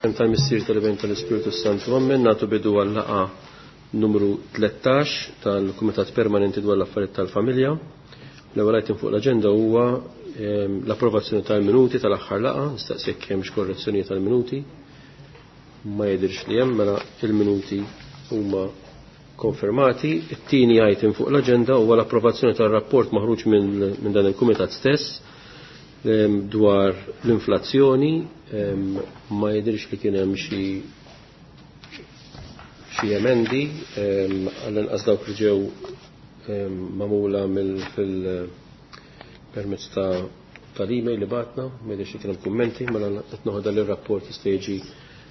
Tal-Missier tal-Iben tal-Ispirtu Santu Amen, nagħtu bidu għal-laqgħa numru 13 tal-Kumitat Permanenti dwar l-Affarijiet tal-Familja. L-ewwel item fuq l-aġenda huwa ehm, l-approvazzjoni tal-minuti tal-aħħar laqgħa, nistaqsi jekk hemmx korrezzjoni tal-minuti. Ma jidhirx li hemm mela il-minuti huma konfermati. It-tieni item fuq l-aġenda huwa l-approvazzjoni tar-rapport maħruġ minn dan il-kumitat stess ehm, dwar l-inflazzjoni ehm, ma jidhirx li kien hemm xi xi emendi ehm, għall-inqas dawk li ġew magħmula fil permezz ta' tal-email li batna, ma jidhirx li kien hemm kummenti, mela qed noħodha li r-rapport jista' jiġi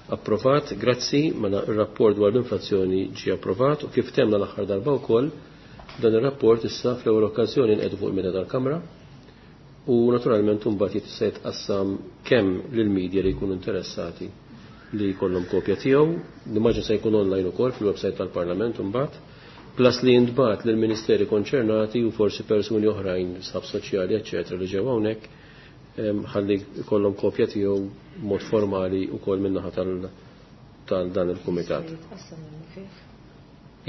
approvat. Grazzi, mela r-rapport dwar l-inflazzjoni ġie approvat u kif temna l-aħħar darba wkoll dan ir-rapport issa fl-ewwel okkażjoni nqedu fuq il-meda tal-Kamra u naturalment imbagħad jista' jitqassam kemm lill-media li jkunu interessati li jkollhom kopja tiegħu, nimmaġina se jkun online ukoll fil-website tal-Parlament imbagħad, plus li jintbagħat lill-ministeri konċernati u forsi persuni oħrajn, sħab soċjali, eċċetera, li ġew hawnhekk ħalli jkollhom kopja tiegħu mod formali wkoll min-naħa tal dan il-kumitat.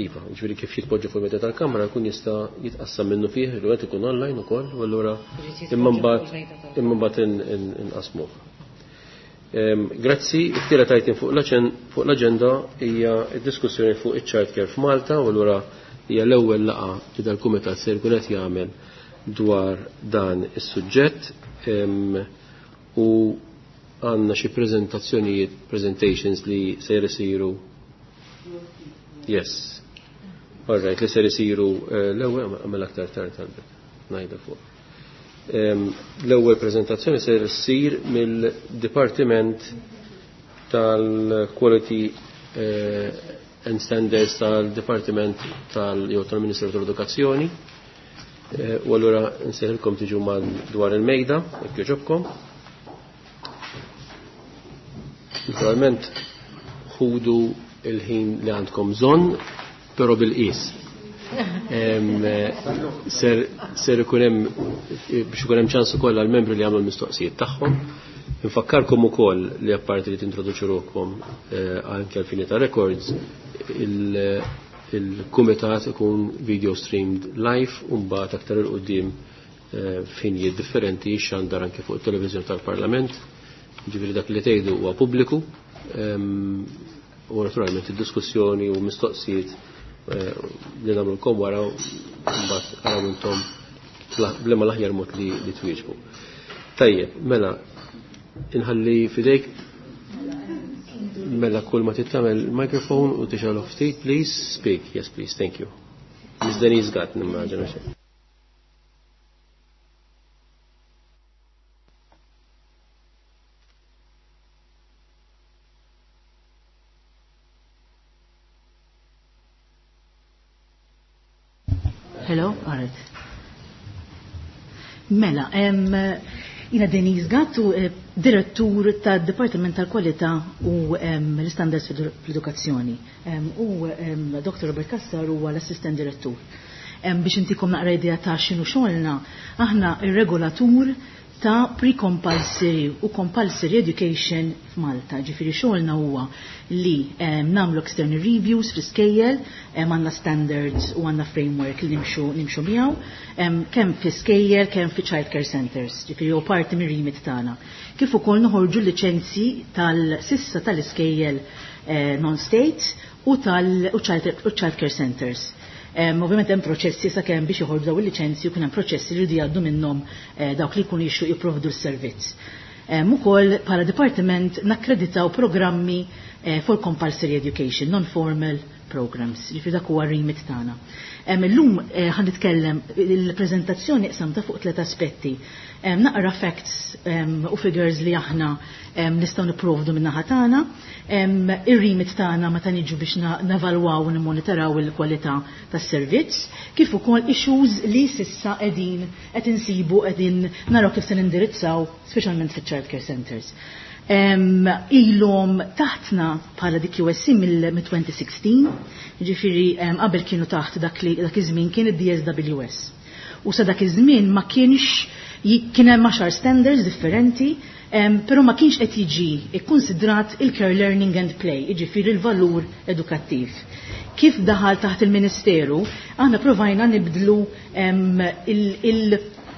Iva, ġifieri kif jitpoġġa fuq il-meta tal-kamra jkun jista' jitqassam minnu fih, il qed ikun online ukoll, u allura imma mbagħad imma mbagħad inqasmuh. Grazzi, it-tielet item fuq l-aġenda hija d-diskussjoni fuq iċ-child care f'Malta u allura hija l-ewwel laqgħa li dal-kumitat se jkun qed jagħmel dwar dan is-suġġett u għandna xi preżentazzjonijiet, presentations li se jsiru. Yes. All right, li ser isiru eh, l-ewwel għamel aktar tard talbet ngħidha fuq. L-ewwel preżentazzjoni ser issir mill-Dipartiment tal-Quality eh, and Standards tal-Dipartiment tal jew tal-Ministeru tal-Edukazzjoni. Eh, u allura nsejħilkom tiġu dwar il-mejda, jekk jogħġobkom. Naturalment ħudu il-ħin li għandkom bżonn, però bil-qis. Ser, ser ikun hemm biex ikun hemm ċans ukoll għall-membri li għamlu l-mistoqsijiet tagħhom. Infakkarkom ukoll li apparti li tintroduċu ruħkom eh, anke għal fini ta' records, il-kumitat ikun video streamed live u mbagħad aktar il quddiem eh, f'ħinijiet differenti xandar anke fuq it-televiżjoni tal-Parlament. Ġifieri dak li tgħidu huwa pubbliku u naturalment id-diskussjoni u mistoqsijiet eh, li nagħmlulkom wara mbagħad araw intom b'liema l-aħjar mod li, li twieġbu. Tajjeb, mela inħalli fidejk mela kull ma tittamel il-microphone u tixgħelu ftit, please speak. Yes, please, thank you. Miss Denise Gatt nimmaġina xejn. Hello, alright. Mela, em, jina Denise Gattu, eh, direttur tad Dipartiment tal-Kwalità u l-Standards fl-Edukazzjoni. U Dr. Robert Kassar huwa l-assistent direttur. Biex intikom naqra idea ta' x'inhu xogħolna, aħna ir-regolatur ta' pre-compulsory u compulsory education f'Malta. Ġifieri xogħolna huwa li nagħmlu external reviews fl-iskejjel, għandna standards u għandna framework li nimxu nimxu miegħu, kemm fl-iskejjel, kemm fi child care centers, ġifieri huwa parti mir-remit tagħna. Kif ukoll noħorġu liċenzji tal-sissa tal-iskejjel eh, non-state u tal-child care centers. Ovvjament hemm proċessi sakemm biex joħorġu daw il-liċenzji u kien hemm proċessi li jridu jgħaddu minnhom eh, dawk li jkunu jixtiequ jipprovdu s-servizz. Ukoll bħala dipartiment nakkreditaw programmi eh, for compulsory education, non-formal programs, ġifieri dak huwa remit tagħna. Illum eh, ħan nitkellem il-preżentazzjoni qsamta fuq tliet aspetti. Naqra facts u figures li aħna nistgħu nipprovdu min-naħa tagħna, ir-remit tagħna meta niġu biex nevalwaw u nimmonitoraw il-kwalità tas-servizz, kif ukoll issues li sissa qegħdin qed insibu qegħdin naraw kif se nindirizzaw speċjalment fiċ-child care centers. Ilhom taħtna bħala DQSC mill-2016, ġifieri qabel kienu taħt dak li dak iż-żmien kien id-DSWS. U sa dak iż-żmien ma kienx kien hemm 10 standards differenti. Però ma kienx qed jiġi ikkonsidrat il-care learning and play, jiġifieri il-valur edukattiv. Kif daħal taħt il-Ministeru, aħna provajna nibdlu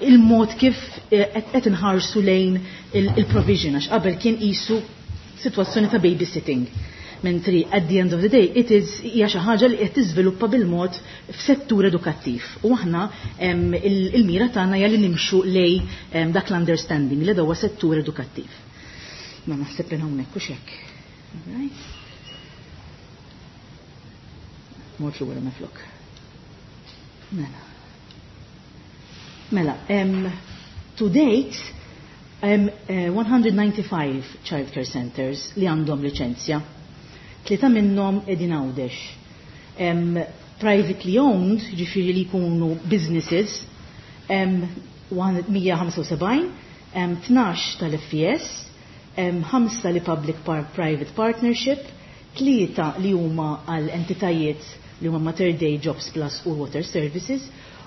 il-mod kif qed inħarsu lejn il-provision, għax qabel kien qisu sitwazzjoni ta' babysitting. Mentri at the end of the day it is hija xi ħaġa li qed tiżviluppa bil-mod f'settur edukattiv. U aħna il-mira tagħna hija li nimxu lej dak l-understanding li huwa settur edukattiv. Ma naħseb li hawnhekk u hekk. Mort lura meflok. Mela. Mela, to date, 195 child care centers li għandhom liċenzja. Tlieta minnhom qegħdin Għawdex. Privately owned, ġifieri li jkunu businesses, 175, 12 tal-FES, 5 li public private partnership, tlieta li huma għal entitajiet li huma Mater Dei, Jobs Plus u Water Services,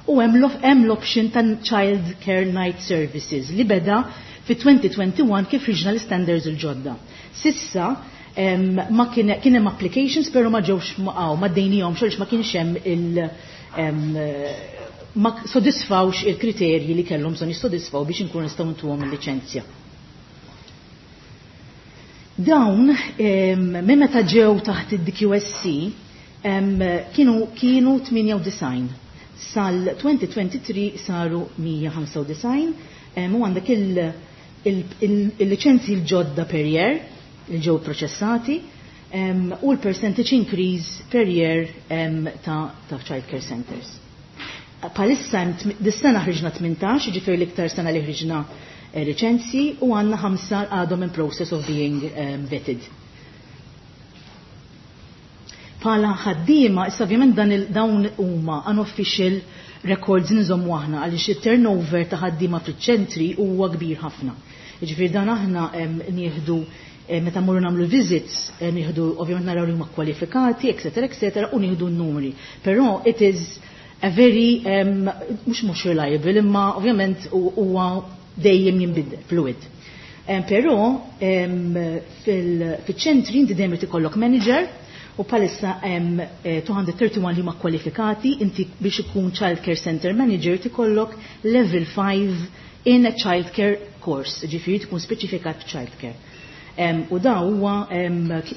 u hemm l-option ta' Child Care Night Services li beda fi 2021 kif ħriġna l-standards il-ġodda. Sissa ma kien hemm applications, però ma ġewx maqgħu, ma dejnihom xorx, ma kienx hemm il ma sodisfawx il-kriterji li kellhom bżonn jissodisfaw biex inkunu nistgħu ntuhom il-liċenzja. Dawn minn meta ġew taħt id-DQSC kienu 98. Sal-2023 saru 195, u għandek il-liċenzji l-ġodda per year li ġew proċessati u l-percentage increase per year ta' child care centers. Palissa dis-sena ħriġna 18, ġifieri l-iktar sena li ħriġna liċenzji, u għandna ħamsa għadhom in process of being vetted. Pala ħaddiema, issa ovvjament dawn huma unofficial records nżommu aħna, għaliex il-turnover ta' ħaddiema fiċ-ċentri huwa kbir ħafna. Ġifieri dan aħna nieħdu meta mmorru nagħmlu visits, nieħdu ovvjament naraw li huma kwalifikati, etc. etc. u nieħdu n-numri. Però it is a very mhux reliable, imma ovvjament huwa dejjem jinbidel, fluid. Però fil-ċentri inti dejjem irid ikollok manager, u palissa hemm 231 li huma kwalifikati. Inti biex ikun child care center manager tikollok level 5 in a child care course, ġifieri tkun speċifikat child care. U da huwa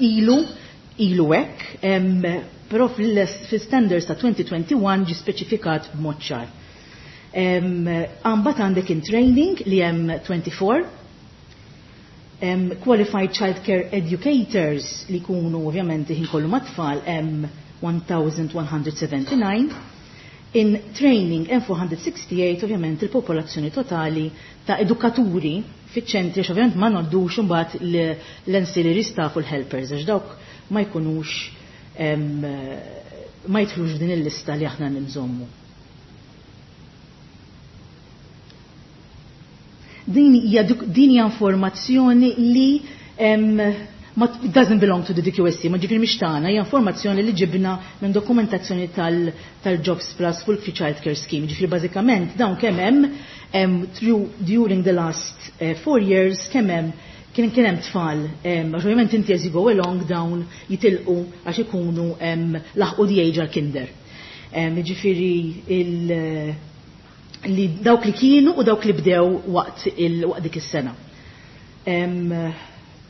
ilu hekk, però fil-standards ta' 2021 ġi speċifikat b'mod ċar. Mbagħad għandek in training li hemm 24, qualified child care educators li kunu ovvjament ħin kollu mat-tfal hemm 1179, in training hemm 468, ovvjament il-popolazzjoni totali ta' edukaturi fiċ-ċentri, għax ovvjament ma ngħoddux imbagħad l-ancillary staff u l-helpers, għax dawk ma jkunux ma jidħlux f'din il-lista li aħna nżommu. Din hija informazzjoni li ma doesn't belong to the DQSC, ma ġifieri mhix tagħna, hija informazzjoni li ġibna minn dokumentazzjoni tal-Jobs Plus fuq il Child Care Scheme. Ġifieri bażikament dawn kemm hemm through during the last 4 years kemm hemm kien hemm tfal, għax ovvjament inti as you go along dawn jitilqu għax ikunu laħqu the age għal-kinder. Ġifieri li dawk li kienu u dawk li bdew waqt dik is-sena.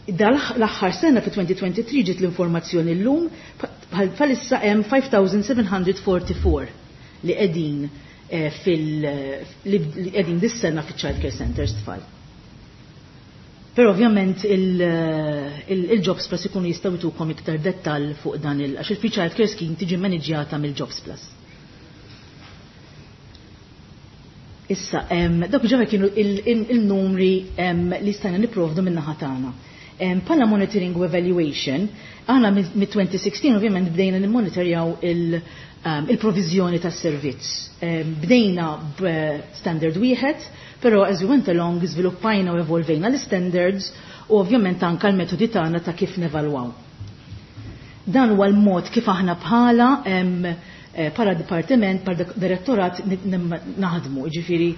Dal-aħħar sena fi 2023 ġiet l-informazzjoni llum, bħalissa hemm 5744 li qegħdin fil li qegħdin dis-sena fiċ-child care centers tfal. Però ovvjament il-Jobs Plus ikunu jistgħu jtukom iktar dettall fuq dan il għax il-Free Child Care Scheme tiġi maniġjata mill-Jobs Plus. Issa, dawk ġara kienu il-numri li stajna niprovdu minn naħa tagħna. Pala monitoring u evaluation, aħna mit-2016 ovvjament bdejna nimmonitorjaw il-provizjoni tas servizz. Bdejna b'standard wieħed, però as we went along żviluppajna u evolvejna l-standards u ovvjament anka l-metodi tagħna ta' kif nevalwaw. Dan huwa l-mod kif aħna bħala bħala dipartiment, bħala direttorat naħdmu, ġifieri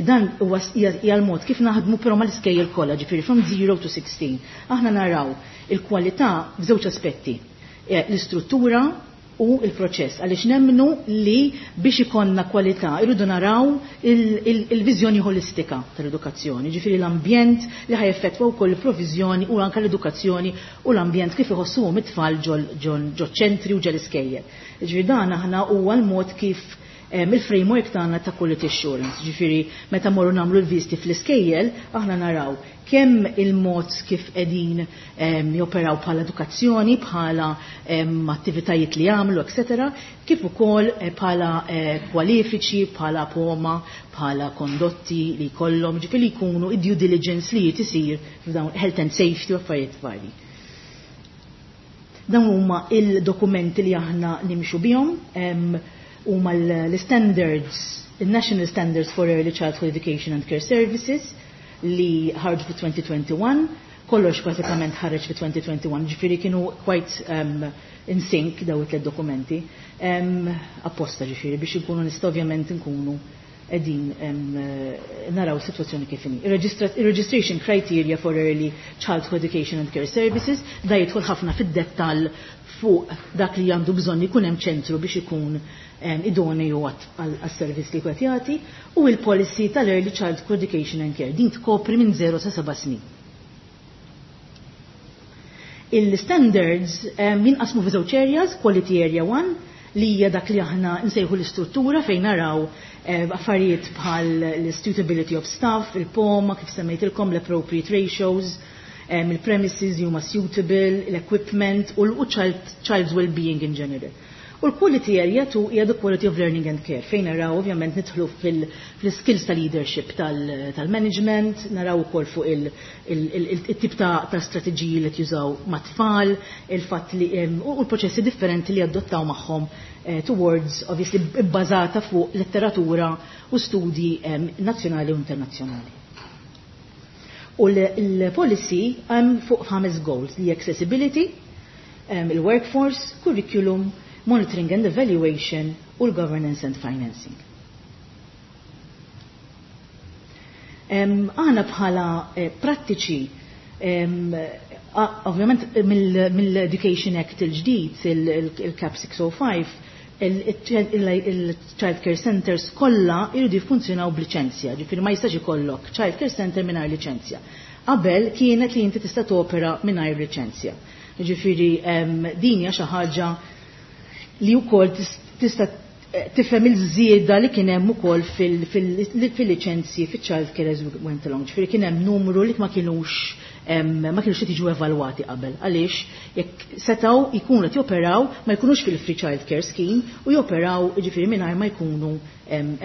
dan huwa hija l-mod kif naħdmu però mal-iskejjel kollha, ġifieri from 0 to 16. Aħna naraw il-kwalità f'żewġ aspetti: l-istruttura u il-proċess, għaliex nemmnu li biex ikollna kwalità irridu naraw il-viżjoni ħolistika tal-edukazzjoni, ġifieri l-ambjent li ħa jeffettwa wkoll il-provviżjoni u anke l-edukazzjoni u l-ambjent kif iħossuhom it-tfal ġo ċentri u ġol-iskejjel. Ġifieri dan aħna huwa l-mod kif il-framework tagħna ta' quality assurance. Ġifieri meta morru nagħmlu l-viżti fl-iskejjel, aħna naraw kemm il-mod kif qegħdin joperaw bħala edukazzjoni, bħala attivitajiet li jagħmlu, etc., kif ukoll bħala kwalifiċi, bħala POMA, bħala kondotti li jkollhom, ġifieri li jkunu id-due diligence li isir f'dawn health and safety u affarijiet varji. Dawn huma il-dokumenti li aħna nimxu bihom, huma l-standards, il-National Standards for Early Childhood Education and Care Services, li ħarġu fi 2021, kollox pratikament ħareġ fi 2021, ġifieri kienu quite in sync daw it dokumenti, apposta ġifieri biex ikunu nista' ovvjament nkunu qegħdin naraw situazzjoni kif inhi. Il-registration criteria for early childhood education and care services da jidħol ħafna fid-dettall fuq dak li għandu bżonn ikun hemm ċentru biex ikun idoneu għas-servizz li qed jagħti, u il-policy tal-early childhood education and care din tkopri minn 0 sa 7 snin. Il-standards jinqasmu fi żewġ areas: quality area 1, li hija dak li aħna nsejħu l-istruttura, fejn naraw affarijiet bħal l-suitability of staff, il-POMA, kif semmejtilkom, l-appropriate ratios, il-premises li huma suitable, l-equipment u l-child's well-being in general. U l-quality area 2 hija the quality of learning and care, fejn naraw ovvjament nidħlu fil-skills tal-leadership tal-management, naraw ukoll fuq il-tip ta' strateġiji li jużaw mat-tfal, il-fatt li u l-proċessi differenti li adottaw magħhom towards, obviously, bbażata fuq letteratura u studji nazzjonali u internazzjonali. U l-policy hemm fuq ħames goals: li accessibility, il-workforce, curriculum, monitoring and evaluation u l-governance and financing. Aħna bħala prattiċi, ovvjament mill-Education Act il-ġdid, il-CAP 605, il-child care centers kollha jridu jiffunzjonaw b'liċenzja, ġifieri ma jistax ikollok child care center mingħajr liċenzja. Qabel kienet li inti tista' topera mingħajr liċenzja. Ġifieri din hija xi ħaġa li wkoll tista' tifhem il-żieda li kien hemm ukoll fil-liċenzji fiċ-child care as we went along. Ġifieri kien hemm numru li ma kinux qed jiġu evalwati qabel. Għaliex jekk setgħu jkunu qed joperaw ma jkunux fil-free child care scheme u joperaw, ġifieri, mingħajr ma jkunu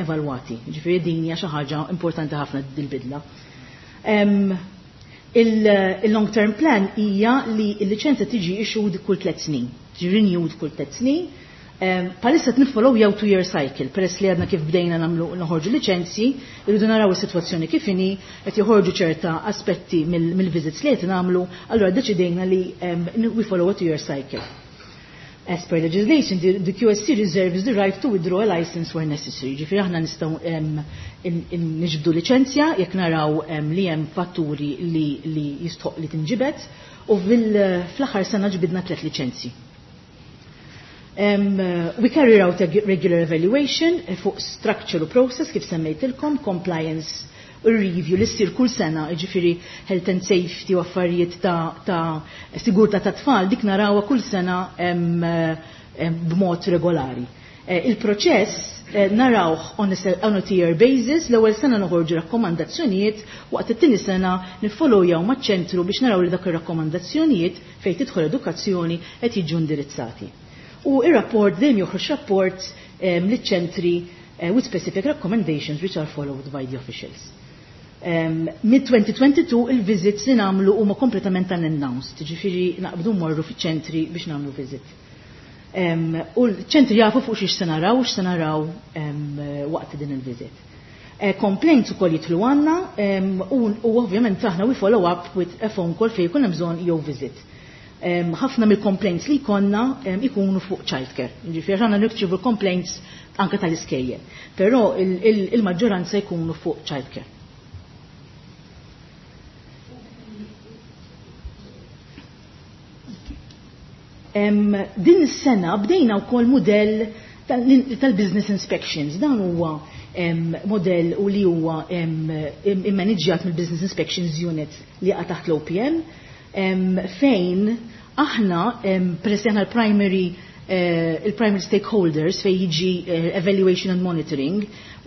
evalwati. Ġifieri din hija xi ħaġa importanti ħafna dil-bidla. Il-long term plan hija li l-liċenzja tiġi issued kull 3 snin, tiġi renewed kull 3 snin. Bħalissa niffollow jew 2-year cycle, peress li għadna kif bdejna nagħmlu noħorġu liċenzji, irridu naraw is-sitwazzjoni kif inhi, qed joħorġu ċerta aspetti mill-visits li qed nagħmlu, allura deċidejna li we follow a 2-year cycle. As per legislation, the QSC reserves the right to withdraw a license where necessary. Ġifieri aħna nistgħu niġbdu liċenzja jekk naraw li hemm fatturi li jistħoq li tinġibed, u fl-aħħar sena ġbidna tliet liċenzji. We carry out a regular evaluation fuq structure u process kif semmejtilkom, compliance u review li ssir kull sena, ġifieri health and safety u affarijiet ta' sigurtà ta' tfal, dik narawha kull sena b'mod regolari. Il-proċess narawh on a tier basis: l-ewwel sena noħorġu rakkomandazzjonijiet, waqt it-tieni sena niffollowjaw maċ-ċentru biex naraw li dak ir-rakkomandazzjonijiet fejn tidħol edukazzjoni qed jiġu indirizzati. U ir-rapport dejjem joħroġ rapport liċ-ċentri with specific recommendations which are followed by the officials. Mid-2022 il-visits li nagħmlu huma kompletament unannounced, ġifieri naqbdu morru fiċ-ċentri biex nagħmlu visit. U l-ċentri jafu fuq xiex se naraw, x'se naraw waqt din il-visit. Complaints ukoll jidħlu għandna u ovvjament aħna we follow up with a phone call fejn jkun hemm bżonn jew visit. Ħafna mill-complaints li jkollna ikunu fuq childcare. Ġifieri aħna nirċievu complaints anke tal-iskejjel. Però il-maġġoranza jkunu fuq childcare. Din is-sena bdejna wkoll mudell tal-business inspections. Dan huwa modell u li huwa immaniġġjat mill-Business Inspections Unit li jaqa' taħt l-OPM, fejn aħna peress li aħna il-primary stakeholders fejn jiġi evaluation and monitoring,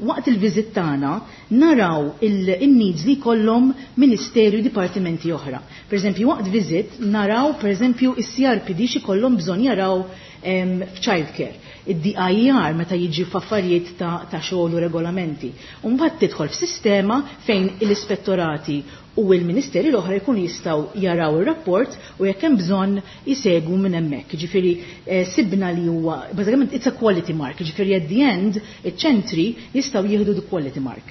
waqt il-visit tagħna naraw il-needs li jkollhom ministeru, dipartimenti oħra. Per eżempju, waqt visit naraw per eżempju is-CRPD xi kollhom bżonn jaraw f'childcare, id-DIER meta jiġi f'affarijiet ta' xogħol u regolamenti. U mbagħad tidħol f'sistema fejn l-ispettorati u l-ministeri l-oħra jkunu jistgħu jaraw ir-rapport u jekk hemm bżonn jisegwu minn hemmhekk. Ġifieri sibna li huwa bażikament it's a quality mark, ġifieri at the end iċ-ċentri jistgħu jieħdu the quality mark.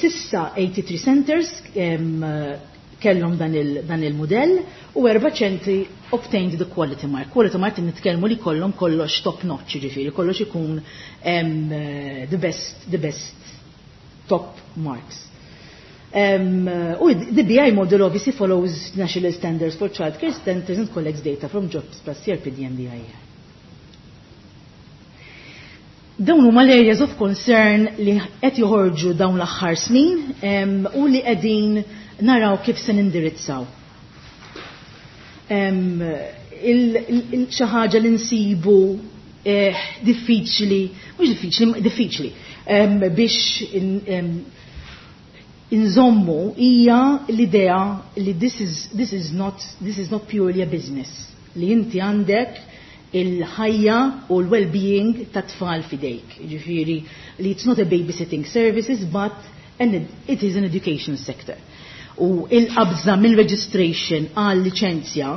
Sissa 83 centers kellhom dan il-modell u 4 ċentri obtained the quality mark. Quality mark nitkellmu li kollhom kollox top notch, ġifieri kollox ikun the best top marks. U the BI model obviously follows national standards for childcare centers and collects data from Jobsplus, CRPD and DIER. Dawn huma l-areas of concern li qed joħorġu dawn l-aħħar snin u li qegħdin naraw kif se nindirizzaw. Xi ħaġa li nsibu diffiċli, mhux diffiċli, diffiċli biex inżommu hija l-idea li this is not purely a business. Li inti għandek il-ħajja u l-well-being ta' tfal fidejk. Ġifieri li it's not a babysitting services, but it is an education sector. U il-qabża mill-registration għal liċenzja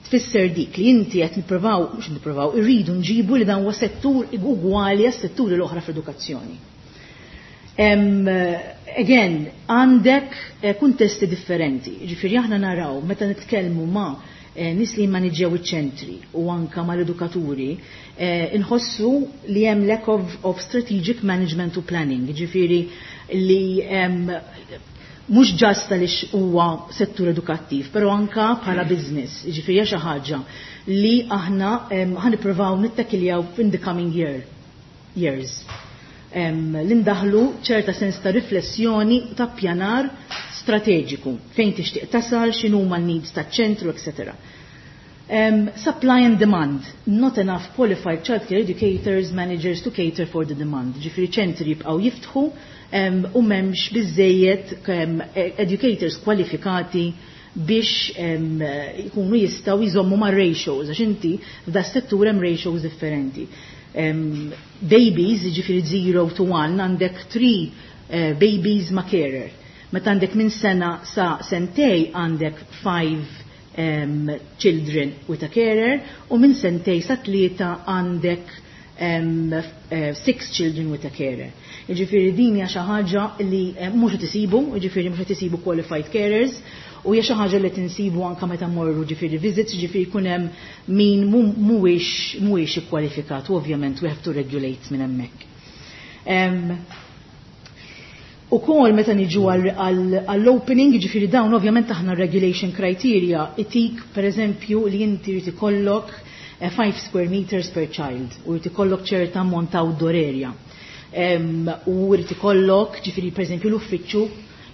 tfisser dik li inti qed nippruvaw, mhux nippruvaw, irridu nġibu li dan huwa settur ugwali għas-setturi l-oħra fl-edukazzjoni. Again, għandek kuntesti differenti. Ġifieri aħna naraw meta nitkellmu ma' nies li jmaniġġjaw iċ-ċentri u anka mal-edukaturi, inħossu li hemm lack of strategic management u planning. Ġifieri li mhux just għaliex huwa settur edukattiv, però anka bħala business. Ġifieri hija xi ħaġa li aħna ħa nippruvaw nittakiljaw in the coming years. L-indaħlu ċerta sens ta' riflessjoni u ta' pjanar strateġiku fejn tixtieq tasal, x'inhuma l-needs taċ-ċentru, etc. Supply and demand, not enough qualified childcare educators, managers to cater for the demand. Ġifieri ċentri jibqgħu jiftħu u m'hemmx biżejjed educators kwalifikati biex jkunu jistgħu jżommu ma' ratios, għax inti f'da settur hemm ratios differenti. Babies, ġifieri 0 to 1, għandek 3 babies ma' carer. Meta għandek minn sena sa sentej għandek 5 children with a carer u minn sentej sa 3 għandek 6 children with a carer. Ġifieri din hija xi ħaġa li mhux qed isibu, ġifieri mhux qed isibu qualified carers u hija xi ħaġa li tinsibu anke meta mmorru ġifieri visits, ġifieri jkun hemm min mhuwiex ikkwalifikat u ovvjament we have to regulate minn hemmhekk. U kol meta niġu għall-opening, ġifieri dawn ovvjament aħna regulation criteria, itik per eżempju li inti jrid ikollok 5 square meters per child u jrid ikollok ċerta ammont ta' outdoor area. U jrid ikollok ġifieri per eżempju l-uffiċċju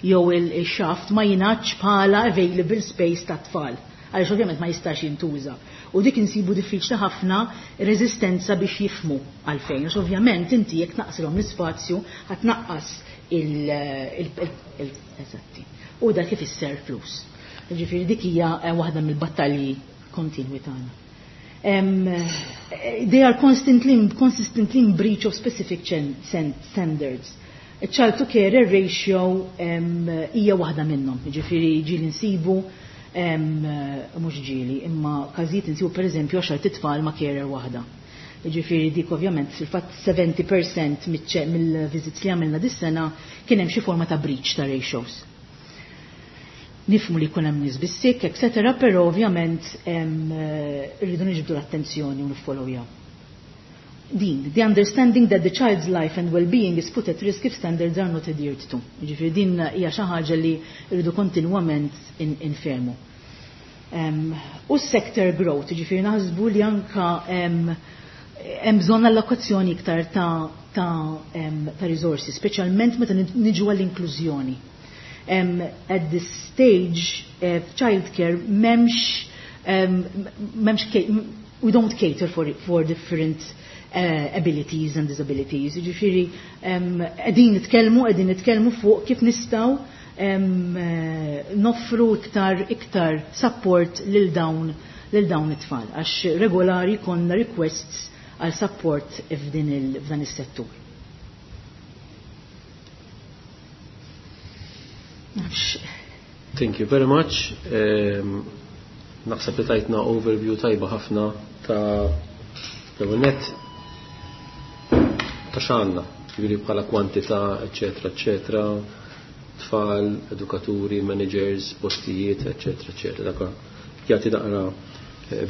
jew il-shaft ma jingħadx bħala available space ta' tfal għaliex ovvjament ma jistax jintuża. U dik insibu diffiċli ħafna reżistenza biex jifmu għalfejn, għax ovvjament inti jekk naqsilhom l-ispazju ħa tnaqqas il-eżatti. U dak ifisser flus. Ġifieri dik hija waħda mill-battalji kontinwi tagħna. They are consistently in breach of specific standards. Child to carer ratio hija waħda minnhom, ġifieri ġieli nsibu mhux ġieli, imma każijiet insibu per eżempju 10 tfal ma' carer waħda. Ġifieri dik ovvjament fil-fatt 70% mill-visits li għamilna dis-sena kien hemm xi forma ta' breach ta' ratios. Nifhmu li jkun hemm nies bis-sick, etc., però ovvjament rridu niġbdu l-attenzjoni u niffollowjaw. Din, the understanding that the child's life and well-being is put at risk if standards are not adhered to. Ġifieri din hija xi ħaġa li rridu kontinwament infehmu. U sector growth, ġifieri naħsbu li anka hemm bżonn allokazzjoni iktar ta' resources, speċjalment meta niġu għall-inklużjoni. At this stage, childcare m'hemmx we don't cater for different abilities and disabilities. Ġifieri qegħdin nitkellmu fuq kif nistgħu noffru iktar support lil dawn it-tfal għax regolari konna requests għal support f'dan is-settur. Nafx. Thank you very much. Naħseb li tajtna overview tajba ħafna ta' l-net ta' x'għandna, ġifieri bħala kwantità, eccetera, eccetera, tfal, edukaturi, managers, postijiet, eccetera, eccetera. Dak jagħti naqra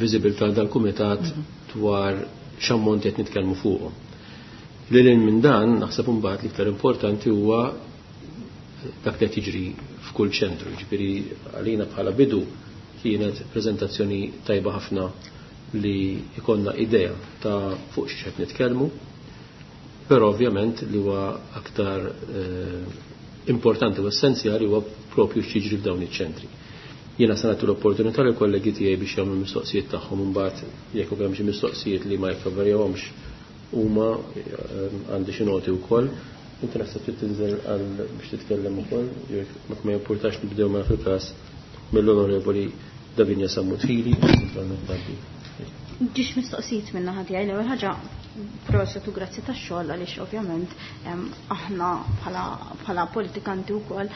visibilità dal-kumitat dwar x'ammont qed nitkellmu fuqhom. Lil minn dan, naħseb imbagħad l-iktar importanti huwa dak li qed jiġri f'kull ċentru. Ġifieri għalina bħala bidu kienet preżentazzjoni tajba ħafna li jkollna idea ta' fuq xi qed nitkellmu, però ovvjament li huwa aktar importanti u essenzjali huwa propju x'jiġri f'dawn iċ-ċentri. Jiena se nagħti l-opportunità lill kollegi tiegħi biex jagħmlu mistoqsijiet tagħhom, imbagħad jekk ukoll hemm xi mistoqsijiet li ma jikkoverjahomx huma għandi xi noti wkoll. Inti naħseb trid tinżel għal biex titkellem ukoll, jekk ma jimpurtax nibdew ma fil-każ mill-Onorevoli Davinia Sammut Hili. Ġiex mistoqsijiet minna ħadja, l-ewwel ħaġa, proset u grazzi tax-xogħol, għaliex ovvjament aħna bħala politikanti wkoll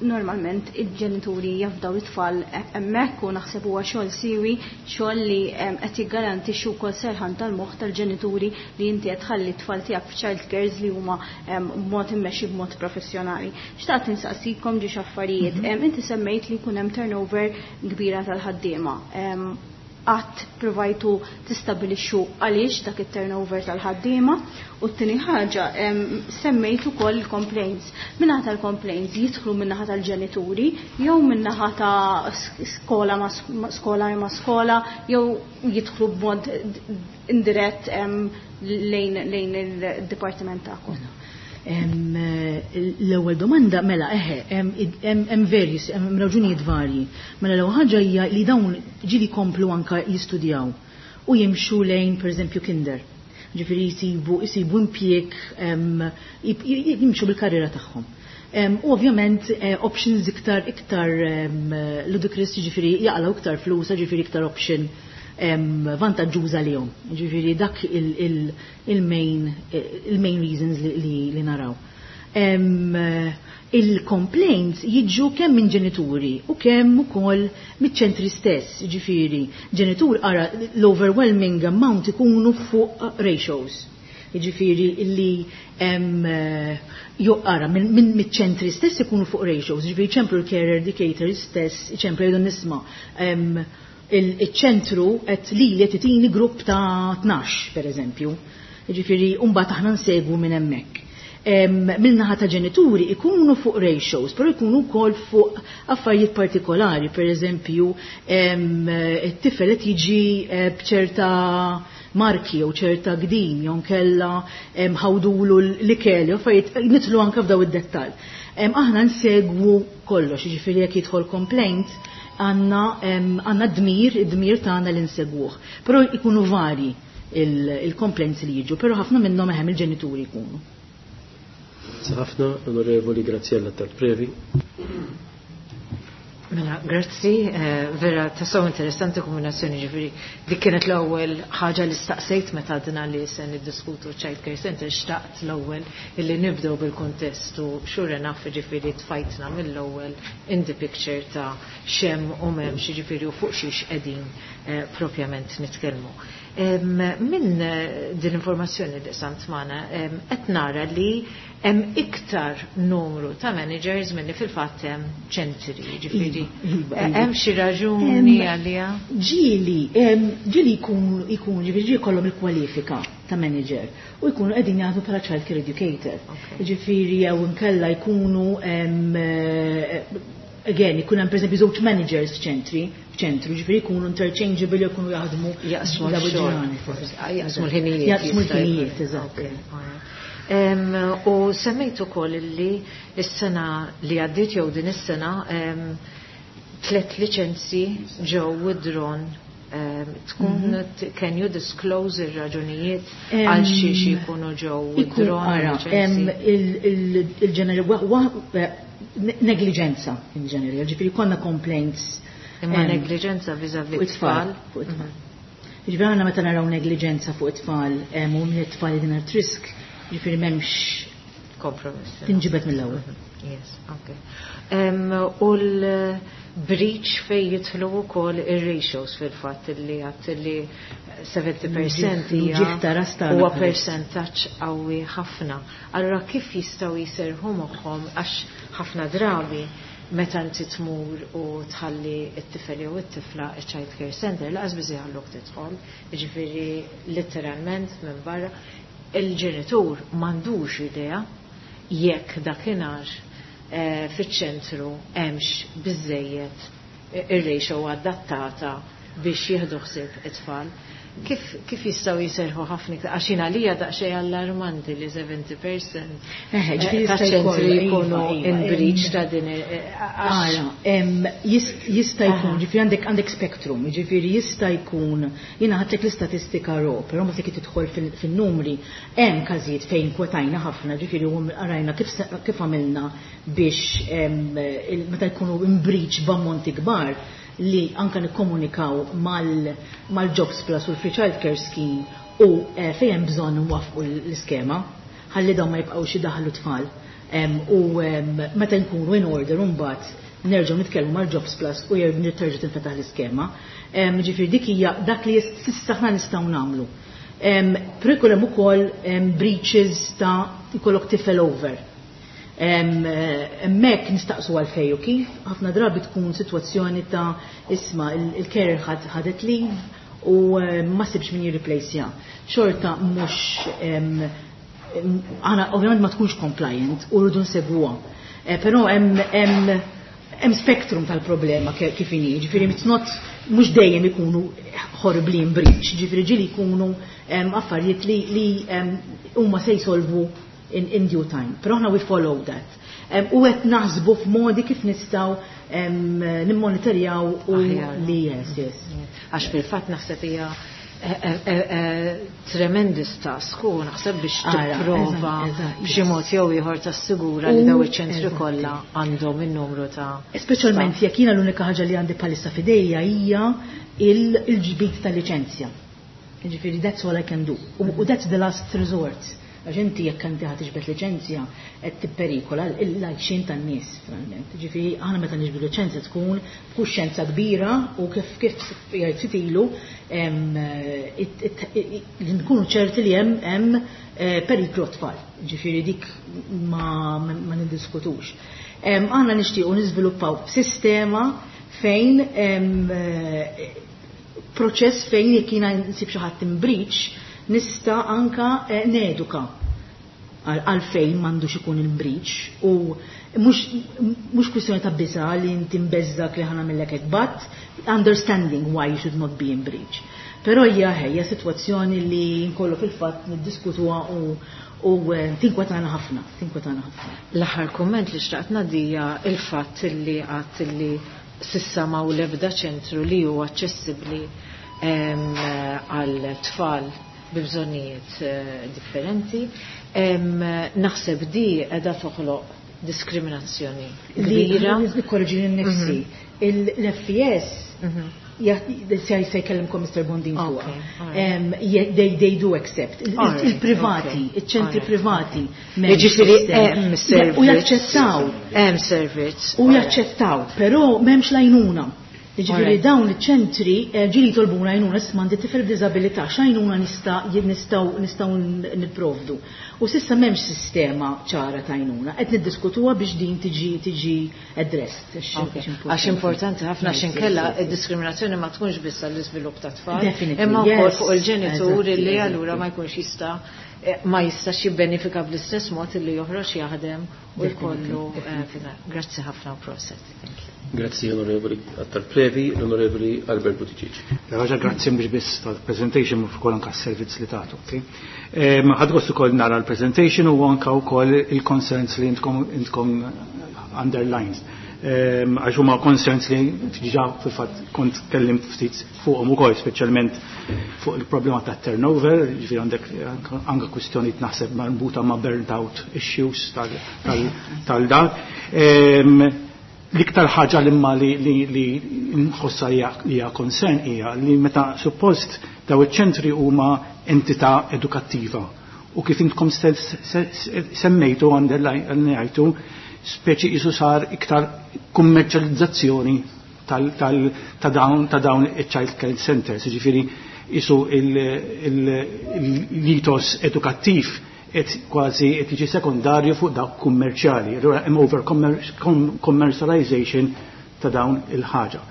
normalment il-ġenituri jafdaw it-tfal hemmhekk u naħseb huwa xogħol siwi, xogħol li qed jiggarantixxu wkoll serħan tal-moħħ tal-ġenituri li inti qed tħalli t-tfal tiegħek f'child cares li huma b'mod immexxi b'mod professjonali. Xtaqt insaqsikom ġiex affarijiet. Inti semmejt li jkun hemm turnover kbira tal-ħaddiema. Qatt provajtu tistabilixxu għaliex dak it-turnover tal-ħaddiema? U t-tieni ħaġa, semmejt ukoll il-complaints. Min-naħa tal-complaints jidħlu min-naħa tal-ġenituri jew min-naħa ta' skola ma' skola jew jidħlu b'mod indirett lejn il-dipartiment tagħkom? L-ewwel domanda, mela eħe, hemm various, hemm raġunijiet varji. Mela l-ewwel ħaġa hija li dawn ġieli komplu anka jistudjaw u jimxu lejn, pereżempju, kinder. Ġifieri jsibu impjieg, jimxu bil-karriera tagħhom. U ovvjament options iktar ludicrous, ġifieri jaqlaw iktar flus, ġifieri iktar option vantaġġuża lihom. Ġifieri dak il-main reasons li naraw. Il-complaints jiġu kemm minn ġenituri u kemm ukoll miċ-ċentri stess, ġifieri ġenitur ara l-overwhelming amount ikunu fuq ratios. Ġifieri li ara minn miċ-ċentri stess ikunu fuq ratios, ġifieri ċemplu l-carer educator stess, ċemplu jgħidu, "Nisma', il-ċentru qed li qed itini grupp ta' 12 per eżempju." Ġifieri mbagħad aħna nsegwu minn hemmhekk. Min-naħa ta' ġenituri ikunu fuq ratios, però ikunu wkoll fuq affarijiet partikolari, per eżempju, it-tifel qed jiġi b'ċerta marki jew ċerta gdim jew kella ħawdulu l-ikel, jew affarijiet nidħlu anke f'daw id-dettall. Aħna nsegwu kollox, jiġifieri jekk jidħol complaint għandna dmir, id-dmir tagħna li nsegwuh. Però ikunu vari il-complaints li jiġu, però ħafna minnhom eħem il-ġenituri jkunu. Ħafna, Onorevoli Graziella Previ. Mela, grazzi, vera tassew interessanti kombinazzjoni, ġifieri dik kienet l-ewwel ħaġa li staqsejt meta għadna li se niddiskutu Child Care Center, xtaqt l-ewwel illi nibdew bil-kontest u sure enough ġifieri tfajtna mill-ewwel in the picture ta' x'hemm u m'hemmx, ġifieri u fuq xiex qegħdin. propjament nitkellmu. Minn din l-informazzjoni li sant magħna qed nara li hemm iktar numru ta' managers milli fil-fatt hemm ċentri, jiġifieri hemm xi raġuni għaliha? Ġieli, ġieli jkun ġifieri ġieli jkollhom il-kwalifika ta' manager u jkunu qegħdin jaħdmu bħala child care educator. Jiġifieri jew inkella jkunu again, ikun hemm pereżempju żewġ managers f'ċentri, f'ċentru, ġifieri jkunu interchangeable jew jkunu jaħdmu jaqsmu l-xogħol. Jaqsmu l-ħinijiet. Jaqsmu l-ħinijiet, eżatt. U semmejt ukoll li s-sena li għaddiet jew din is-sena tlet liċenzji ġew withdrawn. Tkun can you disclose ir-raġunijiet għal xiex jkunu ġew withdrawn? Il-ġeneri negliġenza in ġenerali, ġifieri konna complaints. Imma negliġenza vis-à-vis tfal. Fuq it-tfal. Ġifieri aħna meta naraw negliġenza fuq it-tfal u minn it-tfal din at risk, ġifieri m'hemmx kompromiss. Tinġibed mill-ewwel. Yes, okay. U l-breach fej jidħlu wkoll ir-ratios fil-fatt li għat li 70% hija huwa percentaġġ qawwi ħafna. Allura kif jistgħu jiserħu moħħhom għax ħafna drabi meta inti tmur u tħalli t-tifel jew it-tifla child care center laqas biss jħalluk tidħol, jiġifieri letteralment minn barra il-ġenitur m'għandux idea jekk dakinhar fiċ-ċentru hemmx biżejjed ir-ratio adattata biex jieħdu ħsieb it-tfal. Kif jistgħu jiserħu ħafna iktar? Għax jien għalija daqsxejn allarmanti li 70% taċ-ċentri jkunu in breach ta' din Ara, jista' jkun, ġifieri għandek spectrum, ġifieri jista' jkun, jiena ħadtlek l-istatistika raw, però ma sekk tidħol fin-numri, hemm każijiet fejn kwotajna ħafna, ġifieri u rajna kif għamilna biex meta jkunu in breach b'ammonti kbar li anka nikkomunikaw mal-Jobs Plus u l-Free Child Care Scheme u fejn hemm bżonn nwaffqu l-iskema ħalli dawn ma jibqgħux idaħlu tfal. U meta nkunu in order mbagħad nerġgħu nitkellmu mal-Jobs Plus u terġa' tinfetaħ l-iskema. Ġifieri dik hija dak li s'issa aħna nistgħu nagħmlu. Però jkun hemm ukoll breaches ta' jkollok tifel over. Hemmhekk nistaqsu għalfejn u kif, ħafna drabi tkun sitwazzjoni ta' isma' il-carer ħadet leave u ma sibx min jirreplaceja. Xorta mhux aħna ovvjament ma tkunx compliant u rridu nsegwuha. Però hemm spectrum tal-problema kif inhi, ġifieri it's not mhux dejjem ikunu horribly in breach, ġifieri ġieli jkunu affarijiet li huma se jsolvu in due time. Però aħna we follow that. U qed naħsbu f'modi kif nistgħu nimmonitorjaw u li yes, yes. Għax fil-fatt naħseb hija tremendous task u naħseb biex tipprova b'xi mod jew ieħor tassigura li daw iċ-ċentri kollha għandhom in-numru ta' Speċjalment jekk jiena l-unika ħaġa li għandi bħalissa f'idejja hija il-ġbid tal-liċenzja. Ġifieri that's all I can do. U that's the last resort. Għax inti jekk inti ħa tiġbed liċenzja qed tipperikola l-għajxien tan-nies finalment. Ġifieri aħna meta niġbdu liċenzja tkun b'kuxjenza kbira u kif jgħid ftit ilu li nkunu ċerti li hemm periklu tfal. Ġifieri dik ma niddiskutux. Aħna nixtiequ niżviluppaw sistema fejn proċess fejn jekk jiena nsib xi ħadd in breach nista' anka neduka għalfejn m'għandux ikun in breach u mhux kwistjoni ta' biża' li inti mbeżżak li ħa nagħmillek hekk, but understanding why you should not be in breach. Però hija ħejja sitwazzjoni li nkollu fil-fatt niddiskutuha u tinkwetana ħafna, tinkwetana ħafna. L-aħħar kumment li xtaqt ngħaddija il-fatt li għadt li s'issa ma l-ebda ċentru li huwa aċċessibbli għal tfal bi bżonnijiet differenti. Naħseb di qiegħda toħloq diskriminazzjoni kbira. Nikkorreġi nnifsi. L-FES se jkellimkom Mr. Bondin fuqha. They do accept. Il-privati, iċ-ċentri privati. Jiġifieri hemm servizz. U jaċċettaw. Hemm servizz. U jaċċettaw, però m'hemmx lajnuna. Ġifieri dawn iċ-ċentri ġieli jitolbuna għajnuna, isma' għandi tifel b'diżabilità, x'għajnuna nista' nistgħu nistgħu nipprovdu. U s'issa m'hemmx sistema ċara ta' għajnuna. Qed niddiskutuha biex din tiġi addressed. Għax importanti ħafna, x'inkella id-diskriminazzjoni ma tkunx biss għall-iżvilupp ta' tfal, imma wkoll fuq il-ġenitur li allura ma jkunx jista' ma jistax jibbenefika bl-istess mod li joħroġ jaħdem u jkollu. Grazzi ħafna u proset. Thank you. Grazzi, Onorevoli Attard Previ, l-Onorevoli Albert Buttigieg. Raġa, grazzi mhux biss tal-presentation, ukoll anka s-servizz li tagħtu. Ħadt gost ukoll nara l-presentation u anka wkoll il-concerns li intkom underlines. Għax huma concerns li diġà fil-fatt kont kellimt ftit fuqhom ukoll, speċjalment fuq il-problema ta' turnover, ġifieri għandek anke kwistjonijiet naħseb marbuta ma' burnt out issues tal-dan. L-iktar ħaġa li ma li nħossa hija concern hija li meta suppost daw iċ-ċentri huma entità edukattiva u kif intkom stess semmejtu, għandellajtu, speċi isu sar iktar kummerċjalizzazzjoni ta' dawn il-child care centers, ġifieri isu l-ethos edukattiv et kważi qed jiġi sekondarju fuq dak kummerċjali. Allura hemm over commercialization ta' dawn il-ħaġa.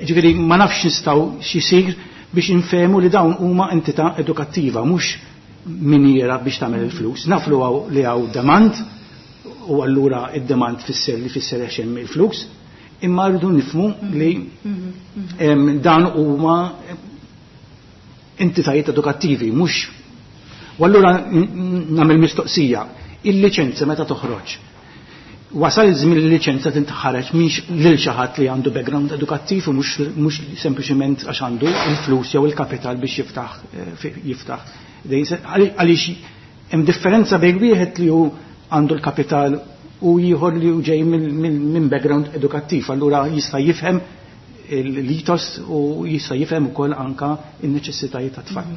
Ġifieri ma nafx nistgħu x'isir biex infehmu li dawn huma entità edukattiva, mhux miniera biex tagħmel il-flus. Naf li hawn demand u allura id-demand fisser li fisser għax hemm il-flus, imma rridu nifhmu li dan huma entitajiet edukattivi, mhux. U allura nagħmel mistoqsija, il-liċenza meta toħroġ. Wasal iż-żmien il-liċenza tinħareġ mhix lil xi ħadd li għandu background edukattiv u mhux sempliċement għax għandu il-flus jew il-kapital biex jiftaħ. Għaliex hemm differenza bejn wieħed li hu għandu l-kapital u ieħor li hu ġej minn background edukattiv. Allura jista' jifhem l-ethos u jista' jifhem ukoll anka n-neċessitajiet ta' tfal.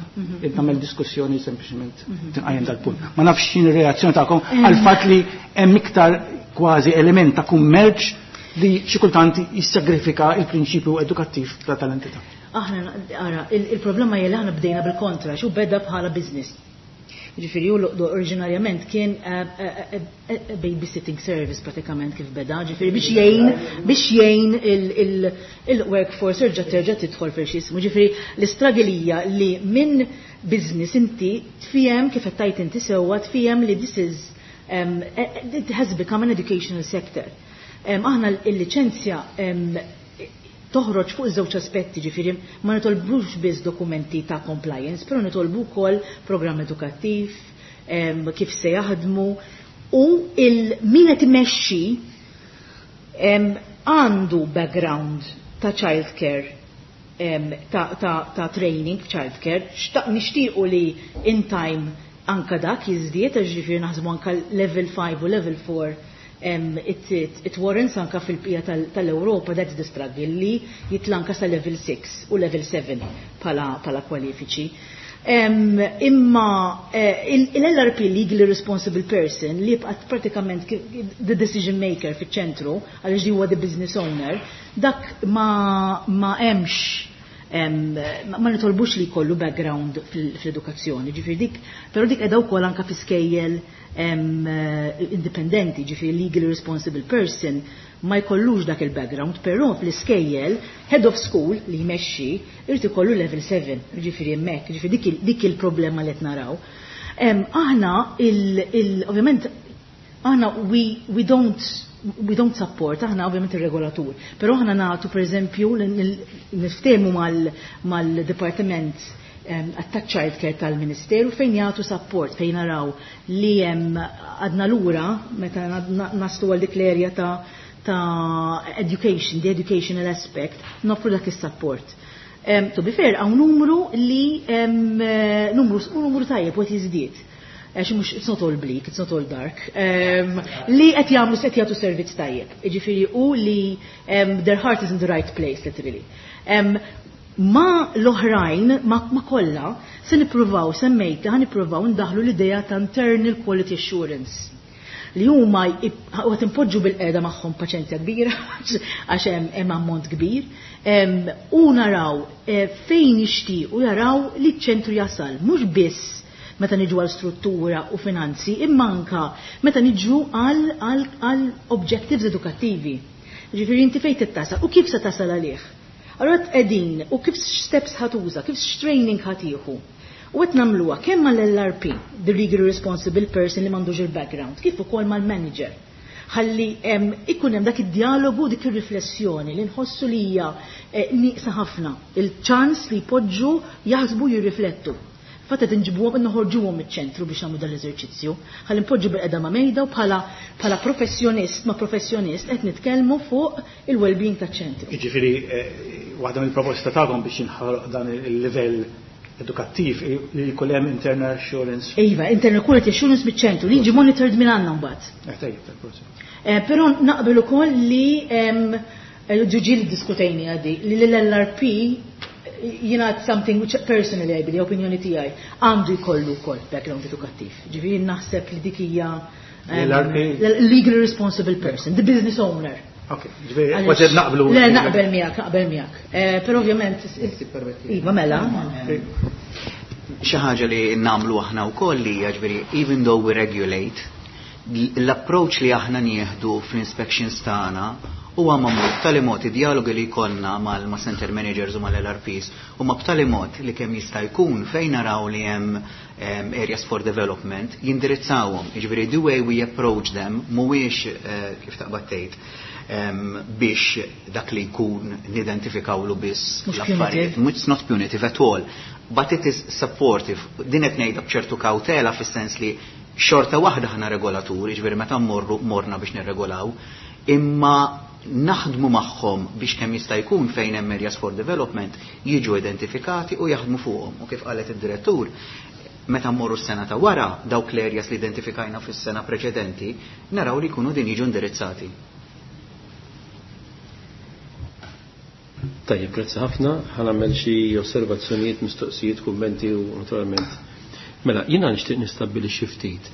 Nagħmel diskussjoni sempliċement tinqajjem dal-punt. Ma nafx x'in reazzjoni tagħkom għal fatt li hemm iktar kważi element ta' kummerċ li xi kultant jissagrifika il-prinċipju edukattiv ta' tal-entità. Aħna, ara, il-problema hija li aħna bdejna bil-kontra, xu beda bħala business. Ġifieri hu oriġinarjament kien babysitting service pratikament kif beda, ġifieri biex jgħin il-workforce terġa' tidħol fil xismu. Ġifieri l-istruggle hija li minn business inti tfiem kif qed tajt inti sewwa, tfiem li this is it has become an educational sector. Aħna il-liċenzja toħroġ fuq żewġ aspetti, ġifieri ma nitolbux biss dokumenti ta' compliance, però nitolbu wkoll programm edukattiv, kif se jaħdmu u il min qed imexxi għandu background ta' child care, ta' training child care, nixtiequ li in time anka dak jiżdied, għax ġifieri naħsbu anka level 5 u level 4 it warrants anka fil-bqija tal-Europa, that's the struggle li jitla anka sa level 6 u level 7 pala kwalifiċi. Imma il-LRP, legally responsible person, li jibqa' pratikament the decision maker fiċ-ċentru, għaliex di huwa the business owner, dak ma hemmx ma nitolbux li jkollu background fil-edukazzjoni, ġifieri dik, però dik qiegħda wkoll anka fi skejjel indipendenti, ġifieri legally responsible person ma jkollux dak il-background, però fl-iskejjel head of school li jmexxi irid ikollu level 7, ġifieri hemmhekk, ġifieri dik il-problema li qed naraw. Aħna ovvjament aħna we don't support, aħna ovvjament il-regolatur, però aħna nagħtu, per eżempju, niftehmu mal-Departiment għat child care tal-Ministeru fejn jagħtu support fejn naraw li hemm għadna lura meta naslu għal dik l-area ta' education, the educational aspect, noffru dak is-support. To be fair, hawn numru li numru tajjeb u qed jiżdied. Għax mhux, it's not all bleak, it's not all dark, li qed jagħmlu, qed jagħtu servizz tajjeb. Jiġifieri u li their heart is in the right place, literally. Ma l-oħrajn, ma kollha, se nippruvaw, semmejta, ħa nippruvaw ndaħlu l-idea ta' internal quality assurance. Li huma qed impoġġu bil-qiegħda magħhom paċenzja kbira għax hemm ammont kbir. U naraw fejn jixtiequ jaraw li ċ-ċentru jasal, mhux biss meta niġu għal struttura u finanzi, imma anka meta niġu għal objectives edukattivi. Ġifieri inti fejn tittasal u kif se tasal għalih. Allura qegħdin u kif steps ħa tuża, kif training ħa tieħu. U qed nagħmluha kemm mal-LRP, the legally responsible person li m'għandux il-background, kif ukoll mal-manager. Ħalli ikun hemm dak id-dialogu, dik ir-riflessjoni li nħossu li hija nieqsa ħafna, il-ċans li jpoġġu, jaħsbu, jirriflettu. Fatt qed inġibuhom, noħorġuhom miċ-ċentru biex nagħmlu dal-eżerċizzju. Ħalli npoġġu bil-qeda ma' mejda u bħala professjonist ma' professjonist qed nitkellmu fuq il-well-being taċ-ċentru. Jiġifieri waħda mill-proposta tagħkom biex jinħoloq dan il-livell edukattiv li jkun hemm internal assurance. Iva, internal quality assurance miċ-ċentru li jiġi monitored minn għandna mbagħad. Tajjeb, tal-proċess. Però naqbel ukoll li ġuġi li diskutejni għadi li l-LRP jina something which personally I believe, opinjoni tiegħi, għandu jkollu wkoll background edukattiv. Ġifieri naħseb li dik hija L-LRP? Legally responsible person, the business owner. Ok, ġifieri, kważi naqblu. Le, naqbel miegħek, naqbel miegħek. Però ovvjament, Iva, mela. Xi ħaġa li nagħmlu aħna wkoll li hija, ġifieri, even though we regulate, l-approach li aħna nieħdu fl-inspections tagħna huwa magħmul b'tali mod id-dialogi li jkollna ma' center managers u mal-LRPs huma b'tali mod li kemm jista' jkun fejn naraw li hemm areas for development jindirizzawhom. Jiġifieri the way we approach them mhuwiex kif taqbad tgħid biex dak li jkun nidentifikawlu biss Mhux l-affarijiet. punitive. It's not punitive at all, but it is supportive. Din qed ngħidha b'ċertu kawtela fis-sens li xorta waħda ħana regolaturi, ġifieri meta mmorru morna biex nirregolaw, imma naħdmu magħhom biex kemm jista' jkun fejn hemm areas for development jiġu identifikati u jaħdmu fuqhom. U kif qalet id-direttur, meta mmorru s-sena ta' wara dawk l-areas li identifikajna fis-sena preċedenti, naraw li jkunu din jiġu indirizzati. Tajjeb, grazzi ħafna. Ħa nagħmel xi osservazzjonijiet, mistoqsijiet, kummenti u naturalment. Mela, jiena nixtieq nistabbilixxi ftit.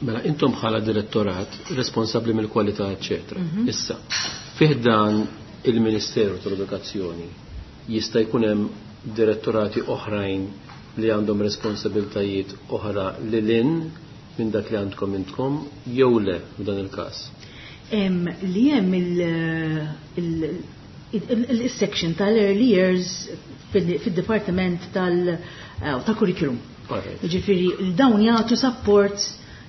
Mela, intom bħala direttorat responsabbli mill-kwalità, eċċetera. Issa, fih dan il-Ministeru tal-Edukazzjoni jista' jkun hemm direttorati oħrajn li għandhom responsabiltajiet oħra lil hinn minn dak li għandkom intkom jew le f'dan il-każ? Li hemm il-section tal-early years fil-dipartiment tal-curriculum. Ġifieri, dawn jagħtu support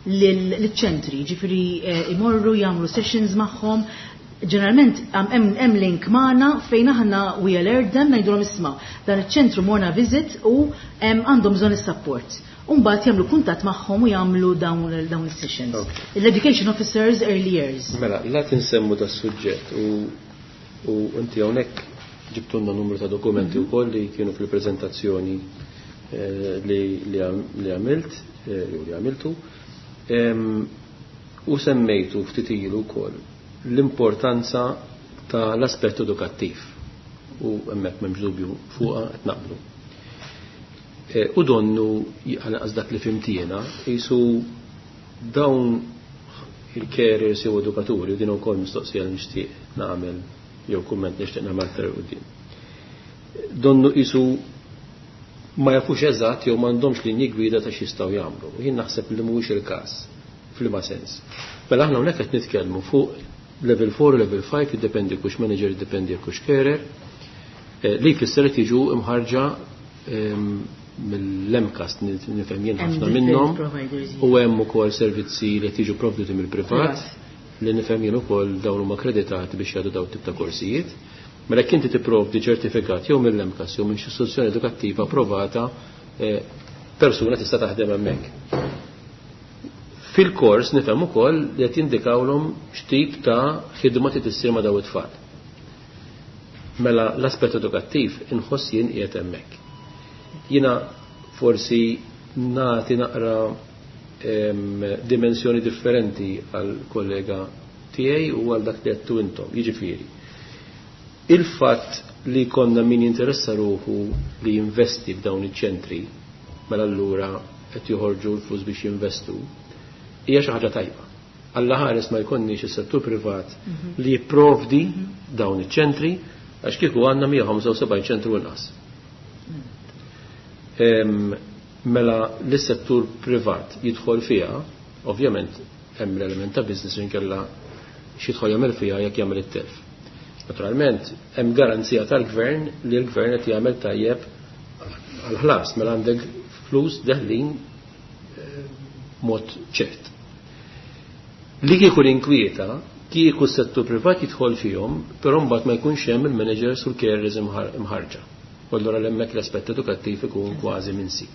lill-ċentri, ġifieri imorru jagħmlu sessions magħhom. Ġeneralment hemm link magħna fejn aħna we alert them, ngħidulhom isma' dan iċ-ċentru morna visit u għandhom bżonn is-support. U mbagħad jagħmlu kuntatt magħhom u jagħmlu dawn is-sessions. L-education officers early years. Mela, la tinsemmu da suġġett u inti hawnhekk ġibtulna numru ta' dokumenti wkoll li kienu fil-preżentazzjoni li għamilt jew li għamiltu. U semmejtu ftit ilu wkoll l-importanza ta' l-aspett edukattiv u hemmhekk m'hemmx dubju fuqha qed naqblu. U donnu għal dak li fimtiena qisu dawn il-carriers jew edukaturi, u din ukoll mistoqsija li nixtieq nagħmel jew kumment nixtieq nagħmel aktar quddiem. Donnu qisu ma jafux eżatt jew m'għandhomx linji gwida ta' x'jistgħu jagħmlu. U jien naħseb li mhuwiex il-każ f'liema sens. Mela aħna hawnhekk qed nitkellmu fuq level 4 u level 5, jiddependi kux manager, jiddependi kux carer, li jfisser qed jiġu imħarġa mill-MCAST, nifhem jien Hemm ħafna different minnhom, providers, u hemm ukoll servizzi li qed jiġu provduti mill-privat, Privat. li nifhem jien ukoll dawn huma akkreditati biex jagħtu dawn tip ta' korsijiet. Mela jekk inti tipprovdi ċertifikat jew mill-MCAST jew minn xi istituzzjoni edukattiva approvata, persuna tista' taħdem hemmhekk. Fil-kors nifhem ukoll li qed jindikawlhom x'tip ta' ħidma trid issir ma' dawn it-tfal. Mela l-aspett edukattiv inħoss jien qiegħed hemmhekk. Jiena forsi nagħti naqra dimensjoni differenti għal kollega tiegħi u għal dak li għedtu intom. Jiġifieri, il-fatt li konna min jinteressa ruħu li jinvesti f'dawn iċ-ċentri, mela allura qed joħorġu l-flus biex jinvestu, hija xi ħaġa tajba. Alla ħares ma jkollniex is-settur privat li jipprovdi dawn iċ-ċentri, għax kieku għandna 175 ċentru inqas. Mela l-settur privat jidħol fiha, ovvjament hemm l-element ta' business, inkella x'jidħol jagħmel fiha jekk jagħmel it-telf. Naturalment hemm garanzija tal-gvern li l-gvern qed jagħmel tajjeb għal-ħlas, mela għandek flus deħlin mod ċert. Li kieku l-inkwieta, kieku s-settur privat jidħol fihom, però mbagħad ma jkunx hemm il-managers u l-carers imħarġa. U allura hemmhekk l-aspett edukattiv ikun kważi minsi.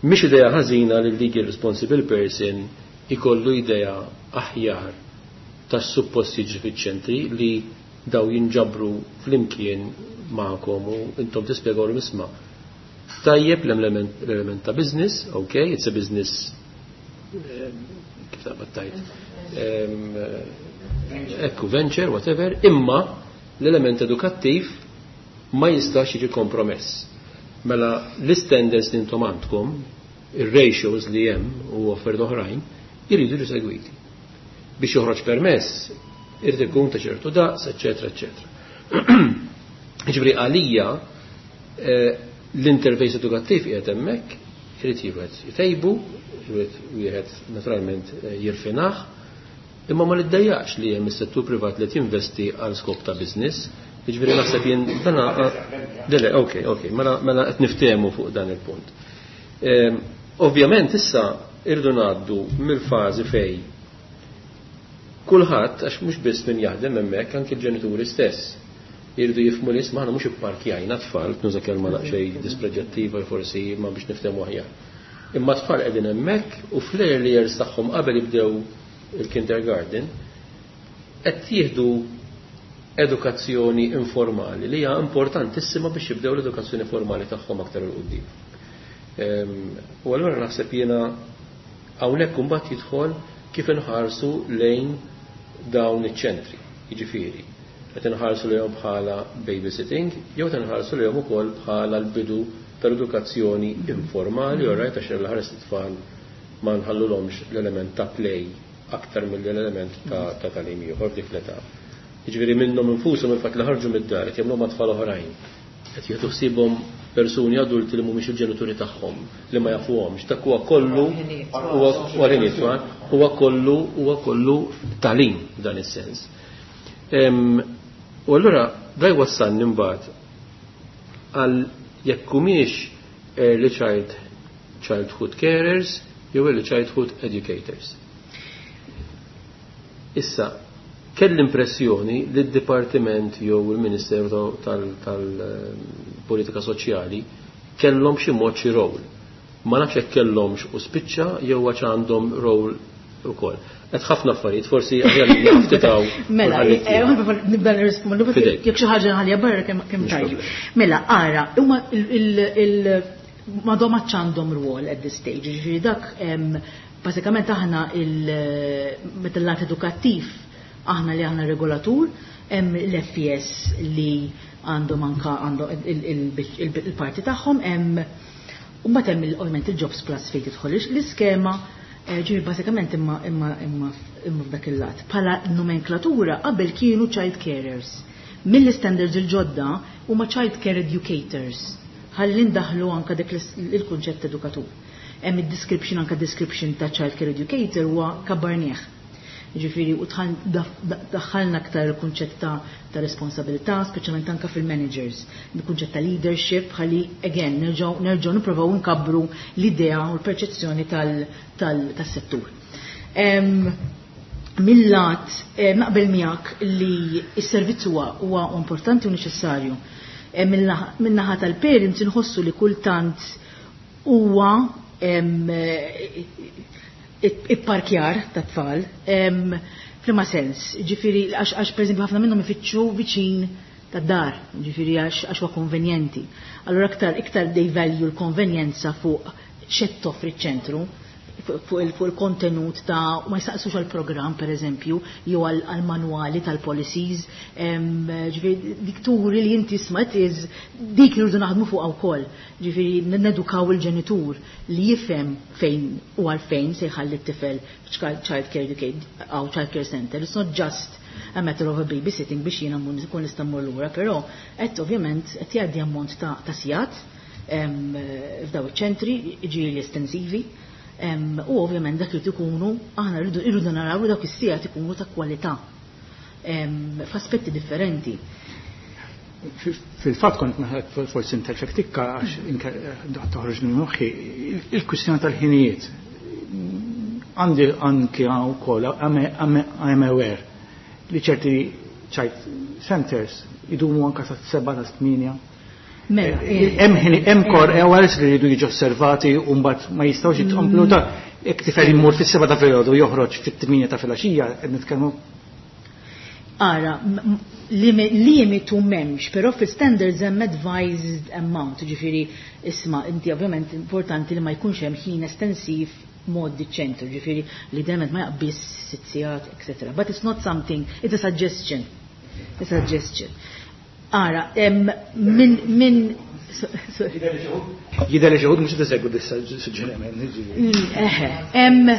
Mhix idea ħażina li l-legal responsible person ikollu idea aħjar tas-suppost jiġri fiċ-ċentri, li daw jinġabru flimkien magħkom u intom tispjegaw isma'. Tajjeb l-element ta' business, ok, it's a business, kif taqbad tajt, ekku, venture, whatever, imma l-element edukattiv ma jistax jiġi kompromess. Mela l-standards li intom għandkom, ir-ratios li hemm u affarijiet oħrajn, jridu jiġu segwiti. Biex joħroġ permess, irid ikun ta' ċertu daqs, eċetera, eċetera. Ġifieri għalija l-interface edukattiv qiegħed hemmhekk, irid wieħed jtejbu, irid wieħed naturalment jirfinah, imma ma niddejjaqx li hemm is-settur privat li jinvesti għal skop ta' business. Jiġifieri naħseb jien dan dele, ok, ok, mela qed niftehmu fuq dan il-punt. Ovvjament issa irdu ngħaddu mill-fażi fej kulħadd, għax mhux biss min jaħdem hemmhekk, anke l-ġenituri stess irridu jifhmu li isma' aħna mhux ipparkjajna tfal, nuża kelma daqsxejn dispreġjattiva forsi, ma biex niftehmu aħjar. Imma tfal qegħdin hemmhekk u fl-early years tagħhom qabel jibdew il-kindergarten qed jieħdu edukazzjoni informali li hija importantissima biex jibdew l-edukazzjoni formali tagħhom aktar 'il quddiem. U allura naħseb jiena hawnhekk imbagħad jidħol kif inħarsu lejn dawn iċ-ċentri, jiġifieri qed inħarsu lejhom bħala babysitting jew qed inħarsu lejhom ukoll bħala l-bidu tal-edukazzjoni informali, all right, għax l-ħares it-tfal ma nħallulhomx l-element ta' play aktar mill-element ta' tagħlim ieħor f'dik l-età. Jiġifieri minnhom infushom il-fatt li ħarġu mid-dar qed jagħmlu ma' tfal oħrajn, qed jieħdu ħsiebhom persuni adulti li mhumiex il-ġenituri tagħhom, li ma jafuhomx, dak huwa kollu huwa tfal, huwa kollu tagħlim f'dan is-sens. U allura da jwassalni mbagħad għal jekk humiex early childhood carers jew early childhood educators. Issa, kell l-impressjoni li d-Dipartiment jew il-Ministeru tal-Politika Soċjali kellhom xi mod xi role. Ma nafx jekk kellhomx u spiċċa jew għax għandhom role ukoll. Qed ħafna affarijiet, forsi aħjar li naftitaw. Mela, nibda nirrispondu Fidejk. jekk xi ħaġa nħallija barra kemm Mhux tajjeb. problema. Mela, ara, huma m'għadhom għadx għandhom rwol at this stage, jiġifieri dak, bażikament aħna meta l-lat edukattiv aħna li aħna regolatur, hemm l-FES li għandhom anka għandhom il-parti tagħhom, hemm u mbagħad hemm ovvjament il-Jobs Plus fejn tidħol l-iskema, ġifieri bażikament imma f'dak il-lat. Bħala nomenklatura qabel kienu child carers. Mill-standards il-ġodda huma child care educators. Ħalli ndaħlu anka dik il-kunċett edukatur. Hemm id-description, anka description ta' child care educator huwa kabarnieh. Ġifieri u daħħalna aktar il-kunċett ta' responsabilità, speċjalment anka fil-managers, il-kunċett ta' leadership, ħalli again nerġgħu nippruvaw nkabbru l-idea u l-perċezzjoni tas-settur. Mill-lat naqbel miegħek li s-servizz huwa importanti u neċessarju. Min-naħa tal-parents inħossu li kultant huwa ipparkjar ta' tfal, f'liema sens, ġifieri għax per eżempju ħafna minnhom ifittxu viċin ta' dar, ġifieri għax huwa konvenjenti. Allura iktar they value l-konvenjenza fuq x'qed toffri ċ-ċentru. fuq il-kontenut ta' ma jistaqsux għal-programm per eżempju, jew għal-manwali tal-policies, ġifieri dik turi li inti smat is dik li rridu naħdmu fuqha wkoll. Ġifieri nedukaw il-ġenitur li jifhem fejn u għalfejn se jħalli t-tifel child care aw child care center. It's not just a matter of a babysitting biex jiena nkun nista' mmur lura, però qed ovvjament qed jgħaddi ammont ta' sigħat f'daw iċ-ċentri, ġieli estensivi. U ovvjament dak li ikunu, aħna rridu naraw li dawk is-sigħat ikunu ta' kwalità f'aspetti differenti. Fil-fatt kont naħed forsi interfek tikka għax toħroġ minn moħħi il-kwistjoni tal-ħinijiet. Għandi anki wkoll I'm aware li ċerti child centers idumu anka sa' 7 ta' 8. Mela, Hemm ħini hemm core hours li jridu jiġu osservati u mbagħad ma jistgħux jitkomplu ta' jekk tifel imur fis-7 ta' filgħodu joħroġ fit-8 ta' filgħaxija qed nitkellmu. Ara, limitu m'hemmx, però fil-standards hemm advised amount, ġifieri isma' inti ovvjament importanti li ma jkunx hemm ħin estensiv mod ċentru, ġifieri li dement ma jaqbis 6 sigħat, etc. But it's not something, it's a suggestion. It's a suggestion. Ara, min Jidher li xi wħud mhux qed isegwu dis-suġġeriment. Eħe, hemm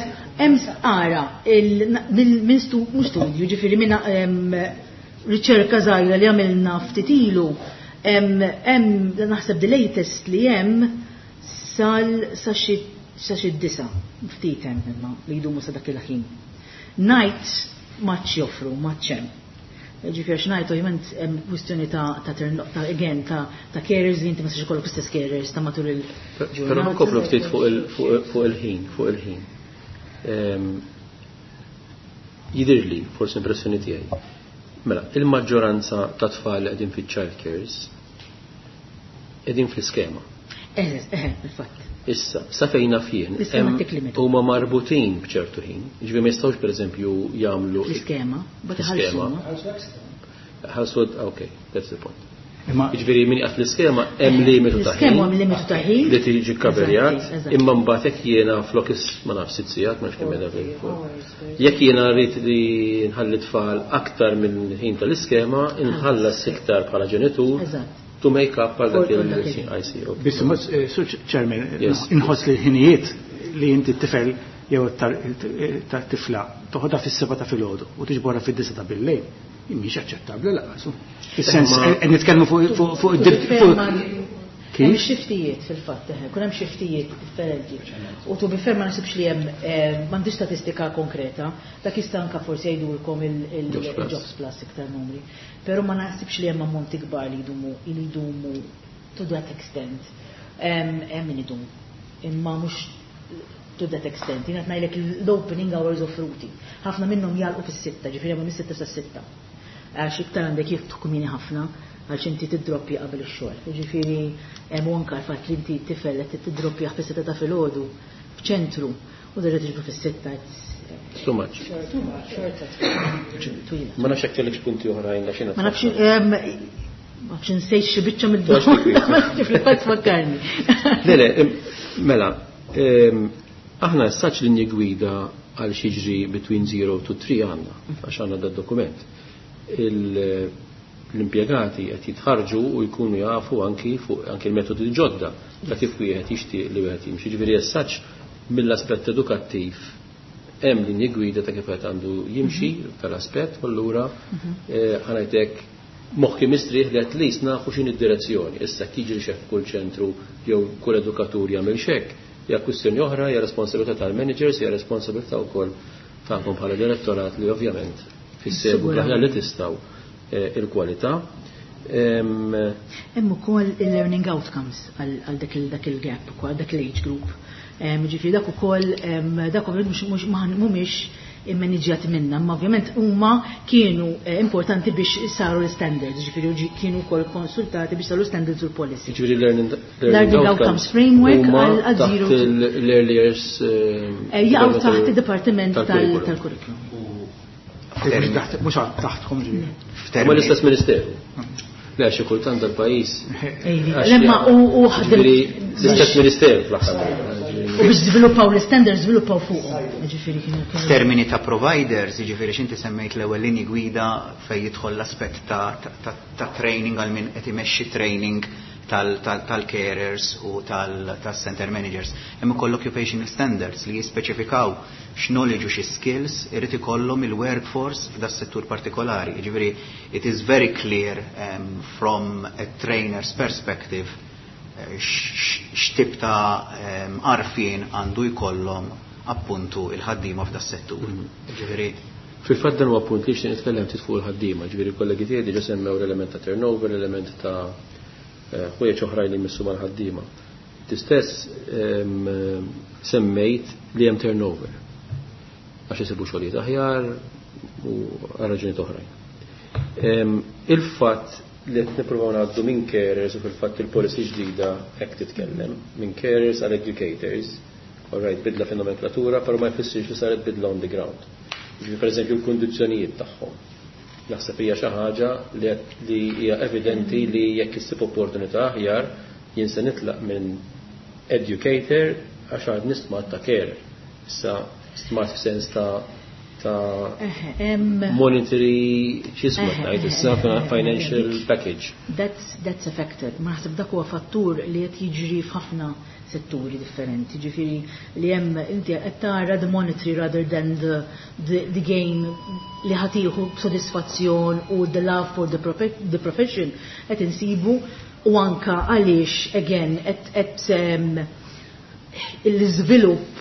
ara, minn mhux studju, ġifieri minn riċerka żgħira li għamilna ftit ilu, hemm naħseb the latest li hemm sal sa xi 9, ftit hemm imma li jdumu sa dak il-ħin. Nights maċ joffru, maċ hemm. Ġifieri għax ngħid ovvjament hemm kwistjoni ta' again ta' carers li inti ma tistax ikollok istess carers ta' matul il-ġurnata. Però nkomplu ftit fuq il-ħin, fuq il-ħin. Jidhirli, forsi impressjoni tiegħi. Mela, il-maġġoranza ta' tfal li qegħdin fiċ-child cares qegħdin fl-iskema. Eħe, il-fatt. Issa, sa fejn naf jien, L-iskema tik limitu. huma marbutin b'ċertu ħin. Ġifieri ma jistgħux pereżempju jagħmlu L-iskema, but L-iskema. ħalsu. Ħalsu, okay, that's the point. Imma Ġifieri min qiegħed fl-iskema hemm limitu ta' L-iskema ħin hemm limitu ta' ħin. li tiġi kaverjat, Eżatti, eżatti. imma mbagħad jekk jiena flok ma nafx 6 sigħat, ma nafx kemm qiegħda fil-fuq. Jekk jiena rrid li nħalli tfal aktar minn ħin tal-iskema, inħallas iktar bħala ġenitur Eżatt. to make up għal dak For dak il- il- I see, okay. Biss Sur Chairman, Yes. inħoss li l-ħinijiet li inti t-tifel jew tat-tifla toħodha fis-7 ta' filgħodu u tiġborha fid-9 ta' bil-lejl, mhix aċċettabbli lanqas. Fis-sens qed nitkellmu fuq id-dritt fuq Hemm Kif? xiftijiet fil-fatt, eħe, kun hemm xiftijiet differenti. U to be fair ma nasibx li hemm m'għandix statistika konkreta, dak jista' anka forsi jgħidulkom Jobs Plus. il-Jobs Plus iktar numri. Però ma naħsibx li hemm ammonti kbar li jdumu li jdumu to that extent. Hemm min idum. Imma mhux to that extent. Jien qed ngħidlek l-opening hours offruti. Ħafna minnhom jagħlqu fis-6, ġifieri hemm mis-6 sas-6. Għax iktar għandek jiftħu kmieni ħafna għax inti tiddroppja qabel ix-xogħol. Jiġifieri hemm anke l-fatt li inti tifel qed tiddroppja fis-6 ta' filgħodu f'ċentru u derġa' tiġbru fis-6. It's too much. Twila. Ma nafx jekk kellekx punti oħrajn għax jiena Ma nafx ma nafx insejt xi biċċa Tox mid-domanda, ma nafx fil-fatt fakkarni. Le, mela, aħna s-saċ linji gwida għal xiġri between 0 to 3 għandna, għax għandna da dokument. L-impjegati qed jitħarġu u jkunu jafu anki fuq anki l-metodi ġodda ta' kif wieħed jixtieq li wieħed jimxi. Ġifieri as-saċ mill-aspett edukattiv hemm linji gwida ta' kif wieħed għandu jimxi tal-aspett u allura ħa ngħidlek moħħi mistrieħ li at least nafu x'inhi d-direzzjoni. Issa jiġri xek kull ċentru jew kull edukatur jagħmel xek, hija kwistjoni oħra, hija responsabilità tal-managers, hija responsabilità wkoll tagħkom bħala direttorat li ovvjament fissegu bl-aħjar li tistgħu il-kwalità. Hemm ukoll il-learning outcomes għal dak il-gap ukoll, dak l-age group. Ġifieri dak ukoll, dak ovvjament mhux mhumiex immaniġjati minna, imma ovvjament huma kienu importanti biex saru l-standards, ġifieri kienu wkoll konsultati biex saru l-standards u l-policy. Ġifieri learning Learning outcomes outcomes framework huma għal taħt zero l-early years, Jaqgħu taħt department id-dipartiment tal-curriculum. tal-curriculum. Mhux taħtkom ġifieri. Huma l-istess ministeru. Le, xi kultant dal-pajjiż. Lemma u ħadem. L-istess ministeru fl-aħħar. U biex żviluppaw l-standards żviluppaw fuqhom. Ġifieri kienu. F'termini ta' providers, jiġifieri x'inti semmejt l-ewwel linji gwida fejn jidħol l-aspett ta' training għal min qed imexxi training tal-carers u tal-center managers. Hemm ukoll occupational standards li jispeċifikaw x'knowledge u xi skills irid ikollhom il-workforce f'da settur partikolari. Jiġifieri it is very clear from a trainer's perspective x'tip ta' għarfien għandu jkollhom appuntu il-ħaddiema f'da settur. Ġifieri Fil-fatt dan huwa punt li xtieq nitkellem ftit fuq il-ħaddiema, ġifieri kollegi tiegħi diġà semmew l-element ta' turnover, l-element ta' ħwejjeġ oħrajn li jmissu mal-ħaddiema. Stess semmejt li hemm turnover. Għax isibu xogħlijiet aħjar u għal raġunijiet oħrajn. Il-fatt li qed nippruvaw ngħaddu minn carers u fil-fatt il-policy ġdida hekk titkellem, minn carers għal educators, all right, bidla fin-nomenklatura, però ma jfissirx li saret bidla on the ground. Ġifieri pereżempju l-kundizzjonijiet tagħhom. Naħseb hija xi ħaġa li hija evidenti li jekk issib opportunità aħjar jien se nitlaq minn educator għax għad stmat ta' carer. Issa stmat f'sens ta' monetary x'isma ngħid issa financial package. That's a factor. Ma naħseb dak huwa fattur li qed jiġri f'ħafna setturi differenti. Ġifieri li hemm inti qed tara the monetary rather than the gain li ħa tieħu sodisfazzjon u the love for the profession qed insibu u anka għaliex again qed l-iżvilupp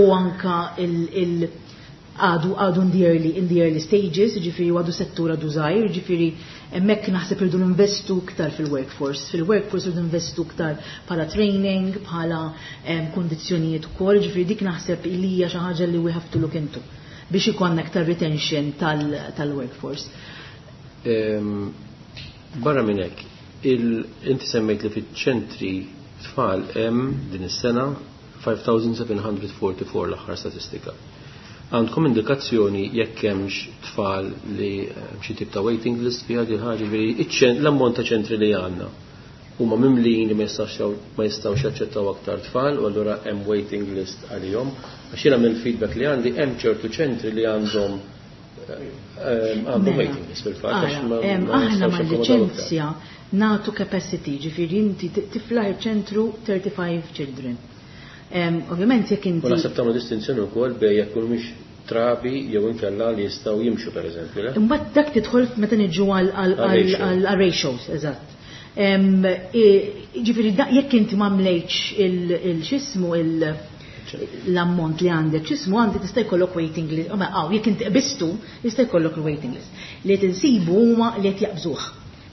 u anka il għadu in the early stages, ġifieri għadu settur għadu żgħir, ġifieri hemmhekk naħseb irridu investu ktar fil-workforce. Fil-workforce irridu investu ktar bħala training, bħala kondizzjonijiet ukoll, ġifieri dik naħseb li hija xi ħaġa li we have to look into biex ikollna aktar retention tal-workforce. Barra minn hekk, inti semmejt li fiċ-ċentri tfal hemm din is-sena 5744 l-aħħar statistika. Għandkom indikazzjoni jekk hemmx tfal li xi tip ta' waiting list fiha din ħaġa, ġifieri l-ammont ta' ċentri li għandna huma mimlijin li ma jistgħux jaċċettaw aktar tfal u allura hemm waiting list għalihom? Għax jiena mill-feedback li għandi hemm ċertu ċentri li għandhom Mela. waiting list fil-fatt għax ma Aħna jistgħux jakkomodaw aktar. mal-liċenzja nagħtu capacity, ġifieri inti tiflaħ ċentru 35 children. Ovvjament jekk U inti naħseb tagħmlu distinzjoni wkoll bejn jekk mhumiex trabi jew inkella li jistgħu jimxu, pereżempju, le? Imbagħad dak tidħol meta niġu Għal ratio. għal ratios, eżatt. Ġifieri jekk inti ma mlejtx il-xismu l-ammont li għandek, xismu għandek, tista' jkollok waiting list, ma għaw, jekk inti qbistu, jista' jkollok il-waiting list. Li qed insibu huma li qed jaqbżuh.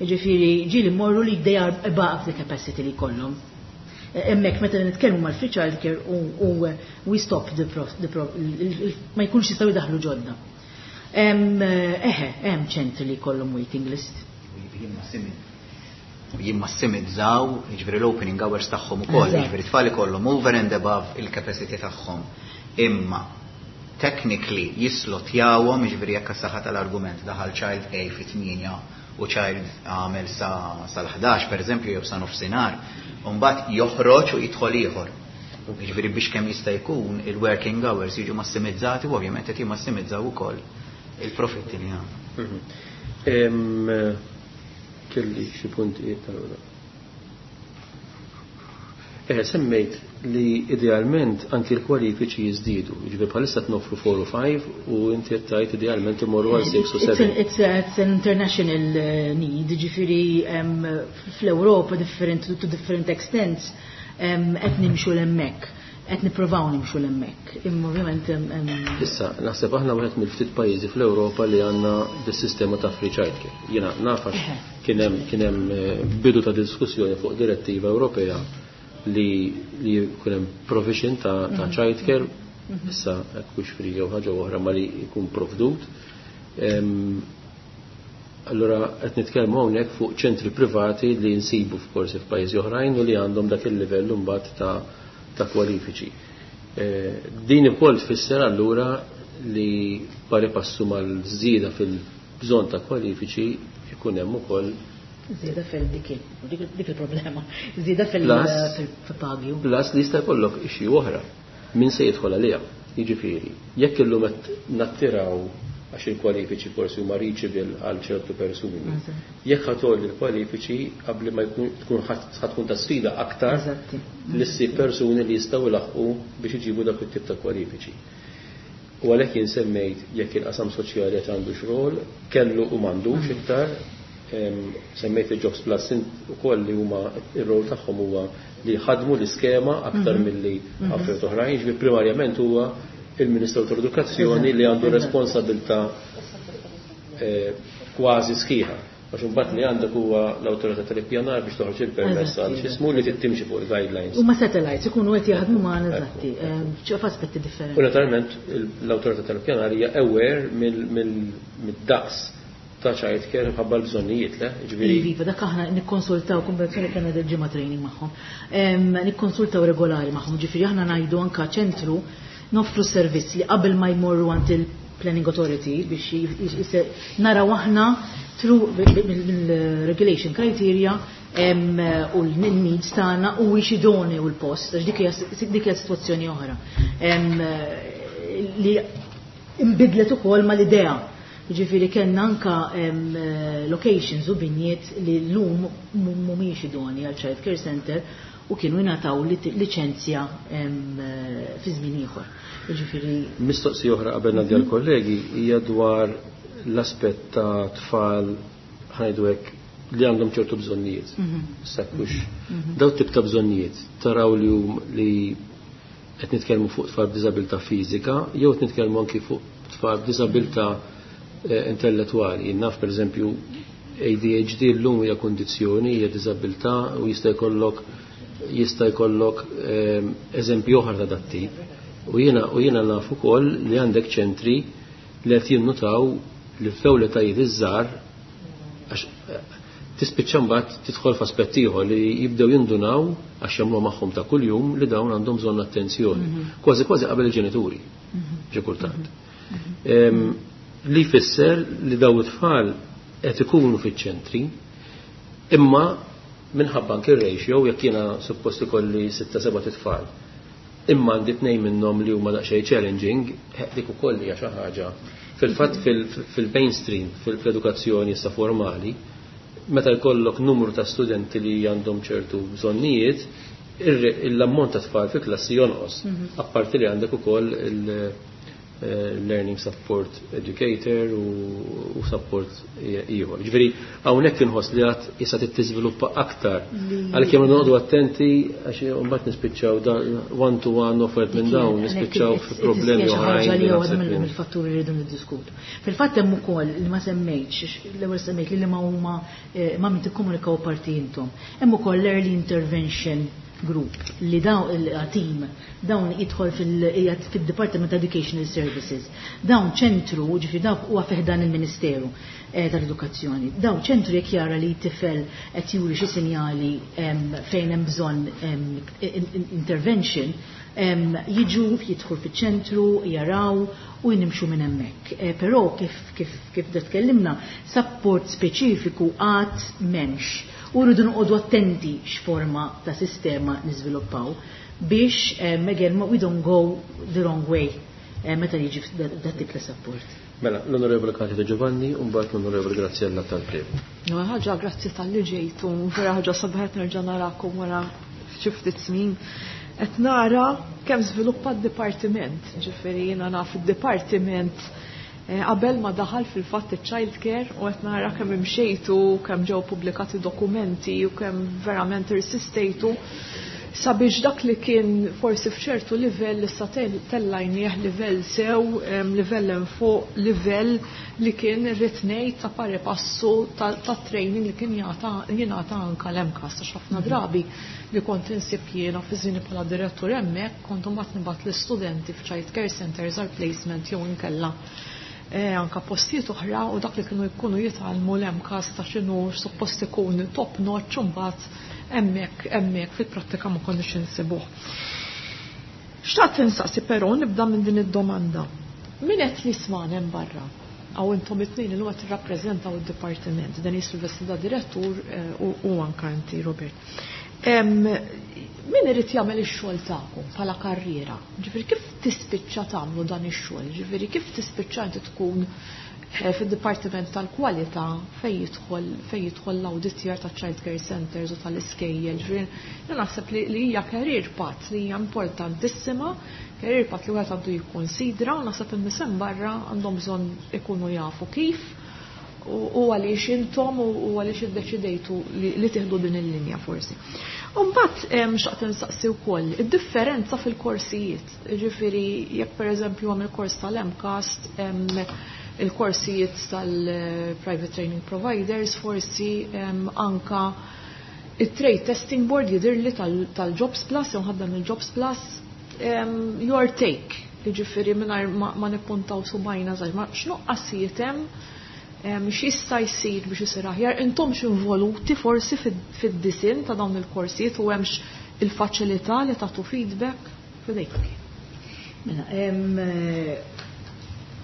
Ġifieri ġieli morru li they are above the capacity li jkollhom. Hemmhekk meta nitkellmu mal-free childcare u we stop the, pro, the pro, ma jkunx jistgħu jdaħlu ġodda. Eħe, hemm ċentri li jkollhom waiting list. Jimmassimizzaw, jiġifieri l-opening hours tagħhom ukoll, jiġifieri tfal ikollhom over and above il-capacity tagħhom. Imma technically jislotjawhom, jiġifieri jekk saħħa tal-argument daħal child A fit-8 u child għamel sa sal-11 pereżempju jew sa nofsinhar, u mbagħad joħroġ u jidħol ieħor. Jiġifieri biex kemm jista' jkun il-working hours jiġu massimizzati u ovvjament qed jimmassimizzaw ukoll il-profitti li għandhom. Kelli xi punti tal. Semmejt li idealment anki l-kwalifiċi jiżdiedu. Jiġifieri bħalissa noffru 4 u 5 u inti qed tgħid idealment imorru għal 6 u 7. It's an international need, ġifieri fl-Ewropa different to different extents qed nimxu l-hemmhekk, qed nippruvaw nimxu l-hemmhekk. Imma ovvjament Issa, naħseb aħna wieħed mill-ftit pajjiżi fl-Ewropa li għandna dis-sistema ta' free childcare. Jiena naf għax kien hemm bidu ta' diskussjoni fuq direttiva Ewropea li jkun hemm provision ta' childcare, issa hekk hux free jew ħaġa oħra, ma li jkun provdut. Allura qed nitkellmu hawnhekk fuq ċentri privati li nsibu forsi f'pajjiżi oħrajn u li għandhom dak il-livell imbagħad ta' kwalifiċi. Din ukoll tfisser allura li pari passu mal-żieda fil-bżonn ta' kwalifiċi jkun hemm ukoll Żieda fil-dik dik il-problema. Żieda fil-pagi. Plus li jista' jkollok issue oħra. Min se jidħol għaliha? Jiġifieri, jekk illum qed nattiraw għax il-kwalifiċi forsi huma reachable għal ċertu persuni. Jekk ħa tgħolli l-kwalifiċi qabli ma jkun tkun ħa tkun ta' sfida aktar li ssib persuni li jistgħu ilaħħqu biex iġibu dak it-tip ta' kwalifiċi. U għalhekk jien semmejt jekk il-qasam soċjali qed għandu xogħol, kellu u m'għandux iktar, semmejt il-Jobs Plus ukoll li huma ir-rol tagħhom huwa li ħadmu l-iskema aktar milli affarijiet oħrajn, jiġifieri primarjament huwa il-Ministru tal-Edukazzjoni li għandu responsabilità kważi sħiħa. Għax imbagħad li għandek huwa l-awtorità tal-ippjanar biex toħroġ il-permess għal x'ismu li tittimxi fuq il-guidelines. Huma satellites ikunu qed jaħdmu magħna eżatti, f'aspetti differenti. U naturalment l-awtorità tal-ippjanar hija aware mid-daqs ta' child care mħabba l-bżonnijiet, le? Ġifieri. Iva, dak aħna nikkonsultaw konvenzjoni kellna del-ġimgħa training magħhom. Nikkonsultaw regolari magħhom, ġifieri aħna ngħidu anka ċentru noffru servizz li qabel ma jmorru għand il-Planning Authority biex naraw aħna through mill-regulation criteria u l-needs tagħna u wiex idoneu l-post, għax dik hija sitwazzjoni oħra. Li imbidlet ukoll mal-idea. Ġifieri kellna anka locations u binjiet li llum mhumiex idoni għal child care center u kienu jingħataw liċenzja fi żmien ieħor. Ġifieri Mistoqsija oħra qabel ngħaddi għall-kollegi hija dwar l-aspett ta' tfal ħa ngħidu hekk li għandhom ċertu bżonnijiet. Sakkux. Daw tip ta' bżonnijiet taraw li hum li qed nitkellmu fuq tfal b'diżabilità fiżika jew qed nitkellmu anki fuq tfal b'diżabilità intellettwali. Naf pereżempju ADHD llum hija kundizzjoni, hija diżabilità u jista' jkollok eżempju oħra ta' dat-tip. U jiena naf ukoll li għandek ċentri li qed jinnutaw li f'dawn l-etajiet iż-żgħar għax tispiċċa mbagħad tidħol f'aspett ieħor li jibdew jindunaw għax jagħmlu magħhom ta' kuljum li dawn għandhom bżonn attenzjoni. Kważi kważi qabel il-ġenituri, xi kultant. Li jfisser li daw it-tfal qed ikunu fiċ-ċentri imma minħabba anke ratio jekk jiena suppost ikolli 6-7 tfal. Imma għandi tnejn minnhom li huma daqsxejn challenging, dik ukoll hija xi ħaġa. Fil-fatt fil-mainstream, fil-edukazzjoni issa formali, meta jkollok numru ta' studenti li għandhom ċertu bżonnijiet, l-ammont ta' tfal fi klassi jonqos. Apparti li għandek ukoll il-learning support educator u support ieħor. Ġifieri hawnhekk inħoss li għad issa tiżviluppa aktar. Għalkemm noqogħdu attenti għax mbagħad nispiċċaw da one to one offered minn dawn nispiċċaw fi problemi oħrajn. li waħda mill-fatturi li rridu niddiskutu. Fil-fatt hemm ukoll li ma semmejtx, l-ewwel semmejt li ma huma ma min tikkomunikaw parti intom. Hemm ukoll l-early intervention group li dawn il-team dawn jidħol fil-Department Educational Services. Dawn ċentru, ġifieri dawn huwa fi ħdan il-Ministeru tal-Edukazzjoni. Dawn ċentru jekk jara li tifel qed juri xi sinjali fejn hemm bżonn intervention, jiġu jidħol fiċ-ċentru, jaraw u jinimxu minn hemmhekk. Però kif da tkellimna, support speċifiku għad m'hemmx. U rridu noqogħdu attenti x'forma ta' sistema niżviluppaw biex again we don't go the wrong way meta jiġi dat tip ta' support. Mela, l-Onorevole Katia De Giovanni u mbagħad l-Onorevole Graziella Tal-Prevo. No, ħaġa grazzi talli ġejtu, vera ħaġa sabiħa nerġa' narakom wara xi ftit snin. Qed nara kemm żviluppa d-dipartiment, ġifieri jiena naf id-dipartiment qabel ma daħal fil-fatt il-child care u qed nara kemm imxejtu, kemm ġew pubblikati dokumenti u kemm verament irsistejtu sabiex dak li kien forsi f'ċertu livell issa tellajnieh livell sew, livell hemm fuq, livell li kien irrid ngħid ta' pari passu ta' training li kien jingħata anka l-MCAST, għax ħafna drabi li kont insib jiena fi żmieni bħala direttur hemmhekk kont imbagħad nibgħat l-istudenti f'child care centers għal placement jew inkella anka postijiet oħra u dak li kienu jkunu jitgħallmu l-MCAST ta' x'inhu suppost ikun top notch u mbagħad hemmhekk fil-prattika ma konniex insibuh. Xtaqt insaqsi però nibda minn din id-domanda. Min qed jismagħna hemm barra? Għaw intom it-tnejn illum qed tirrappreżentaw id-dipartiment, Denise fil-vesti ta' direttur u anka inti Robert. Min irid jagħmel ix-xogħol tagħkom bħala karriera? Ġifieri kif tispiċċa tagħmlu dan ix-xogħol? Ġifieri kif tispiċċa inti tkun fid-dipartiment tal-kwalità fejn jidħol fejn jidħol l-awditjar ta' child care centers u tal-iskejjel. Ġifieri jien naħseb li hija career path li hija importantissima, career path li wieħed għandu jikkonsidra u naħseb in-nies hemm barra għandhom bżonn ikunu jafu kif u għaliex intom u għaliex iddeċidejtu li tieħdu din il-linja forsi. U mbagħad xtaqt insaqsi wkoll id-differenza fil-korsijiet. Ġifieri jekk pereżempju hemm il-kors tal-MCAST, il-korsijiet tal-private training providers, forsi anka il-trade testing board jidirli tal-Jobs Plus, jew ħaddem il-Jobs Plus, your take, ġifieri mingħajr ma nippuntaw subgħajna żgħir, ma x'nuqqasijiet hemm, x'jista' jsir biex isir aħjar, intom x'involuti forsi fid-disinn ta' dawn il-korsijiet u hemmx il-faċilità li tagħtu feedback f'idejk. Mela,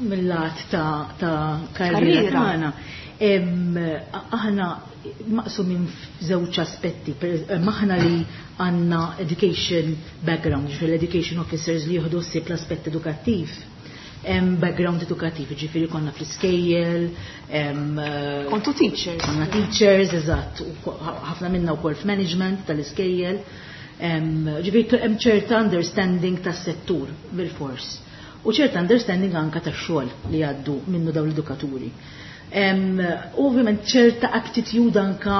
mill-lat ta' karriera tagħna, aħna maqsumin f'żewġ aspetti. Aħna li għandna education background, ġifieri l-education officers li jieħdu ħsieb l-aspett edukattiv. Background edukattiv, ġifieri konna fl-iskejjel, Kontu teachers. Konna teachers, eżatt, u ħafna minna wkoll f'management tal-iskejjel. Ġifieri hemm ċerta understanding tas-settur bil-fors. U ċerta understanding anka tax-xogħol li jgħaddu minnu dawn l-edukaturi. Ovvjament ċerta attitude anka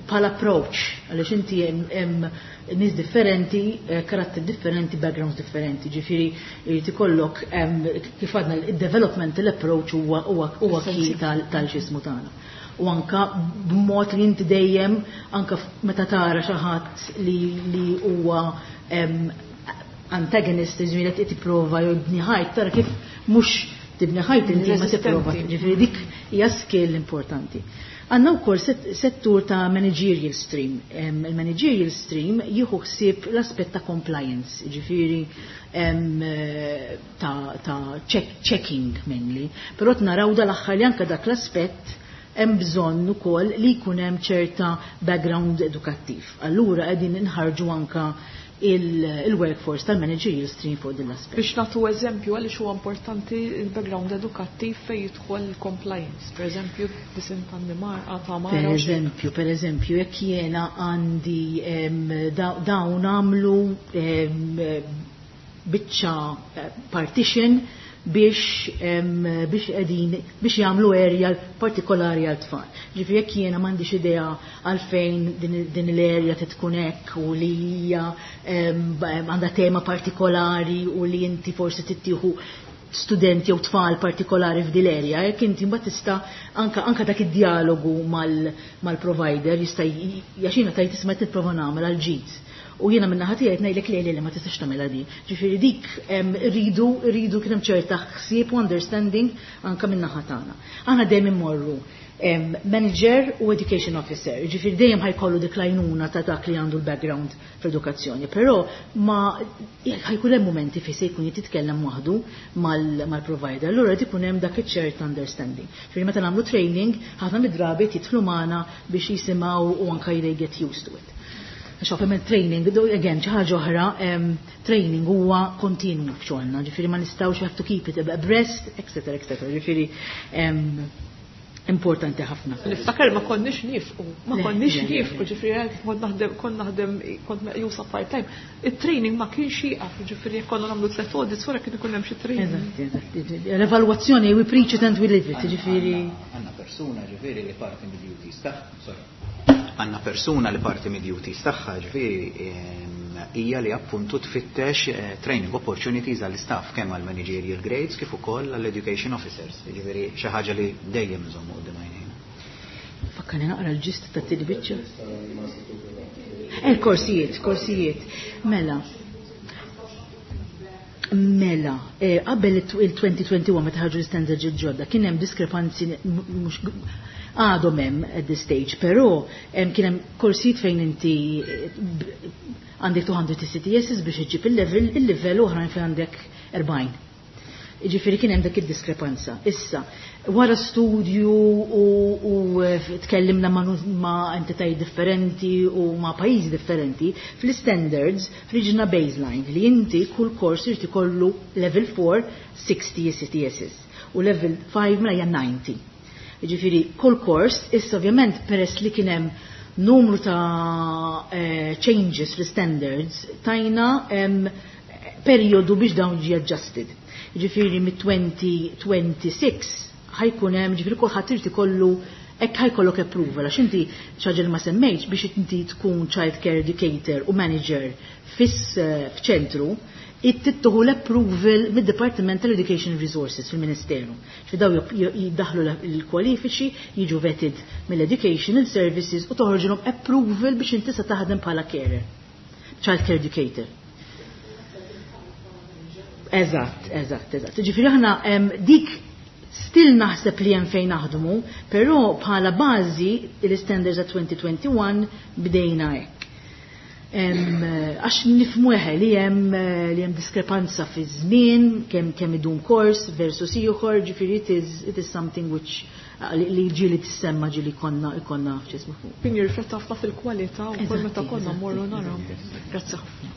bħala approach, għaliex inti hemm nies differenti, karatteri differenti, backgrounds differenti, ġifieri jrid ikollok kif għadna il-development l-approach huwa key tal-ġismu tagħna. U anka b'mod li inti dejjem anka meta tara xi ħadd li huwa antagonist, ġifieri qed tipprova jibni ħajt, tara kif mhux tibni ħajt inti ma tipprova, ġifieri dik hija skill importanti. Għandna wkoll settur ta' managerial stream. Il-managerial stream jieħu ħsieb l-aspett ta' compliance, ġifieri ta' checking mainly. Però naraw dal-aħħar li anke dak l-aspett hemm bżonn ukoll li jkun hemm ċerta background edukattiv. Allura qegħdin inħarġu anka il-workforce tal-managerial stream fuq din l-aspett. Biex nagħtu eżempju għaliex huwa importanti il-background edukattiv fejn jidħol il-compliance. Per eżempju, disinn tan-nimar, ta' mara Per u xi. eżempju, jekk jiena għandi dawn għamlu biċċa partition biex qegħdin biex jagħmlu area partikolari għal tfal. Ġifieri jekk jiena m'għandix idea għalfejn din l-area trid tkun hekk u li hija għandha tema partikolari u li inti forsi tittieħu studenti jew tfal partikolari f'din l-area, jekk inti mbagħad tista' anka dak id-dialogu mal-provider jista' jaxina tajt isma' tipprova nagħmel għal ġid. U jiena minn naħa tiegħi ngħidlek le, le, le, ma tistax tagħmilha di. Ġifieri dik rridu kien hemm ċerta ħsieb u understanding anka minn naħa tagħna. Aħna dejjem immorru manager u education officer, ġifieri dejjem ħajkollu dik l-għajnuna ta' dak li għandu l-background fl-edukazzjoni, però ma ħajkun hemm momenti fejn se jkun jitkellem waħdu mal-provider, allura qed ikun hemm dak iċ-ċert understanding. Ġifieri meta nagħmlu training, ħafna mid-drabi jidħlu magħna biex jisimgħu u anka they get used to it. Għax ovvjament training, again, xi ħaġa oħra, training huwa kontinu f'xogħolna, ġifieri ma nistgħux, you have to keep it abreast, et cetera, et cetera. Ġifieri importanti ħafna. Niftakar ma konniex nifqu, ma Le, konniex le, le, nifqu, le. ġifieri kont naħdem, kont meqjusa part-time. Il-training ma kienx jieqaf, ġifieri jekk konna nagħmlu 3 audits wara kien ikun hemm xi training. Eżatt, eżatt. L-evalwazzjoni, we preach it and we live it, ġifieri. Għandna persuna, ġifieri li parti mid-duties tagħha, sorry. Għandna persuna li parti mid-duties tagħha, ġifieri hija li appuntu tfittex training opportunities għall-istaff kemm għall-managerial grades kif ukoll għall-education officers. Ġifieri xi ħaġa li dejjem nżommu quddiem għajnejna. Fakkarni naqra l-ġist ta' tieni biċċa. Korsijiet, korsijiet. Mela. Mela, qabel il-2021 meta ħarġu l-standards il-ġodda kien hemm diskrepanzi mhux għadhom hemm at this stage, però kien hemm korsijiet fejn inti għandek 200 ECTS biex iġġib il-level, il-level oħrajn fejn għandek 40. Ġifieri kien hemm dik id-diskrepanza. Issa, wara studju u tkellimna ma' entitajiet differenti u ma' pajjiżi differenti, fl-standards ħriġna baseline li inti kull kors irid ikollu level 4 60 ECTSs u level 5 mela hija 90. Ġifieri kull kors, issa ovvjament peress li kien hemm numru ta' changes fl-standards, tajna periodu biex dawn ġi adjusted. Ġifieri mit-2026 ħa jkun hemm, ġifieri kulħadd irid ikollu hekk ħa jkollok approval, għax inti xi ħaġa li ma semmejtx, biex inti tkun child care educator u manager f'ċentru, tieħu l-approval mid-Department tal-Education Resources fil-Ministeru. Ġifieri daw jiddaħlu l-kwalifiċi, jiġu vetted mill-Educational Services u toħorġilhom approval biex inti sa taħdem bħala carer, child care educator. Eżatt. Ġifieri aħna dik still naħseb li hemm fejn naħdmu, però bħala bażi l-standards ta' 2021 bdejna hekk. Għax nifhmu eħe li hemm diskrepanza fi żmien, kemm idum kors versus ieħor, ġifieri it is something which li ġieli tissemma, ġieli konna f'ġismu fuq. Kien jirrifletta ħafna fil-kwalità u kull meta konna mmorru naraw. Grazzi ħafna.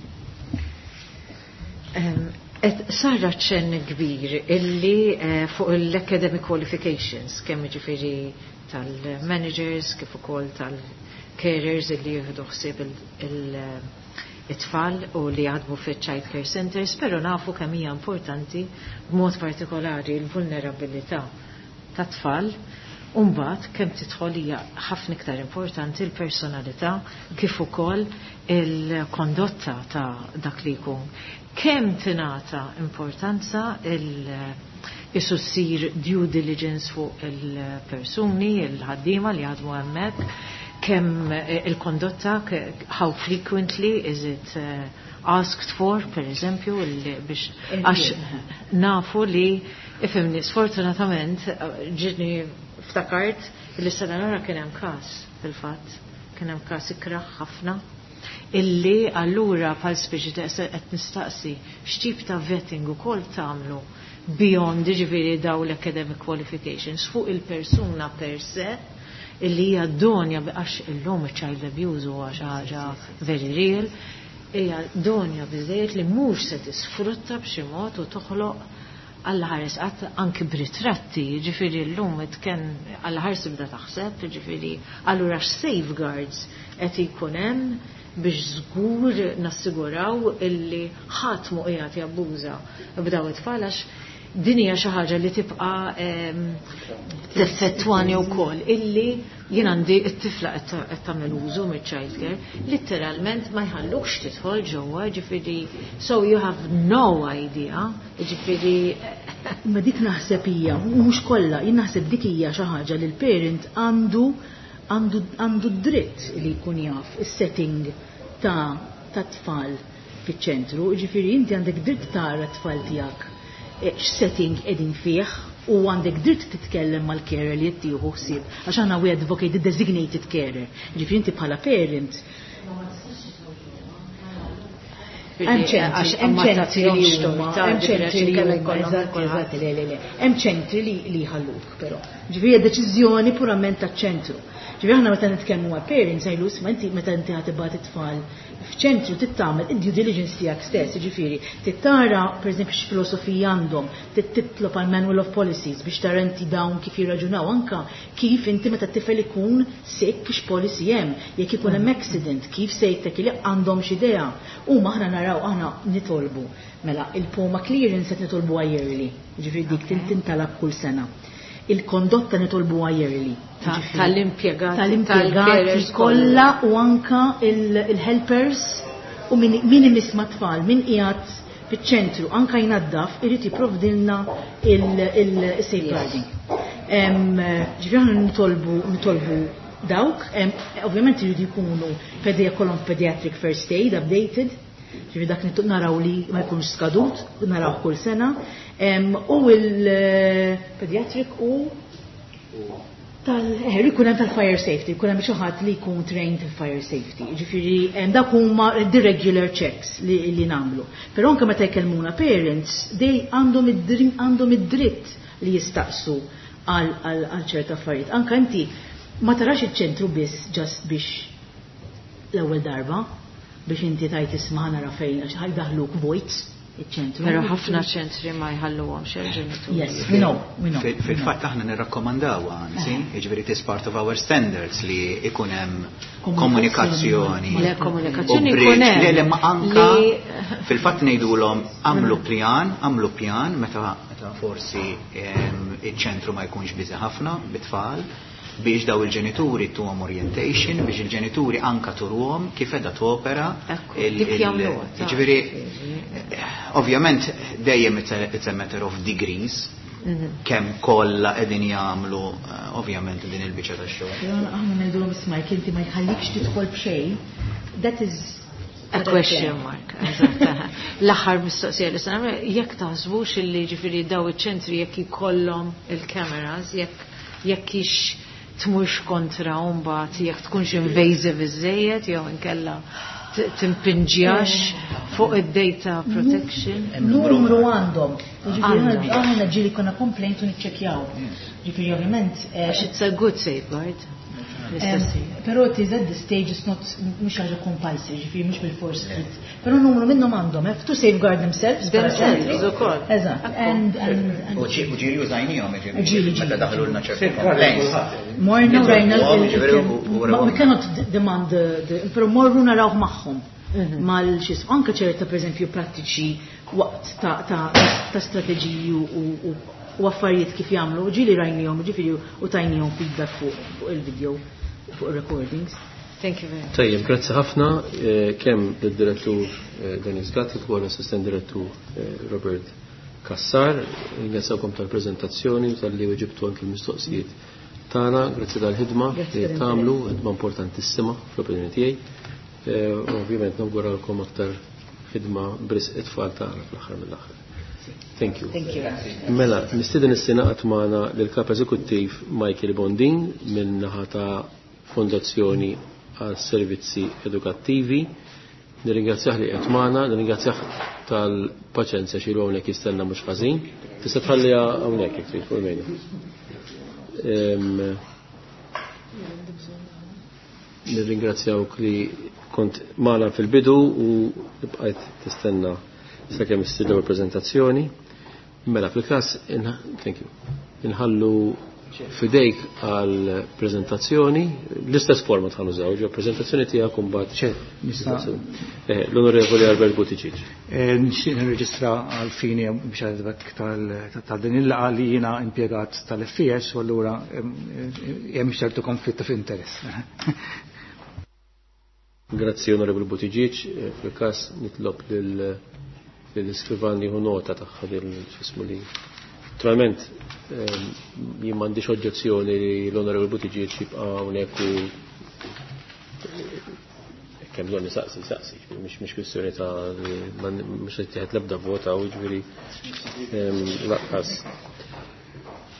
Et sarra ċen kbir illi fuq l-academic qualifications, kemm ġifieri tal-managers, kif ukoll tal-carers illi jieħdu ħsieb it-tfal u li jaħdmu fi child care centers, pero nafu kemm hija importanti b'mod partikolari l-vulnerabilità ta' tfal. Umbagħad kemm tidħol hija ħafna iktar importanti l-personalità kif ukoll il-kondotta ta' dak li jkun. Kemm tingħata importanza il issir due diligence fuq il-persuni, il-ħaddiema li jaħdmu hemmhekk, kemm il-kondotta, how frequently is it asked for, per eżempju, biex għax nafu li, ifhimni, sfortunatament, ġietni ftakart li sena nara kien hemm każ fil-fatt, kien hemm każ ikraħ ħafna illi allura bħal speċi ta' qed nistaqsi x'tip ta' vetting ukoll tagħmlu beyond ġifieri daw l-academic qualifications fuq il-persuna per se illi hija idonea, għax illum child abuse huwa xi ħaġa very real, hija idonea biżejjed li mhux se tisfrutta b'xi mod u toħloq għall ħares qatt anki b'ritratti, ġifieri llum ken għall ħares tibda taħseb, ġifieri allura x'safeguards qed ikun hemm biex żgur nassiguraw illi ħadd mu qiegħed jabbuża b'daw it-tfal, għax din hija xi ħaġa li tibqa' teffettwani wkoll illi jien għandi t-tifla qed tagħmel użu mill-child care, litteralment ma jħallukx tidħol ġewwa, ġifieri so you have no idea, ġifieri. Ma dik naħseb hija, mhux kollha, jien naħseb dik hija xi ħaġa li l-parent għandu dritt li jkun jaf is-setting ta' tfal fiċ-ċentru, ġifieri inti għandek dritt tara t-tfal tiegħek x'setting qegħdin fih u għandek dritt titkellem mal-carer li jittieħu ħsieb, għax aħna we advocate the designated carer. Ġifieri inti bħala parent hemm ċentri li huma, eżatt, le, le, le. Hemm ċentri li jħalluk però. Ġifieri deċiżjoni purament taċ-ċentru. Ġifieri aħna meta nitkellmu ma' parents ngħidu, isma', inti meta inti ħa tibgħat it-tfal f'ċentru trid tagħmel id-due diligence tiegħek stess, ġifieri trid tara pereżempju x'filosofija għandhom, trid titlob għal manual of policies biex tara inti dawn kif jirraġunaw, anka kif inti meta t-tifel ikun sick x'policy hemm, jekk ikun hemm accident, kif se jittek li għandhom x'idea. U aħna naraw, aħna nitolbu. Mela, il-POMA clearance qed nitolbu yearly, ġifieri dik tintalab kull sena. Il-kondotta nitolbu yearly. Tal-impjegati. Tal-impjegati kollha u anka il-helpers u min imiss ma' tfal, min qiegħed fiċ-ċentru, anka jnaddaf, irid jipprovdilna il-safeguarding. Ġifieri aħna nitolbu dawk, ovvjament iridu jkunu kollhom pediatric first aid updated, ġifieri dak naraw li ma jkunx skadut, naraw kull sena, u il-pediatric u Tal, ikun hemm tal-fire safety, ikun hemm xi ħadd li jkun trained fire safety. Ġifieri dak huma the regular checks li nagħmlu. Però anke meta jkellmuna parents, they għandhom id-dritt li jistaqsu għal ċerta affarijiet. Anke inti ma tarax iċ-ċentru biss just biex l-ewwel darba biex inti tajt, isma', nara fejn, għax ħa jdaħħluk vojt iċ-ċentru. Però ħafna ċentri ma jħalluhomx il-ġenituri. Yes, we know, we know. Fil-fatt aħna nirrakkomandaw, anzi, jiġifieri it is part of our standards li ikun hemm komunikazzjoni. Le, komunikazzjoni ikun hemm. Le, ma anka fil-fatt ngħidulhom għamlu pjan, għamlu pjan meta forsi iċ-ċentru ma jkunx busy ħafna bit-tfal biex daw il-ġenituri tuhom orientation, biex il-ġenituri anka turuhom kif edha topera. Ġifieri, ovvjament dejjem it's a matter of degrees, kemm kollha qegħdin jagħmlu ovvjament din il-biċċa tax-xogħol. Aħna ngħidulhom, isma', inti ma jħallikx tidħol b'xejn, that is a question mark. L-aħħar mistoqsija li se jekk taħsbux illi ġifieri daw iċ-ċentri jekk ikollhom il-cameras, jekk ix tmurx kontra mbagħad jekk tkunx invasive iżejjed jew inkella timpinġjax fuq id-data protection. Numru għandhom. Aħna ġieli konna complaint u niċċekjaw. Ġifieri ovvjament. It's a good safeguard. Però it is at this stage it's not, mhux ħaġa compulsory, ġifieri mhux bil-force trid. Però numru minnhom għandhom, have to safeguard themselves. Themselves ukoll. Eżatt. U ġieli użajnihom, ġifieri meta daħlulna ċertu complaints. Morna rajna, we cannot demand the, però morru narawh magħhom. Mal xis, anke ċerta per eżempju prattiċi waqt ta' strateġiji u affarijiet kif jagħmlu, ġieli rajnihom, ġifieri u tajnihom feedback fuq il-video, fuq il-recordings. Thank you very much. Tajjeb, grazzi ħafna kemm lid-direttur Denise Gatti u l-assistent direttur Robert Cassar. Ringrazzjawkom tal-preżentazzjoni u tal-li weġibtu anki l-mistoqsijiet tagħna, grazzi tal-ħidma li tagħmlu, ħidma importantissima fl-opinjoni tiegħi. Ovvjament nawguralkom aktar ħidma b'risq it-tfal tagħna fl-aħħar mill-aħħar. Thank you. Thank you. Mela, nistieden issa ngħaqad magħna lill-Kap Eżekuttiv Michael Bondin minn naħa ta' Fondazzjoni għal Servizzi Edukattivi. Nirringrazzjah li qed magħna, nirringrazzjah tal-paċenzja xi hawnhekk jistenna mhux ħażin. Tista' tħalliha hawnhekk jekk trid fuq il-mejda. Nirringrazzjawk li kont magħna fil-bidu u bqajt tistenna sakemm issir l prezentazzjoni. Mela fil-każ, thank you. Inħallu fidejk għal prezentazzjoni, l-istess forma tħan użaw, ġo prezentazzjoni tiegħek imbagħad. L-Onorevoli Albert Buttigieg. Nixtieq nirreġistra għal fini biex għadbek ta' din il-laqgħa li jiena impjegat tal-FES u allura hemm ċertu konflitt ta' interess. Grazzi, Onorevoli Buttigieg. Fil-każ nitlob lill-iskrivan jieħu nota tagħha x'ismu li. Naturalment, jien m'għandix oġġezzjoni li l-Onorevoli Buttigieg jibqa' hawnhekk u kemm bżonn nisaqsi, saqsi, mhix kwistjoni ta' mhux qed tieħed l-ebda vota u ġifieri laqqas.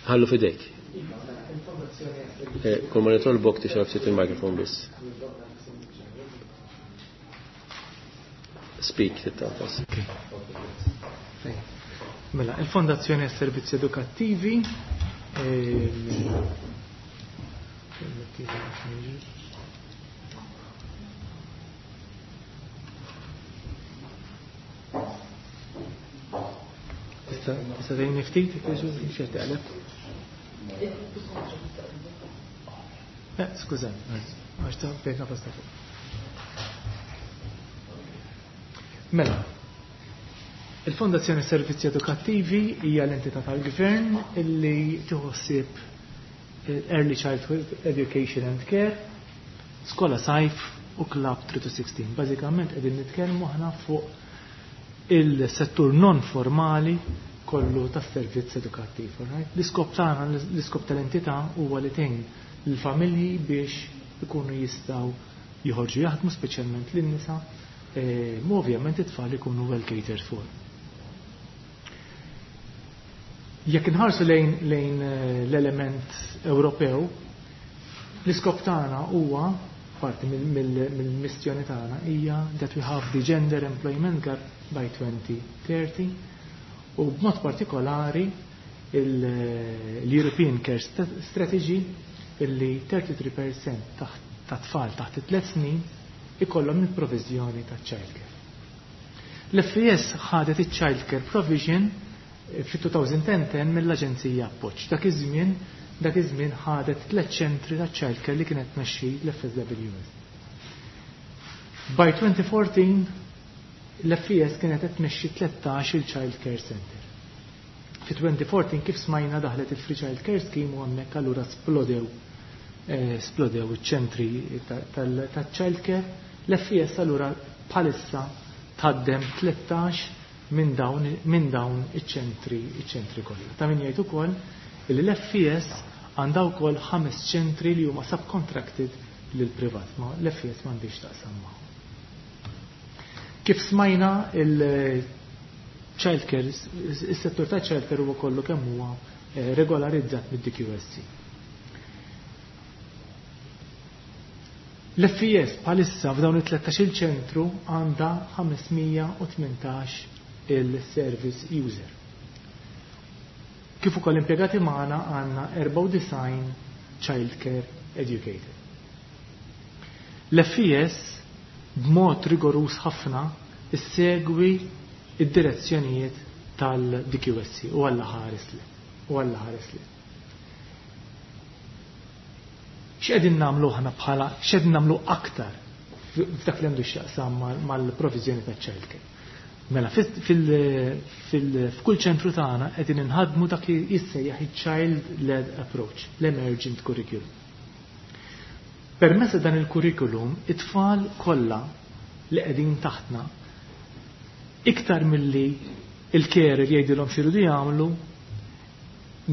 Ħallu fidejk. Kull ma nitolbok tixrab ftit il-mikrofon biss. Speak, tittantas. Mela, il-Fondazzjoni għas Servizzi Edukattivi Tista' tgħinni ftit, xi taqleb? Skużani, għax ta' pjega pasta fuq. Mela, il-Fondazzjoni Servizzi Edukattivi hija l-entità tal-Gvern illi tieħu Early Childhood Education and Care, Skola Sajf u Club 3 to 16. Bażikament qegħdin nitkellmu aħna fuq il-settur non formali kollu tas-servizz edukattiv. Right? L-iskop tagħna, l-iskop tal-entità huwa li tgħin lill-familji biex ikunu jistgħu joħorġu jaħdmu, speċjalment lin-nisa, mu ovvjament it-tfal ikunu well catered for. Jekk inħarsu lejn l-element Ewropew, L-iskop tagħna huwa parti mill-missjoni tagħna hija that we have the gender employment gap by 2030 u b'mod partikolari l-European Care Strategy illi 33% ta' tfal taħt it-tlet snin ikollhom il-proviżjoni ta' childcare. L-FES ħadet il-Child Care Provision fit-2010 mill-Aġenzija Appoġġ. Dak iż-żmien ħadet tliet ċentri ta' child care li kienet tmexxi l-FSWS. By 2014 l-FES kienet qed tmexxi 13 il-Child Care Center. Fi 2014, kif smajna, daħlet il-Free Child Care Scheme u hemmhekk allura splodew iċ-ċentri tal-child care. L-FES allura bħalissa tħaddem 13 minn dawn iċ-ċentri kollha. Ta' min jgħid ukoll li l-FES għandha wkoll ħames ċentri li huma subcontracted lil privat, ma l-FES m'għandix taqsam magħhom. Kif smajna, il-child care, is-settur ta' child care huwa kollu kemm huwa regolarizzat mid-DQSC. L-FES bħalissa f'dawn it-13 ċentru għandha 518 il-service user. Kif ukoll impjegati magħna għandna 94 child care educator. L-FES b'mod rigorus ħafna issegwi id-direzzjonijiet tal-DQSC u Alla ħares li. U Alla ħares li. X'qegħdin nagħmlu aħna bħala, x'qegħdin nagħmlu aktar f'dak li għandu x'jaqsam mal-proviżjoni ta' childcare? Mela f'kull ċentru tagħna qegħdin inħadmu dak li jissejjaħ il-child led approach, l-emergent curriculum. Permezz dan il-curriculum, it-tfal kollha li qegħdin taħtna, iktar milli il-carer jgħidilhom x'iridu jagħmlu,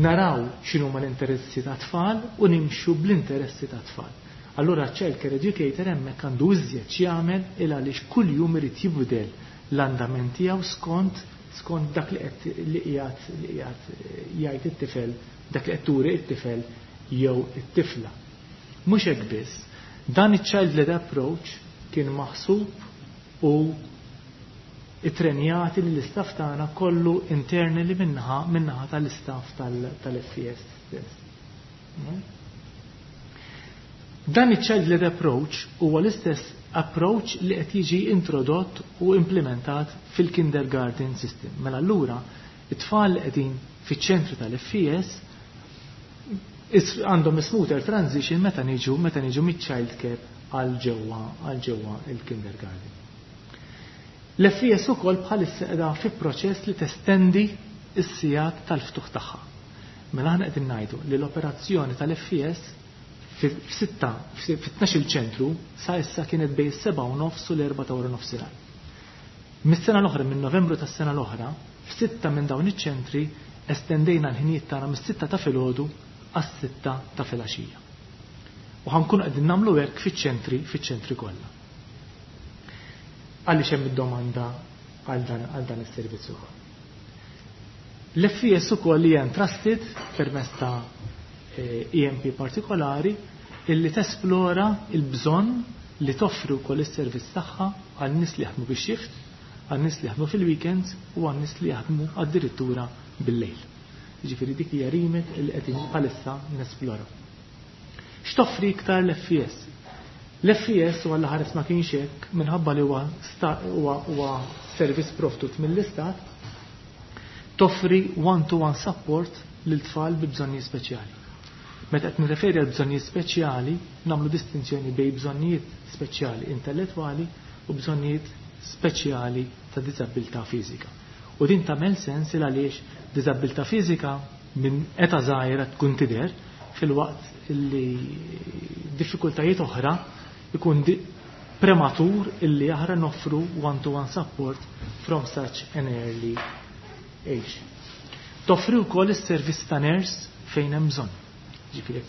naraw x'inhuma l-interessi ta' tfal u nimxu bl-interessi ta' tfal. Allura child care educator hemmhekk għandu iżjed x'jagħmel, il għaliex kuljum irid jibdel l-andament tiegħu skont dak li qiegħed jgħid it-tifel, dak li qed turi it-tifel jew it-tifla. Mhux hekk biss, dan iċ-child led approach kien maħsub u ittrenjati li l-istaff tagħna kollu internally minnaħa tal-istaff tal-FES stess. Dan iċ-child led approach huwa l-istess approach li qed jiġi introdott u implementat fil-kindergarten system. Mela allura it-tfal li qegħdin fiċ-ċentru tal-FES għandhom smoother transition meta niġu miċ-child care għal ġewwa il-kindergarten. L-FES ukoll bħalissa qiegħda fi proċess li testendi s-sigħat tal-ftuħ tagħha. Mela aħna qegħdin ngħidu li l-operazzjoni tal-FES f'sitta, fit-12 ċentru sa issa kienet bejn 7:30 u l-4 ta' wara nofsinhar. Mis-sena l-oħra, minn Novembru tas-sena l-oħra, f'sitta minn dawn iċ-ċentri estendejna l-ħinijiet tagħna mis-6 ta' filgħodu għas-6 ta' filgħaxija. U ħa nkunu qegħdin nagħmlu hekk fiċ-ċentri kollha. Għaliex hemm id-domanda għal dan is-servizz ukoll. L-FES ukoll li entrusted permezz ta' EMP partikolari illi tesplora il-bżonn li toffri wkoll is-servizz tagħha għal nies li jaħdmu bix-shift, għal nies li jaħdmu fil-weekends u għal nies li jaħdmu addirittura bil-lejl. Jiġifieri dik hija remit li qegħdin bħalissa nesplora. X'toffri iktar l-FES? L-FES, u Alla ħares ma kienx hekk, minħabba li huwa servizz provdut mill-istat, toffri one-to-one support lil tfal bi bżonnijiet speċjali. Meta qed nirreferi għal bżonnijiet speċjali, nagħmlu distinzjoni bejn bżonnijiet speċjali intellettwali u bżonnijiet speċjali ta' diżabilità fiżika. U din tagħmel sens il għaliex diżabilità fiżika minn età żgħira tkun tidher, filwaqt li diffikultajiet oħra ikun prematur illi aħra noffru one-to-one support from such an early age. Toffri wkoll is-servizz ta' nurse fejn hemm bżonn. Ġifieri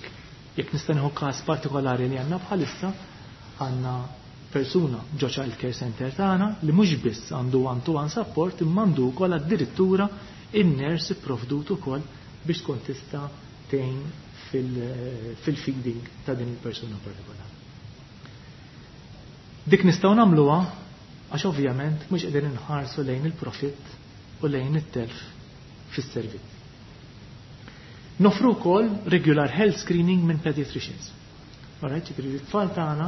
jekk nista' nieħu każ partikolari li għandna bħalissa, għandna persuna ġo child care center tagħna li mhux biss għandu one-to-one support imma għandu wkoll addirittura in-nurse ipprovdut ukoll biex tkun tista' tgħin. fil-feeding ta' din il-persuna partikolari. Dik nistgħu nagħmluha għax ovvjament mhux qegħdin inħarsu lejn il-profitt u lejn it-telf fis-servizz. Nofru wkoll regular health screening minn pediatricians. Alright, ġifieri t-tfal tagħna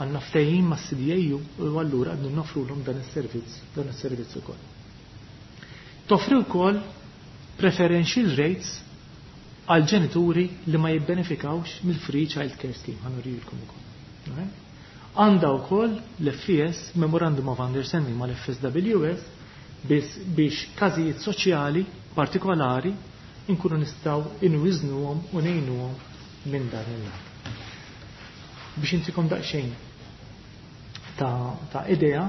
għandna ftehim mas-CDAU u allura qegħdin nofrulhom dan is-servizz, dan is-servizz ukoll. Toffri wkoll preferential rates għal ġenituri li ma jibbenefikawx mill-Free Child Care Scheme, ħa nurijilkom ukoll. Għandha wkoll l-FES Memorandum of Understanding mal-FSWS biex każijiet soċjali partikolari inkunu nistgħu inwiżnuhom u ngħinuhom minn dan il-lat. Biex intikom daqsxejn ta' idea,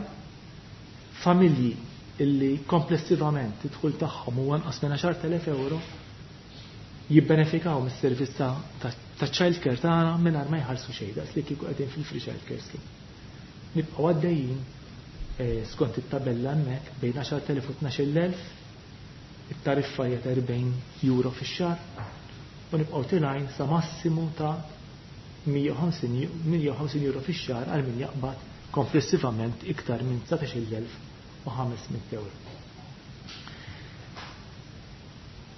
familji illi komplessivament id-dħul tagħhom huwa anqas minn 10,000 euro jibbenefikaw mis-servizz ta' child care tagħna mingħajr ma jħallsu xejn, daqs li kieku qegħdin fil-free child care scheme. Nibqgħu għaddejjin skont it-tabella hemmhekk bejn 10,000 u 12,000, it-tariffa hija ta' 40 euro fix-xahar u nibqgħu tilgħin sa massimu ta' 150 euro fix-xahar għal min jaqbad komplessivament iktar minn 19,500 euro.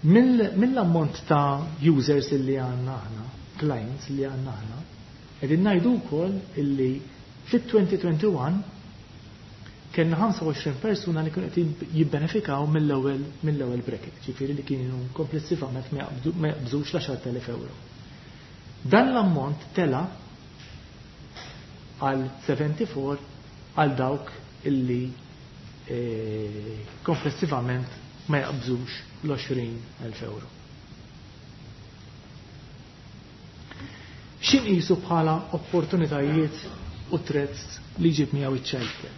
Mill-ammont ta' users illi għandna aħna, clients li għandna aħna, qegħdin ngħidu wkoll illi fit-2021 kellna 25 persuna li kienu qed jibbenefikaw mill-ewwel bracket, ġifieri li kienu komplessivament ma jaqbżux l-10,000 euro. Dan l-ammont tela għal 74 għal dawk illi komplessivament ma jaqbżux l-20,000 euro. X'inqisu bħala opportunitajiet u threats li jġib miegħu iċ-childcare?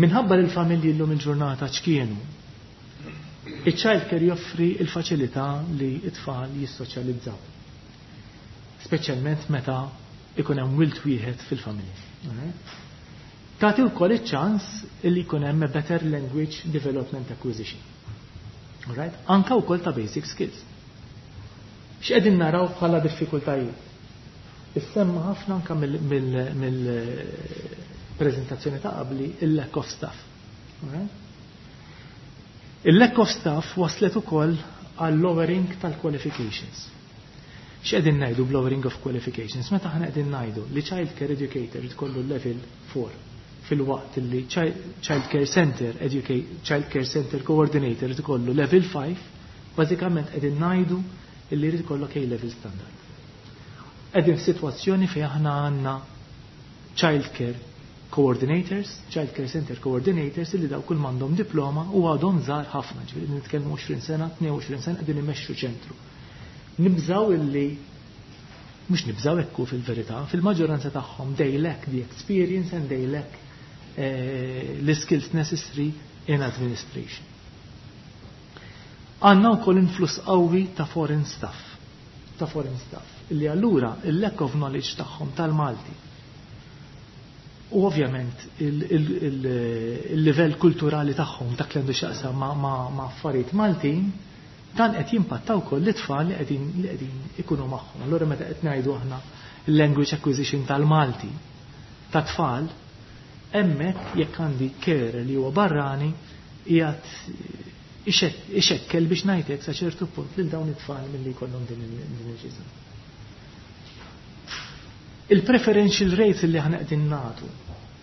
Minħabba li l-familji llum il-ġurnata ċkienu, iċ-childcare joffri il-faċilità li t-tfal jissoċjalizzaw. Speċjalment meta ikun hemm wild wieħed fil-familja. Tagħti wkoll iċ-ċans li jkun hemm a better language development acquisition. Alright? Anka wkoll ta' basic skills. X'qegħdin naraw bħala diffikultajiet? Issemma ħafna anka mill-preżentazzjoni ta' qabli il-lack of staff. Alright? Il-lack of staff waslet ukoll għal lowering tal-qualifications. X'qegħdin ngħidu b'lowering of qualifications? Meta aħna qegħdin ngħidu li child care educator tkollu level 4 fil-waqt li child care center child care center coordinator tkollu level 5, bażikament qegħdin ngħidu li jrid ikollok A level standard. Qegħdin f'sitwazzjoni fejn aħna għandna child care coordinators, child care center coordinators illi daw kull m'għandhom diploma u għadhom żgħar ħafna, ġifieri nitkellmu 20 sena, 22 sena qegħdin imexxu ċentru. Nibżaw illi mhux nibżaw ekku fil-verità, fil-maġġoranza tagħhom they lack the experience and they lack the skills necessary in administration. Għandna wkoll influss qawwi ta' foreign staff, ta' foreign staff, illi allura il-lack of knowledge tagħhom tal-Malti. U ovvjament il-livell kulturali tagħhom dak li għandu x'jaqsam ma' affarijiet Maltin, dan qed jimpatta wkoll l-itfal li qegħdin ikunu magħhom. Allura meta qed ngħidu aħna il-language acquisition tal-Malti ta' tfal, hemmhekk jekk għandi care li huwa barrani qiegħed ixekkel biex ngħidlek sa ċertu punt lil dawn it-tfal milli jkollhom din il-ġiżma. Il-preferential rates li aħna qegħdin nagħtu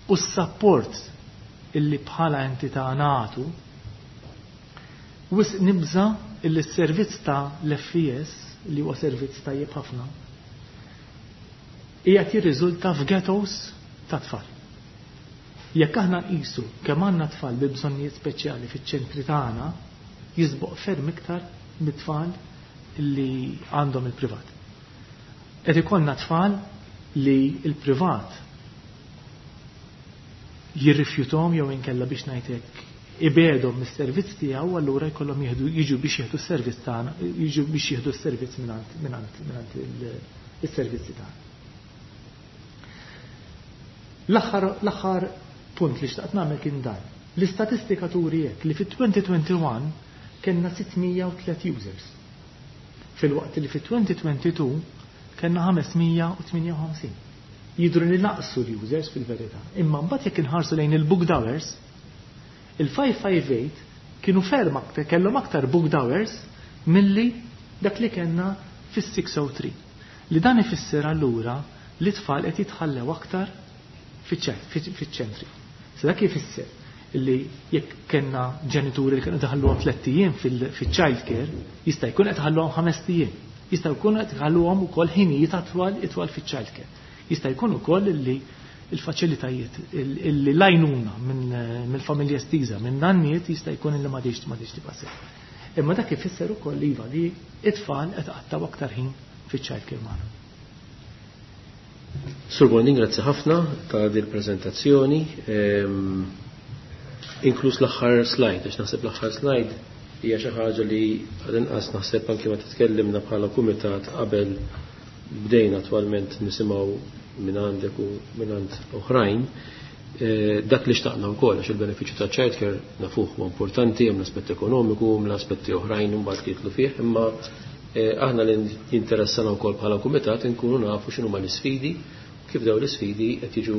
u s-support illi bħala entità nagħtu, wisq nibża illi s-servizz ta' l-FES li huwa servizz tajjeb ħafna qiegħed jirriżulta f'ghettos ta' tfal. Jekk aħna nqisu kemm għandna tfal bi bżonnijiet speċjali fiċ-ċentri tagħna, jisboq ferm iktar mit-tfal li għandhom il-privat. Qed ikollna tfal li il-privat jirrifjutom jew inkella biex ngħidlek ibedhom mis-servizz tiegħu, allura jkollhom jiġu biex jieħdu s-servizz tagħna, jiġu biex jieħdu s-servizz mingħand is-servizzi tagħna. L-aħħar punt li xtaqt nagħmel kien dan. L-istatistika turi hekk li fit-2021 kellna 603 users. Filwaqt li fit-2022 kellna 558. Jidru li naqsu l-users fil-verità. Imma mbagħad jekk inħarsu lejn il-booked hours, il-558 kienu ferm aktar, kellhom aktar booked hours milli dak li kellna fis-603. Li dan ifisser allura li tfal qed jitħallew aktar fiċ-ċentri. Se dak ifisser li jekk kellna ġenituri li kienu daħluhom 3 ijiem fil-child care, jista' jkun qed ħalluhom 5 ijiem. Jista' jkun qed ħalluhom ukoll ħinijiet atwal itwal fiċ-child care. Jista' jkun ukoll li il-faċilitajiet, illi lajnuna mill-familja estiża, minn nanniet jista' jkun illi m'għadix tibqa' sew. Imma dak ifisser ukoll iva li it-tfal qed qattaw aktar ħin fiċ-child care magħna. Sur Bondin, grazzi ħafna ta' dil prezentazzjoni inkluż l-aħħar slide, għax naħseb l-aħħar slide hija xi ħaġa li għal-inqas naħseb anke ma titkellimna bħala kumitat qabel bdejna attwalment nisimgħu minn għandek u minn għand oħrajn. Dak li xtaqna wkoll għax il-benefiċċju ta' childcare nafuh huwa importanti, hemm l-aspett ekonomiku, hemm l-aspetti oħrajn imbagħad li jidħlu fih, imma aħna li jinteressana wkoll bħala kumitat inkunu nafu x'inhuma l-isfidi, kif dawn l-isfidi qed jiġu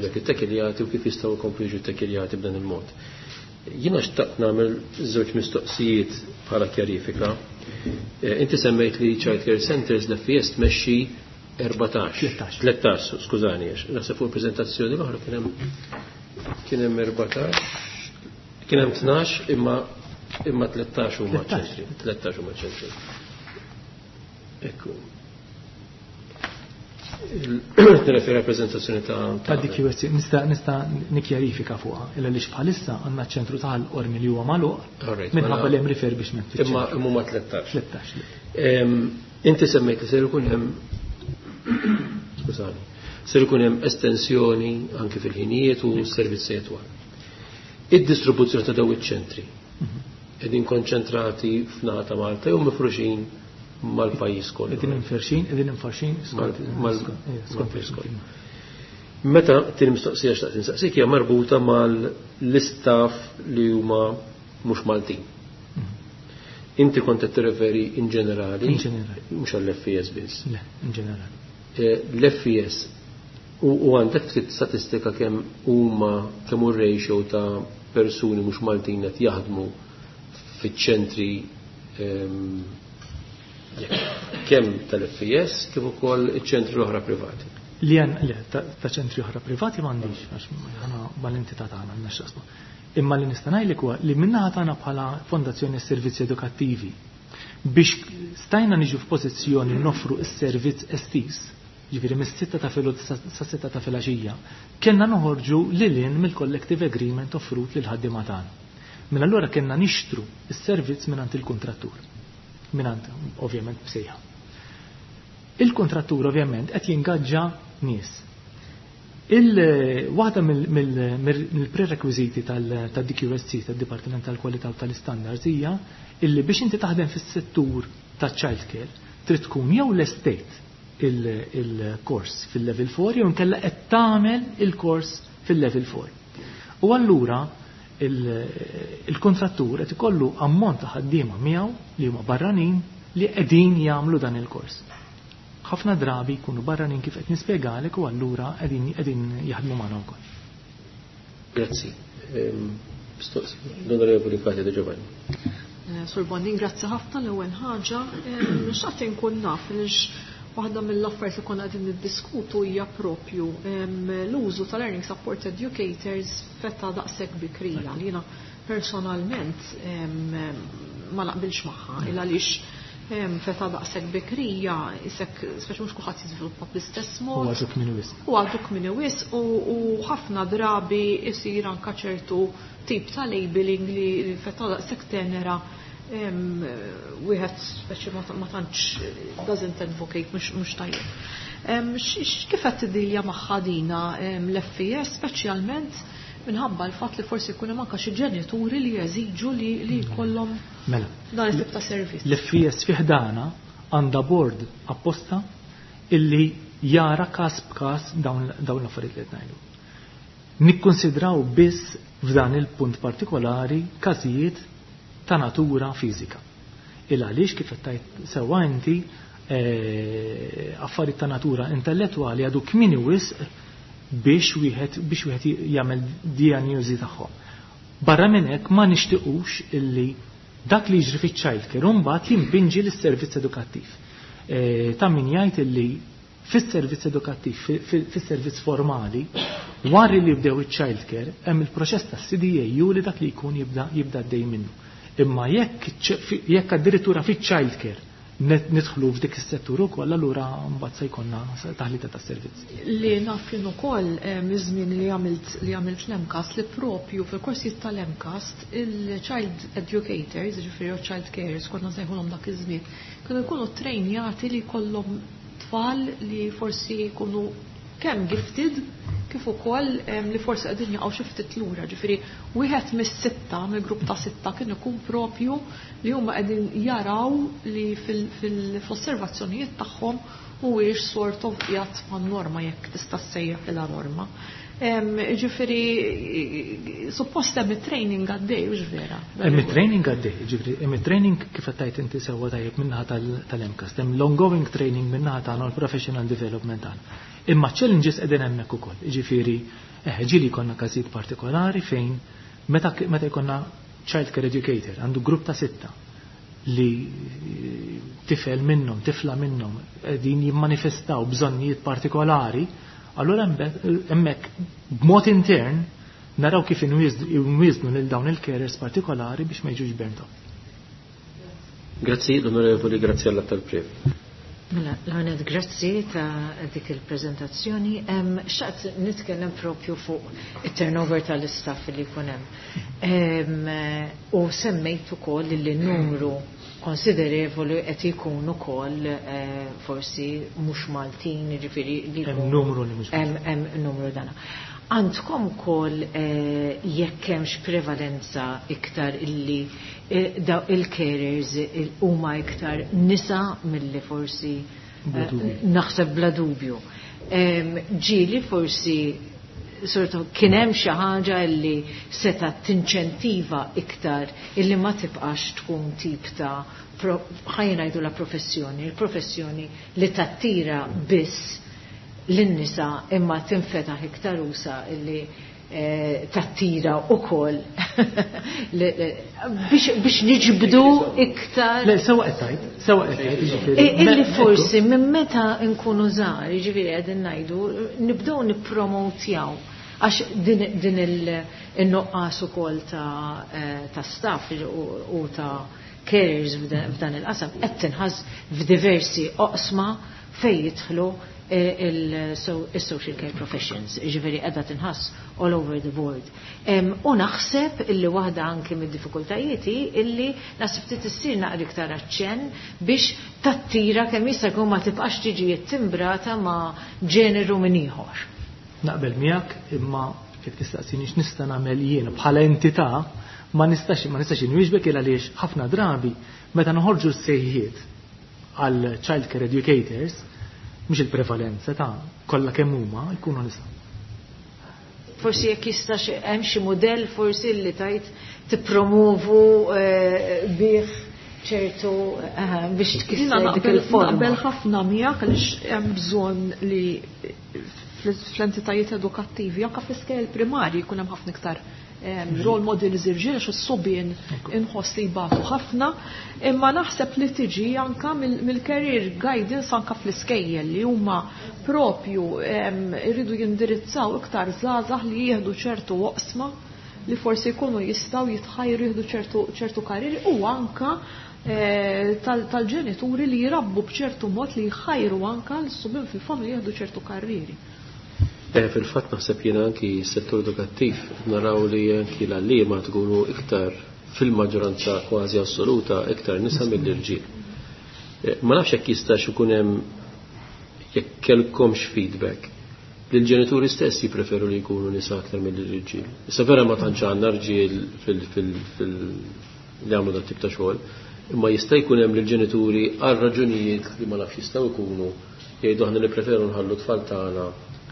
dak it-tekiljati u kif jistgħu jkomplu jiġu tekiljati b'dan il-mod. Jiena xtaqt nagħmel żewġ mistoqsijiet bħala kjarifika. Inti semmejt li Child Care Centers l-FES tmexxi 14. 13, skużani, għax naħseb fuq il-preżentazzjoni l-oħra kien hemm 14, kien hemm 12 imma 13 huma ċentri, 13 huma ċentri. Ekku. Nirreferi għall-preżentazzjoni ta' Ta' DQSC, nista' nikkjarifika fuqha, illa li bħalissa għandna ċentru ta' Qormi li huwa magħluq minħabba li hemm refurbishment Imma huma 13. 13. Inti semmejt li ser ikun hemm, skużani, ser ikun hemm estensjoni anke fil-ħinijiet u s-servizzi twal. Id-distribuzzjoni ta' dawn iċ-ċentri qegħdin konċentrati f'naħa ta' Malta jew mifruxin mal-pajjiż kollu? Qegħdin inferxin skont mal-pajjiż kollu. Meta tieni mistoqsija xtaqt insaqsik hija marbuta mal-istaff li huma mhux Maltin. Inti kont qed tirreferi in ġenerali, In ġenerali. mhux għall-FES biss. Le, in ġenerali. L-FES u għandek ftit statistika kemm huma kemm hu ratio ta' persuni mhux Maltin qed jaħdmu fiċ-ċentri kemm tal-FES kif ukoll iċ-ċentri l-oħra privati. Li għan, le, ta' ċentri oħra privati m'għandix, għax aħna mal-entità tagħna għandna x'jaqsmu. Imma li nista' ngħidlek huwa li min-naħa tagħna bħala Fondazzjoni Servizzi Edukattivi biex stajna niġu f'pożizzjoni noffru s-servizz estiż, ġifieri mis-6 ta' filgħodu sa 6 ta' filgħaxija, kellna noħorġu lil hinn mill-collective agreement offrut lil ħaddiema tagħna. Mela allura kellna nixtru s-servizz mingħand il-kuntrattur. Mingħand ovvjament b'sejħa. Il-kontrattur ovvjament qed jingaġġa nies. Waħda mill-prerequisiti tal-DQSC, tad-Dipartiment tal-Kwalità u tal-Standards, hija illi biex inti taħdem fis-settur ta' child care trid tkun jew lestejt il-kors fil-level 4 jew inkella qed tagħmel il-kors fil-level 4. U allura il-kontrattur qed ikollu ammont ta' ħaddiema miegħu li huma barranin li qegħdin jagħmlu dan il-kors. Ħafna drabi jkunu barranin kif qed nispjegalek u allura qegħdin jaħdmu magħna wkoll. Grazzi. L-Onorevoli Katia De Giovanni. Sur Bondin, grazzi ħafna l-ewwel ħaġa. Xtaqt inkun naf għaliex waħda mill-affarijiet li konna qegħdin niddiskutu hija propju l-użu tal-Learning Support Educators f'età daqshekk bikrija li jiena personalment ma naqbilx magħha il għaliex f'età daqshekk bikrija isek speċi mhux kulħadd jiżviluppa bl-istess mod. U għadu kmieni wisq. U għadu kmieni wisq u ħafna drabi isir anka ċertu tip ta' labeling li f'età daqshekk tenera wieħed speċi ma tantx doesn't advocate mhux tajjeb. Kif qed tiddilja magħha dina l-FES speċjalment minħabba l-fatt li forsi jkun hemm anke xi ġenituri li jeżiġu li jkollhom dan it-tip ta' servizz. L-FES fi ħdana għandha board apposta illi jara każ b'każ dawn l-affarijiet li qed ngħidu. Nikkonsidraw biss f'dan il-punt partikolari każijiet ta' natura fiżika. Il għaliex kif qed tgħid sewwa inti affarijiet ta' natura intellettwali għadu kmieni wisq biex wieħed jagħmel diagnosi tagħhom. Barra minn hekk, ma nixtiequx illi dak li jiġri fiċ-child care mbagħad jimpinġi lis-servizz edukattiv. Ta' min jgħid illi fis-servizz edukattiv, fis-servizz formali, wara li jibdew iċ-child care, hemm il-proċess tas-CDAU li dak li jkun jibda għaddej minnu. Imma jekk addirittura fiċ-child care nidħlu f'dik is-settur ukoll, allura mbagħad se jkollna taħlita tas-servizz. Li naf jien ukoll miż-żmien li għamilt l-MCAST, li propju fil-korsijiet tal-MCAST il-child educators, ġifieri child carers konna nsejħulhom dak iż-żmien, kienu jkunu trejnjati li jkollhom tfal li forsi jkunu kemm gifted kif ukoll li forsi qegħdin jaqgħu xi ftit lura. Ġifieri wieħed mis-sitta, mill-grupp ta' sitta, kien ikun propju li huma qegħdin jaraw li fil-osservazzjonijiet tagħhom huwiex sort of qiegħed man-norma, jekk tista' ssejjaħ ilha norma. Ġifieri suppost hemm it-training għaddej, hux vera? Hemm it-training għaddej, ġifieri hemm it-training kif qed tgħid inti sewwa tajjeb min-naħa tal-MCAST, hemm l-ongoing training min-naħa tagħna u l-professional development tagħna. Imma challenges qegħdin hemmhekk ukoll, ġifieri ġieli jkollna każijiet partikolari fejn meta jkollna child care educator għandu grupp ta' sitta li tifel minnhom, tifla minnhom qegħdin jimmanifestaw bżonnijiet partikolari, allura hemmhekk b'mod intern naraw kif inwiżnu lil dawn il-carers partikolari biex ma jiġux burnt out. Grazzi, l-Onorevoli Graziella tal-Prev. Mela, l-għanet grazzi ta' dik il-prezentazzjoni. Xtaqt nitkellem propju fuq il-turnover tal-istaff li jkun hemm. U semmejt ukoll li numru konsiderevoli qed ikun ukoll forsi mhux Maltin, jiġifieri li Hemm numru li mhux Hemm numru dana. Għandkom ukoll jekk hemmx prevalenza iktar illi daw il-carers huma iktar nisa milli forsi Bla dubju. Naħseb bla dubju. Ġieli forsi sort of kien hemm xi ħaġa li seta tinċentiva iktar illi ma tibqax tkun tip ta' ħa ngħidu la professjoni, il-professjoni li tattira biss lin-nisa, imma tinfetaħ iktar usa illi tattira ukoll biex niġbdu iktar. Le, sewwa qed tgħid, sewwa qed tgħid, jiġifieri. Illi forsi minn meta nkunu żgħar, jiġifieri qegħdin ngħidu, nibdew nippromotjaw għax din il-nuqqas ukoll ta' staff u ta' carers f'dan il-qasam qed tinħass f'diversi oqsma fejn jidħlu il-social care professions, ġifieri qiegħda tinħass all over the board. U naħseb illi waħda anki mid-diffikultajiet hi illi naħseb trid issir naqra iktar aċċenn biex tattira kemm jista' jkun, ma tibqax tiġi timbrata ma' ġeneru minn ieħor. Naqbel miegħek, imma jekk tistaqsini x'nista' nagħmel jien bħala entità, ma nistax inwieġbek, il għaliex ħafna drabi meta noħorġu s-sejħiet għal child care educators, mhux il-prevalenza ta' kollha kemm huma jkunu nisa. Forsi jekk jistax hemm xi mudell forsi li tajt tippromovu bih ċertu biex Jiena tkisser dik il-forma. Naqbel ħafna miegħek għaliex hemm bżonn li fl-entitajiet edukattivi, anke fl-iskejjel primarji, jkun hemm ħafna iktar role models irġiel għax is-subien inħoss li jbatu ħafna, imma naħseb li tiġi anka mill-career guidance anka fl-iskejjel li huma propju irridu jindirizzaw iktar żgħażagħ li jieħdu ċertu oqsma li forsi jkunu jistgħu jitħajru jieħdu ċertu karrieri u anka tal-ġenituri li jirabbu b'ċertu mod li jħajru anka l-subien fil-familja jieħdu ċertu karrieri. Fil-fatt naħseb jiena anki s-settur edukattiv naraw li anki l-għalliema tkunu iktar fil-maġġoranza kważi assoluta iktar nisa mill-irġiel. Ma nafx jekk jistax ikun hemm, jekk kellkomx feedback li l-ġenituri stess jippreferu li jkunu nisa aktar mill-irġiel. Issa vera ma tantx għandna rġiel li għamlu dat tip ta' xogħol, imma jista' jkun hemm lill-ġenituri għal raġunijiet li ma nafx jistgħu jkunu jgħidu aħna nippreferu nħallu tfal tagħna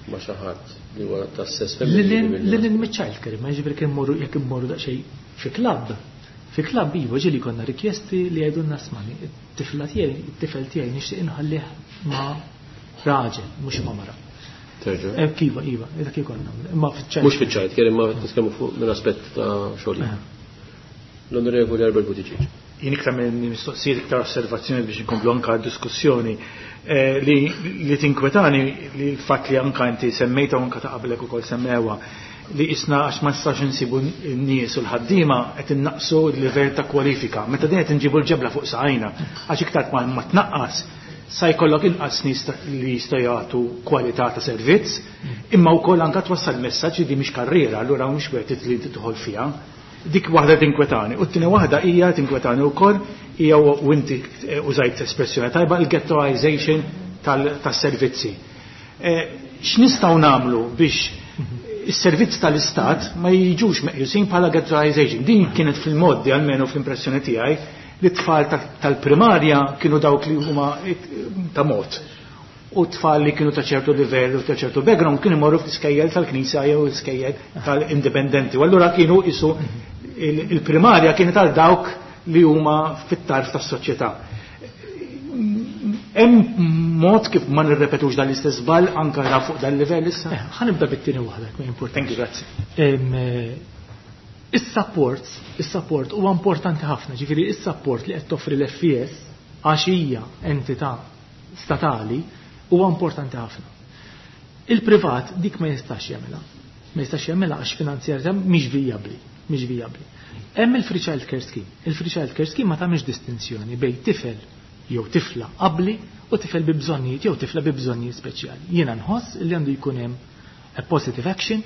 ma' xi ħadd li huwa tas-sess femminili. Lil mill-child care, ma jiġifieri jekk immorru daqsxejn fi club. Fi klabb iva ġieli konna rikjesti li jgħidulna smani, it-tifla tiegħi, it-tifel tiegħi nixtieq inħallih ma' raġel, mhux ma' mara. Terġa'. Iva, iva, dak ikollna. Imma fiċ-child. Mhux fiċ-child care, imma nitkellmu fuq minn aspett ta' xogħol. L-Onorevoli Albert Buttigieg. Jien iktar minn mistoqsijiet iktar osservazzjoni biex inkomplu anka diskussjoni li tinkwetani li l-fatt li anka inti semmejta u anka ta' qablek ukoll semmewha li isna għax ma nistax insibu n-nies u l-ħaddiema qed innaqsu l-livell ta' kwalifika. Meta din qed inġibu l-ġebla fuq saqajna għax iktar ma tnaqqas sa jkollok inqas nies li jistgħu jagħtu kwalità ta' servizz, imma wkoll anka twassal messaġġ li di mhix karriera, allura mhux worth it li tidħol fiha. Dik waħda tinkwetani. U t-tieni waħda hija tinkwetani wkoll hija u inti użajt espressjoni tajba il-ghettoization tas-servizzi. X'nistgħu nagħmlu biex is-servizz tal-Istat ma jiġux meqjusin bħala ghettoization? Din kienet fil-modi almenu fl-impressjoni tiegħi li t-tfal tal-primarja kienu dawk li huma ta' mod. U tfal li kienu ta' ċertu livell u ta' ċertu background kienu imorru fl-iskejjel tal-Knisja jew l-iskejjel tal-indipendenti. U allura kienu isu il-primarja kienet għal dawk li huma fit-tarf tas-soċjetà. Hemm mod kif ma nirrepetux dan l-istess żball anke ra fuq dan livell issa? Ħa nibda bit-tieni waħda, jekk importanti. Thank you, grazzi. Is-support huwa importanti ħafna, ġifieri is-support li qed toffri l-FES għax hija entità statali huwa importanti ħafna. Il-privat dik ma jistax jagħmilha. Ma jistax jagħmilha għax finanzjarja mhix vijabbli, mhix vijabbli. Hemm il-Free Child Care Scheme. Il-Free Child Care Scheme ma tagħmilx distinzjoni bejn tifel jew tifla qabli u tifel bi bżonnijiet jew tifla bi bżonnijiet speċjali. Jiena nħoss li għandu jkun hemm a positive action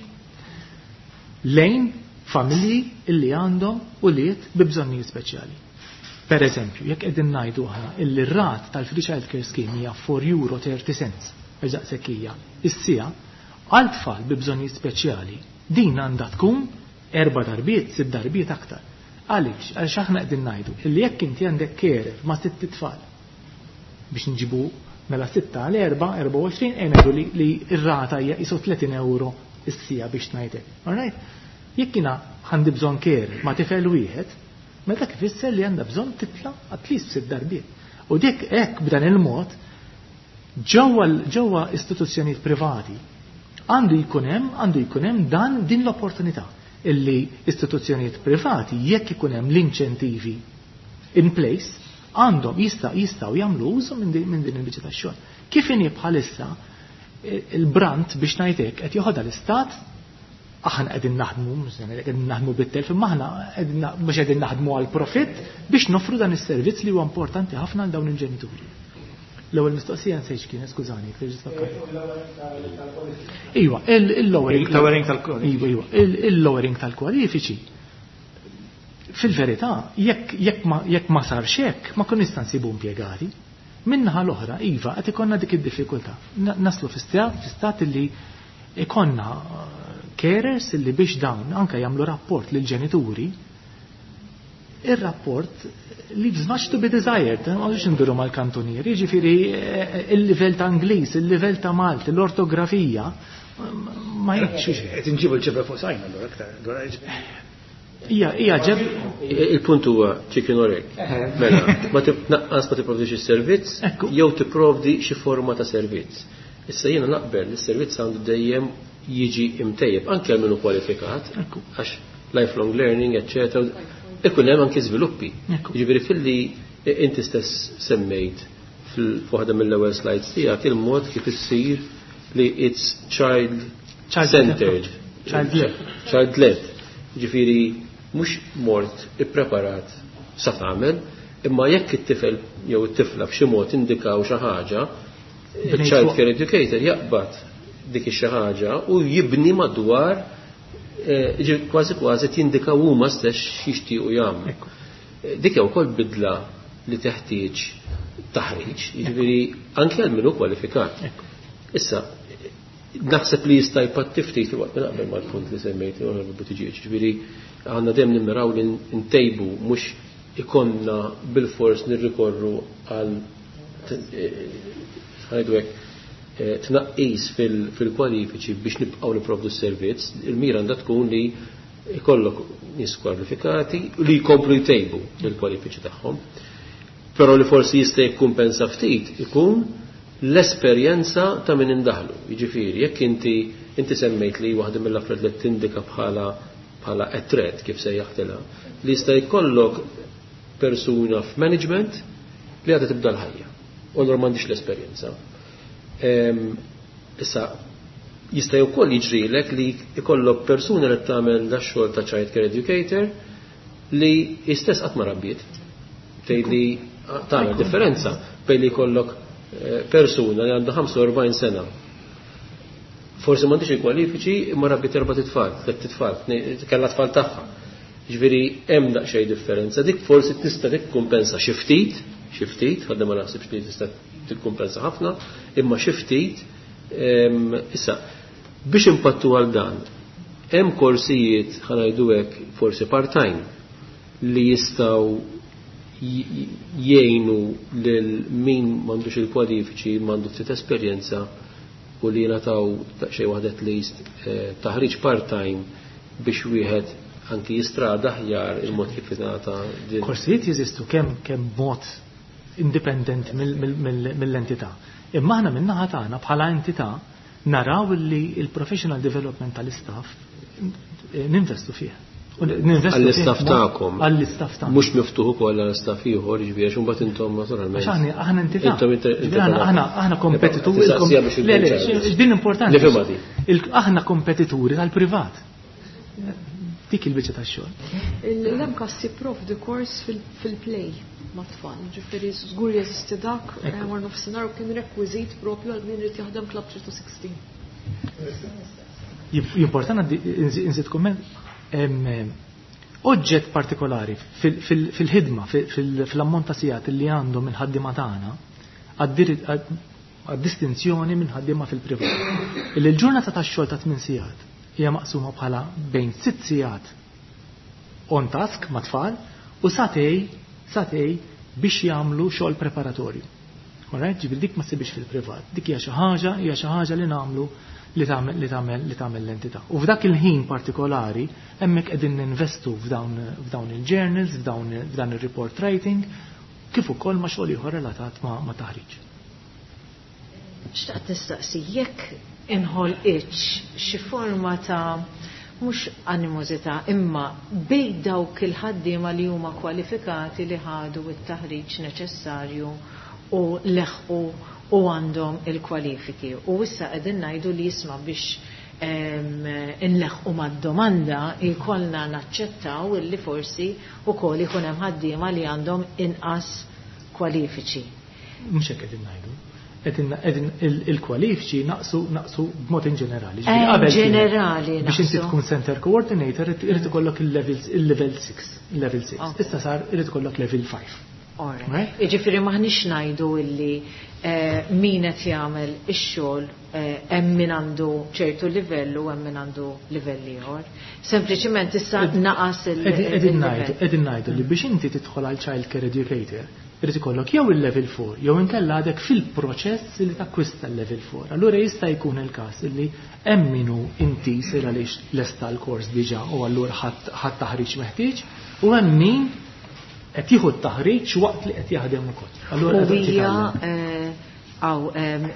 lejn familji illi għandhom ulied bi bżonnijiet speċjali. Per eżempju, jekk qegħdin ngħidu aħna illi r-rate tal-Free Child Care Scheme hija €4.30, eżaqsek hija, is-siegħa, għal tfal bi bżonnijiet speċjali din għandha tkun 4 darbiet, 6 darbiet aktar. Għaliex? Għaliex aħna qegħdin ngħidu illi jekk inti għandek carer ma' 6 tfal biex nġibu mela 6 għal 4, 24, e ngħidu li r-rata hija isu 30 euro is-siegħa biex ngħidlek. All right? Jekk jiena għandi bżonn carer ma' tifel wieħed, mela dak ifisser li għandha bżonn titla' at least 6 darbiet. U dik hekk b'dan il-mod ġewwa istituzzjonijiet privati għandu jkun hemm dan din l-opportunità illi istituzzjonijiet privati jekk ikun hemm l-inċentivi in place għandhom jistgħu jagħmlu użu minn din il-biċċa tax-xogħol. Kif inhi bħalissa il-brand biex ngħidlek qed joħodha l-istat, aħna qegħdin naħdmu, mhux se ngħidlek qegħdin naħdmu bit-telf, imma aħna mhux qegħdin naħdmu għal profitt biex noffru dan is-servizz li huwa importanti ħafna għal dawn il-ġenituri. L-ewwel mistoqsija nsejt x'kienet, skużani, jekk terġa' tfakkar. Iva, il-lowering Il-lowering tal-kwalifiċi. Iva, iva, il-lowering tal-kwalifiċi. Fil-verità, jekk ma sarx hekk, ma kun nista' nsibu impjegati. Min-naħa l-oħra, iva, qed ikollna dik id-diffikultà. Naslu fi stat li ikonna carers li biex dawn anke jagħmlu rapport lil ġenituri, ir-rapport leaves much to be desired, ma rridx nduru mal-kantunieri, jiġifieri il-livell ta' Ingliż, il-livell ta' Malti, l-ortografija, ma jgħidx. Qed inġibu l-ġebla fuq sajna allura aktar, allura jiġifieri. Ija, ija, ġeb. Il-punt huwa chicken or egg. Mela, ma tnaqqas ma tipprovdix is-servizz, jew tipprovdi xi forma ta' servizz. Issa jiena naqbel li s-servizz għandu dejjem jiġi imtejjeb anke għal min hu kwalifikat, għax lifelong learning, eccetera, ikun hemm anke żviluppi. Jiġifieri filli inti stess semmejt f'waħda mill-ewwel slides tiegħek il-mod kif issir li it's child centered. Child led. Child led. Jiġifieri mhux mort ippreparat sa tagħmel, imma jekk it-tifel jew it-tifla b'xi mod indikaw xi ħaġa, Bnejt child fuq. care educator jaqbad dik xi ħaġa u jibni madwar kważi kważi tindikaw huma stess x'jixtiequ jagħmlu. Dik hija wkoll bidla li teħtieġ taħriġ, jiġifieri anke għal min hu kwalifikat. Issa, naħseb li jista' jpatti ftit filwaqt li naqbel mal-punt li semmejt, Onorevoli Buttigieg, jiġifieri għandna dejjem nimmiraw li ntejbu mhux ikonna bil-fors nirrikorru għal ħajdu hekk tnaqqis fil-kwalifiċi biex nibqgħu nipprovdu s-servizz. Il-mira għandha tkun li Ikollok nies kwalifikati li jkomplu jtejbu il-kwalifiċi tagħhom. Però li forsi jista' jikkumpensa ftit ikun l-esperjenza ta' min indaħlu. Jiġifieri, jekk inti semmejt li waħda mill-affarijiet li tindika bħala threat kif sejjaħtilha, li jista' jkollok persuna f'management li għadha tibda l-ħajja. U allura m'għandix l-esperjenza. Issa, jista' wkoll jiġrilek li jkollok persuna li tagħmel da xogħol ta' child care educator li istess qatt ma rabbiet. Tgħid li tagħmel differenza bejn li jkollok persuna li għandha 45 sena. Forsi m'għandix il-kwalifiċi imma rabbiet erba' titfal, tliet titfal, kellha tfal tagħha. Ġifieri hemm daqsxejn differenza, dik forsi tista' tikkumpensa xi ftit, xi ftit, ħadda ma naħsibx li tista' tikkumpensa ħafna, imma xi ftit. Issa, biex impattu għal dan, hemm korsijiet ħa ngħidu hekk forsi part-time li jistgħu jgħinu lil min m'għandux il-kwalifiċi, m'għandu ftit esperjenza u li jingħataw daqsxejn waħda at least taħriġ part-time biex wieħed anki jistrada aħjar il-mod kif jingħata din. Korsijiet jeżistu kemm mod indipendent mill-entità. Imma aħna min-naħa tagħna bħala entità naraw li il-professional development tal-istaff ninvestu fih. U ninvestu fih Għall-istaff tagħkom. Għall-istaff tagħkom. Mhux miftuħ ukoll għall-istaff ieħor, ġifieri għax imbagħad intom naturalment. Għax aħna entità. Intom Ġifieri aħna kompetituri. Tistaqsija biex Le, le, ikun ċar. din importanti. Nifhimha din. Aħna kompetituri tal-privat. Dik il-biċċa tax-xogħol. L-MCAST jipprovdi kors fil-play ma' tfal, ġifieri żgur jeżisti dak, war nofsinhar u kien rekwiżit propju għal min irid jaħdem Club 3 to 16. Importanti nżid kumment, oġġett partikolari fil-ħidma, fil-ammont ta' sigħat li għandhom il-ħaddiema tagħna għad-distinzjoni minn ħaddiema fil-privat. Illi l-ġurnata tax-xogħol ta' 8 sigħat hija maqsuma bħala bejn 6 sigħat on task ma' tfal u satej biex jagħmlu xogħol preparatorju. Alright, ġifieri dik ma ssibix fil-privat. Dik hija xi ħaġa, hija xi ħaġa li nagħmlu li tagħmel, li tagħmel, li tagħmel l-entità. U f'dak il-ħin partikolari hemmhekk qegħdin ninvestu f'dawn il-journals, f'dan ir-report writing, kif ukoll ma' xogħol ieħor relatat ma' taħriġ. Xtaqt nistaqsi jekk inħolqitx xi forma ta' mhux animosità imma bejn dawk il-ħaddiema li huma kwalifikati li ħadu t-taħriġ neċessarju u leħqu u għandhom il-kwalifiki. U issa qegħdin ngħidu li jisma' biex inleħqu mad-domanda jkollna naċċettaw illi forsi wkoll ikun hemm ħaddiema li għandhom inqas kwalifiċi. Mhux hekk qegħdin ngħidu. Qegħdin il-kwalifiċi naqsu b'mod in ġenerali. Ġifieri qabel kien Ġenerali biex inti naqsu. tkun center coordinator irid ikollok il-level 6, il-level 6. Issa sar irid ikollok level 5. Right? Jiġifieri m'aħniex ngħidu illi min qed jagħmel ix-xogħol hemm min għandu ċertu livell u hemm min għandu livell ieħor. Sempliċiment issa naqas il-livell. Qegħdin ngħidu li biex inti tidħol għal child care educator irid ikollok jew il-level 4 jew inkella għadek fil-proċess li takkwista l-level 4. Allura jista' jkun il-każ illi hemm min hu intis il għaliex lesta l-kors diġà u allura ħadd taħriġ meħtieġ u hemm min qed jieħu t-taħriġ waqt li qed jaħdem ukoll. Allura U qed jitgħallem.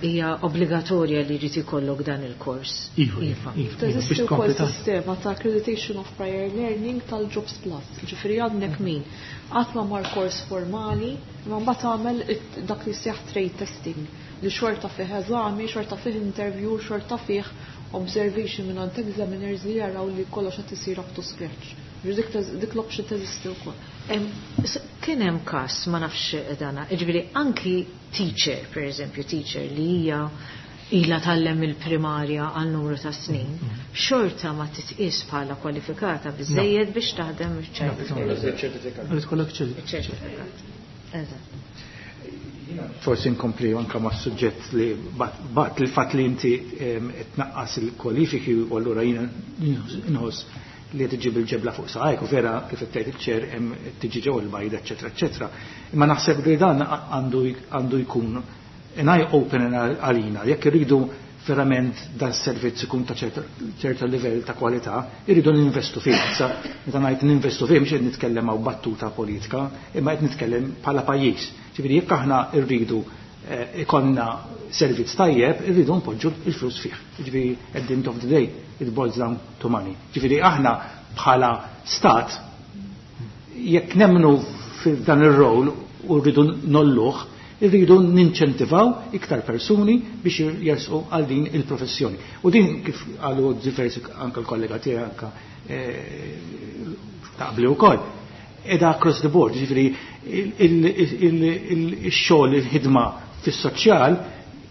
hija obbligatorja li jrid ikollok dan il-kors. Iva, Iva. iva, iva, Teżisti biex wkoll tkompli ta' sistema ta' accreditation of prior learning tal-Jobs Plus. Ġifieri għandek min qatt ma mar kors formali, imma mbagħad tagħmel dak li jsejjaħ trade testing li xorta fih eżami, xorta fih interview, xorta fih observation minn għand examiners li jaraw li kollox qed isir up to scratch. Ġifieri dik l-option teżisti wkoll. Kien hemm każ, ma nafx dana, jiġifieri anki teacher, per eżempju, teacher li hija ilha tgħallem il-primarja għal numru ta' snin, xorta ma titqies bħala kwalifikata biżejjed biex taħdem iċ-child No, care. no, no. Irid ikollok Iċ-ċertifikat. Eżatt. Forsi nkompli anka ma' suġġett li bat il-fatt li inti tnaqqas il-kwalifiki u allura jiena inħoss li qed iġib il-ġebla fuq saqajk u vera kif qed tgħid iċ-ċer hemm tiġi ġew il-bajda, eċetera, eċetera. Imma naħseb li dan għandu jkun an eye opener għalina jekk irridu verament dan servizz ikun ta' ċerta livell ta' kwalità, irridu ninvestu fih. Issa meta ngħid ninvestu fih mhux qed nitkellem hawn battuta politika, imma qed nitkellem bħala pajjiż. Ġifieri jekk aħna rridu ikollna servizz tajjeb, irridu npoġġu l-flus fih. Ġifieri at the end of the day it boils down to money. Ġifieri aħna bħala stat jekk nemmnu f'dan ir-rol u rridu nolluh, irridu ninċentivaw iktar persuni biex jersqu għal din il-professjoni. U din kif qalu diversi anke l-kollega tiegħi anke taqbli wkoll. Eda across the board, ġifieri il-xogħol, il-ħidma fis-soċjal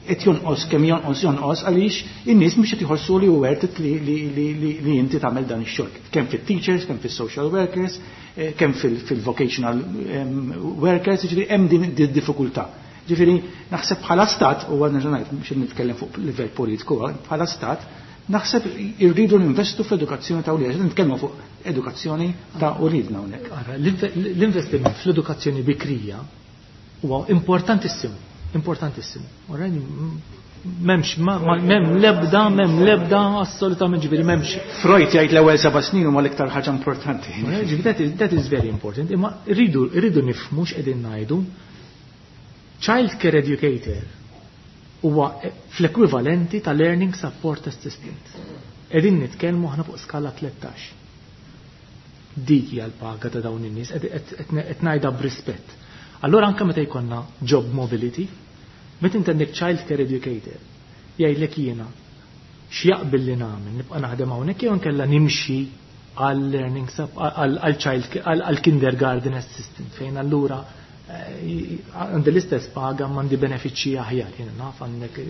qed jonqos kemm jonqos jonqos għaliex in-nies mhux qed iħossu li hu worth it li inti tagħmel dan ix-xogħol. Kemm fit-teachers, kemm fis-social workers, kemm fil-vocational workers, ġifieri hemm din id-diffikultà. Ġifieri naħseb bħala stat, u għadna ġanajt biex nitkellem fuq livell politiku, bħala stat, naħseb irridu ninvestu fl-edukazzjoni ta' uliedna, nitkellmu fuq edukazzjoni ta' uliedna hawnhekk. Ara, l-investiment fl-edukazzjoni bikrija huwa importantissimu, importantissimu. Ora, m'hemmx, ma, ma, m'hemm lebda, m'hemm lebda, assolutament, ġifieri m'hemmx. Freud jgħid l-ewwel 7 snin huma l-iktar ħaġa importanti. Ora, ġifieri that is very important. Imma rridu nifhmu x'qegħdin ngħidu. Child care educator huwa fl-ekwivalenti ta' learning support assistant. Qegħdin nitkellmu aħna fuq skala 13. Dik hija l-paga ta' dawn in-nies, qed ngħidha b'rispett. Allura anke meta jkollna job mobility, meta inti għandek child care educator, jgħidlek jiena x'jaqbil li nagħmel, nibqa' naħdem hawnhekk jew inkella nimxi għal learning sup, għal child care, għal kindergarten assistant, fejn allura għandi l-istess paga ma għandi benefiċċji aħjar, jiena naf għandek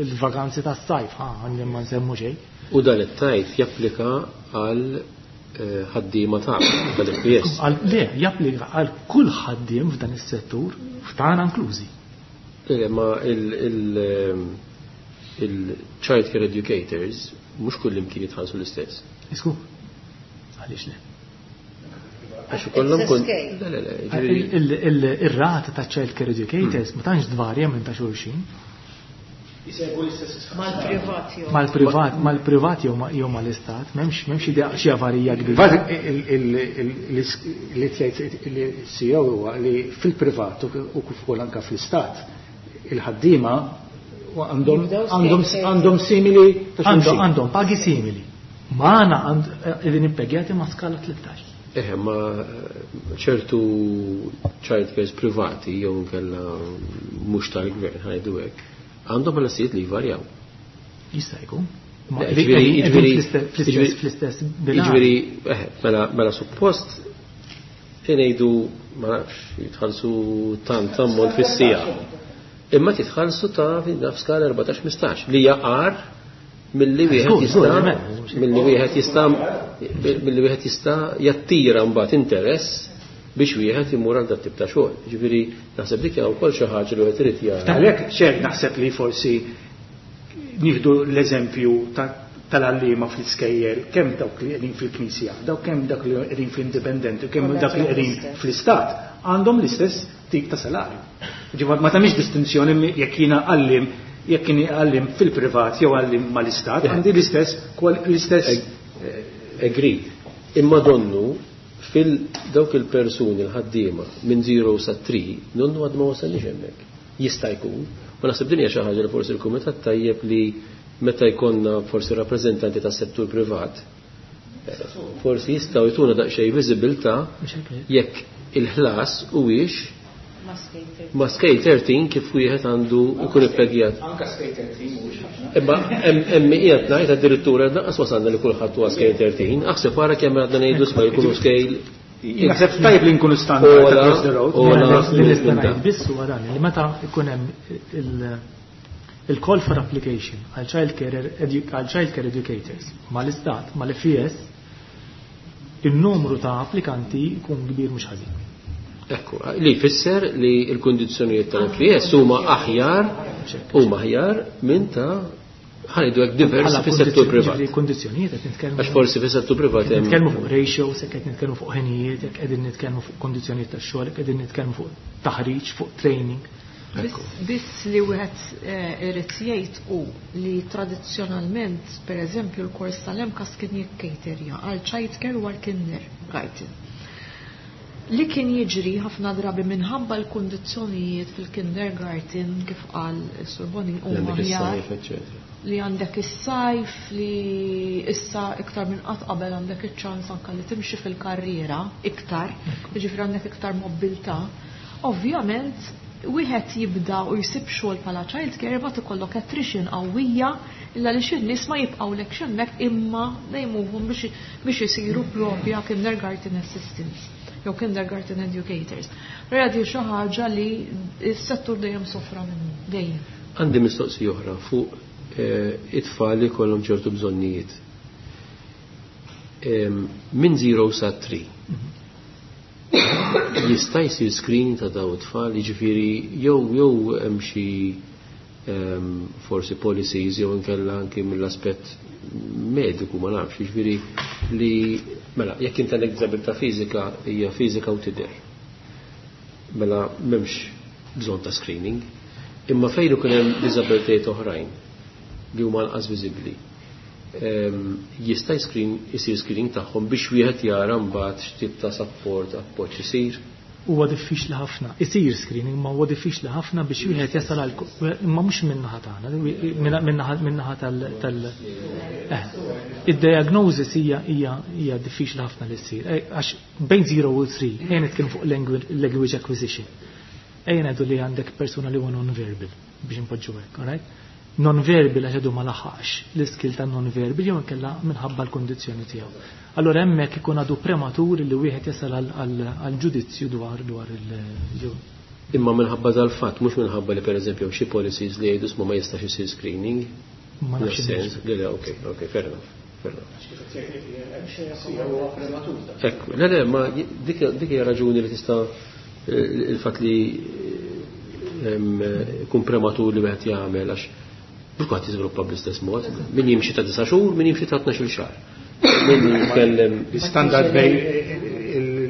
il-vakanzi tas-sajf, ha, għandi ma nsemmu xejn. U dan it-tajf japplika għal ħaddiema tal-FES. Le, japplika għal kull ħaddiem f'dan is-settur, f'tagħna inklużi. Le, ma il-child care educators mhux kull imkien jitħallsu l-istess. Isku, għaliex le? Għax ikollhom It's a kun- scale. Le, le, le, ġifieri Ir-rata ta' child care educators ma tantx tvarja minn ta' xulxin. Isegwu l-istess Mal-privat jew. Mal-privat, mal-privat jew jew mal-istat, m'hemmx idea xi avarija kbira. Bażik li tgħid il-CEO huwa li fil-privat u kif ukoll anke fl-istat il-ħaddiema Jibdew scale għandhom simili ta' xulxin. Għandhom pagi simili. Magħna qegħdin impegjati ma' skala 13. Eħe, ma ċertu child cares privati jew inkella mhux tal-gvern ħajdu hekk, għandhom ħlasijiet li jvarjaw. Jista' jkun. Ma Le, ġifieri, ġifieri, fl-istess bilanċ. Ġifieri, eħe, mela suppost ngħidu ma nafx jitħallsu tant ammont fis-sija. Imma titħallsu ta' naf skala 14-15 li jaqar milli wieħed Żgur, jista' żgur, żgur, żgur. milli wieħed jista' milli wieħed jista' jattira mbagħad interess biex wieħed imur għal dat tip ta' xogħol. Ġifieri naħseb dik hija wkoll xi ħaġa li wieħed irid jara. Għalhekk xejn naħseb li forsi nieħdu l-eżempju tal-għalliema fl-iskejjel, kemm dawk li qegħdin fil-Knisja, dawk kemm dawk li qegħdin fl-indipendenti, kemm dawk li qegħdin fl-istat, għandhom l-istess tip ta' salarju. Ġifieri ma tagħmilx distinzjoni jekk jiena għallim, jekk jien għallim fil-privat jew għallim mal-istat, għandi l-istess l-istess Agreed. Imma donnu fil dawk il-persuni l-ħaddiema minn 0 sa 3, nonnu għad ma wasalniex hemmhekk. Jista' jkun. U naħseb din hija xi ħaġa li forsi l-kumitat tajjeb li meta jkollna forsi rappreżentanti tas-settur privat, forsi jistgħu jtuna daqsxejn viżibilità jekk il-ħlas huwiex ma' scale 13 kif wieħed għandu jkun ippegjat. Anka scale 13 mhuwiex ħafna. Imma hemm qiegħed ngħid addirittura lanqas wasalna li kulħadd huwa scale 13, aħseb wara kemm għadna ngħidu sma jkunu scale. Naħseb tajjeb li nkunu standard across the road. Ola, Li nista' minn ngħid biss huwa dan li meta jkun hemm il-call for application għal child care għal child care educators mal-istat, mal-FES, il-numru ta' applikanti jkun kbir mhux ħażin. Ekku, li jfisser li l-kundizzjonijiet tal-FES huma aħjar, huma aħjar minn ta' ħanidu hekk diversi Bħala fis-settur privat. Ġifieri kundizzjonijiet qed nitkellmu. Għax forsi fis-settur privat Qed hemm nitkellmu fuq ratios, qed nitkellmu fuq ħinijiet, qegħdin nitkellmu fuq kondizzjonijiet tax-xogħol, qegħdin nitkellmu fuq taħriġ, fuq training. Biss li wieħed irid jgħid hu li tradizzjonalment, pereżempju, l-kors tal-MCAST kien jikkejterja għal childcare u għal kindergarten. Li kien jiġri ħafna drabi minħabba l-kundizzjonijiet fil-kindergarten, kif qal Sur Bonin, Li huma għandek aħjar is-sajf, eċċetera. Li għandek is-sajf, li issa iktar minn qatt qabel għandek iċ-ċans anka li timxi fil-karriera iktar, jiġifieri għandek iktar mobilità. Ovvjament, wieħed jibda u jsib xogħol bħala child care, ma ikollok attrition qawwija illa li xi nies ma jibqgħulek hemmhekk, imma dejmuhom biex isiru propja kindergarten assistants jew kindergarten educators. Radi xi ħaġa li s-settur dejjem sofra minnu, dejjem. Għandi mistoqsija oħra fuq it-tfal li kollhom ċertu bżonnijiet. Minn 0 sa 3. Jista' jsir screening ta' daw it-tfal, jiġifieri jew hemm xi forsi policies jew inkella anki mill-aspett mediku, ma nafx, jiġifieri li mela jekk inti għandek diżabilità fiżika, hija fiżika u tidher. Mela m'hemmx bżonn ta' screening. Imma fejn ikun hemm diżabilitajiet oħrajn li huma anqas viżibbli, jista' isir screening tagħhom biex wieħed jara mbagħad x'tip ta' support, appoġġ isir? Huwa diffiċli ħafna. Isir screening, ma huwa diffiċli ħafna biex wieħed jasal għal, imma mhux min-naħa tagħna, min-naħa tal. Id-diagnosis hija diffiċli ħafna li ssir. Għax bejn 0 u 3, ejja nitkellmu fuq language acquisition. Ejja ngħidu li għandek persuna li huwa non-verbal biex inpoġġu hekk, all right? Non-verbal għax għadu ma laħaqx l-iskill ta' non-verbal jew inkella minħabba l-kondizzjoni tiegħu. Allora hemmhekk ikun għadu prematur li wieħed jasal għal ġudizzju dwar il jew. Imma minħabba dal-fatt, mhux minħabba li pereżempju xi policies li jgħidu ma jistax isir screening. Ma nafx. Sens, le, ok, fair enough. Fair enough. Ekku, le, ma dik hija raġuni li tista' il-fatt li ikun prematur li wieħed jagħmel, għax mhux kulħadd jiżviluppa bl-istess mod. Min jimxi ta' 9 xhur, min jimxi ta' 12 xahar. Min jitkellem. Standard bej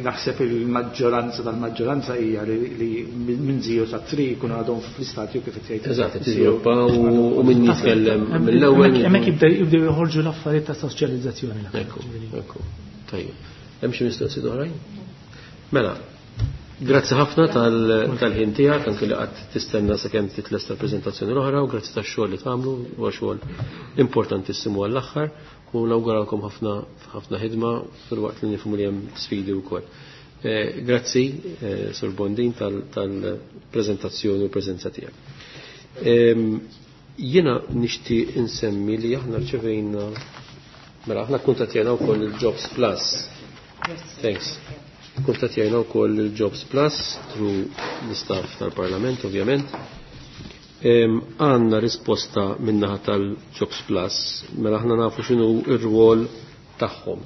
naħseb il-maġġoranza tal-maġġoranza hija li minn 0 sa 3 jkunu għadhom fl-istatju kif qed jgħid. Eżatt, tiżviluppa u min jitkellem mill-ewwel. Hemmhekk jibdew joħorġu l-affarijiet ta' soċjalizzazzjoni. Ekku. Tajjeb. Hemm xi mistoqsijiet oħrajn? Mela, grazzi ħafna tal-ħin tiegħek, anke li qatt tistenna sakemm titlesta l-preżentazzjoni l-oħra, u grazzi tax-xogħol li tagħmlu, huwa xogħol importantissimu għall-aħħar, u nawguralkom ħafna ħafna ħidma fil-waqt li nifhmu li hemm sfidi wkoll. Grazzi, Sur Bondin, tal-preżentazzjoni u preżenza tiegħek. Jiena nixtieq insemmi li aħna rċevejna, mela aħna kuntattjajna wkoll il-Jobs Plus. Thanks. Kuntattjajna wkoll il-Jobs Plus through l-istaff tal-Parlament, ovvjament. Għandna risposta min-naħa tal-Jobs Plus, mela aħna nafu x'inhu r-rwol tagħhom.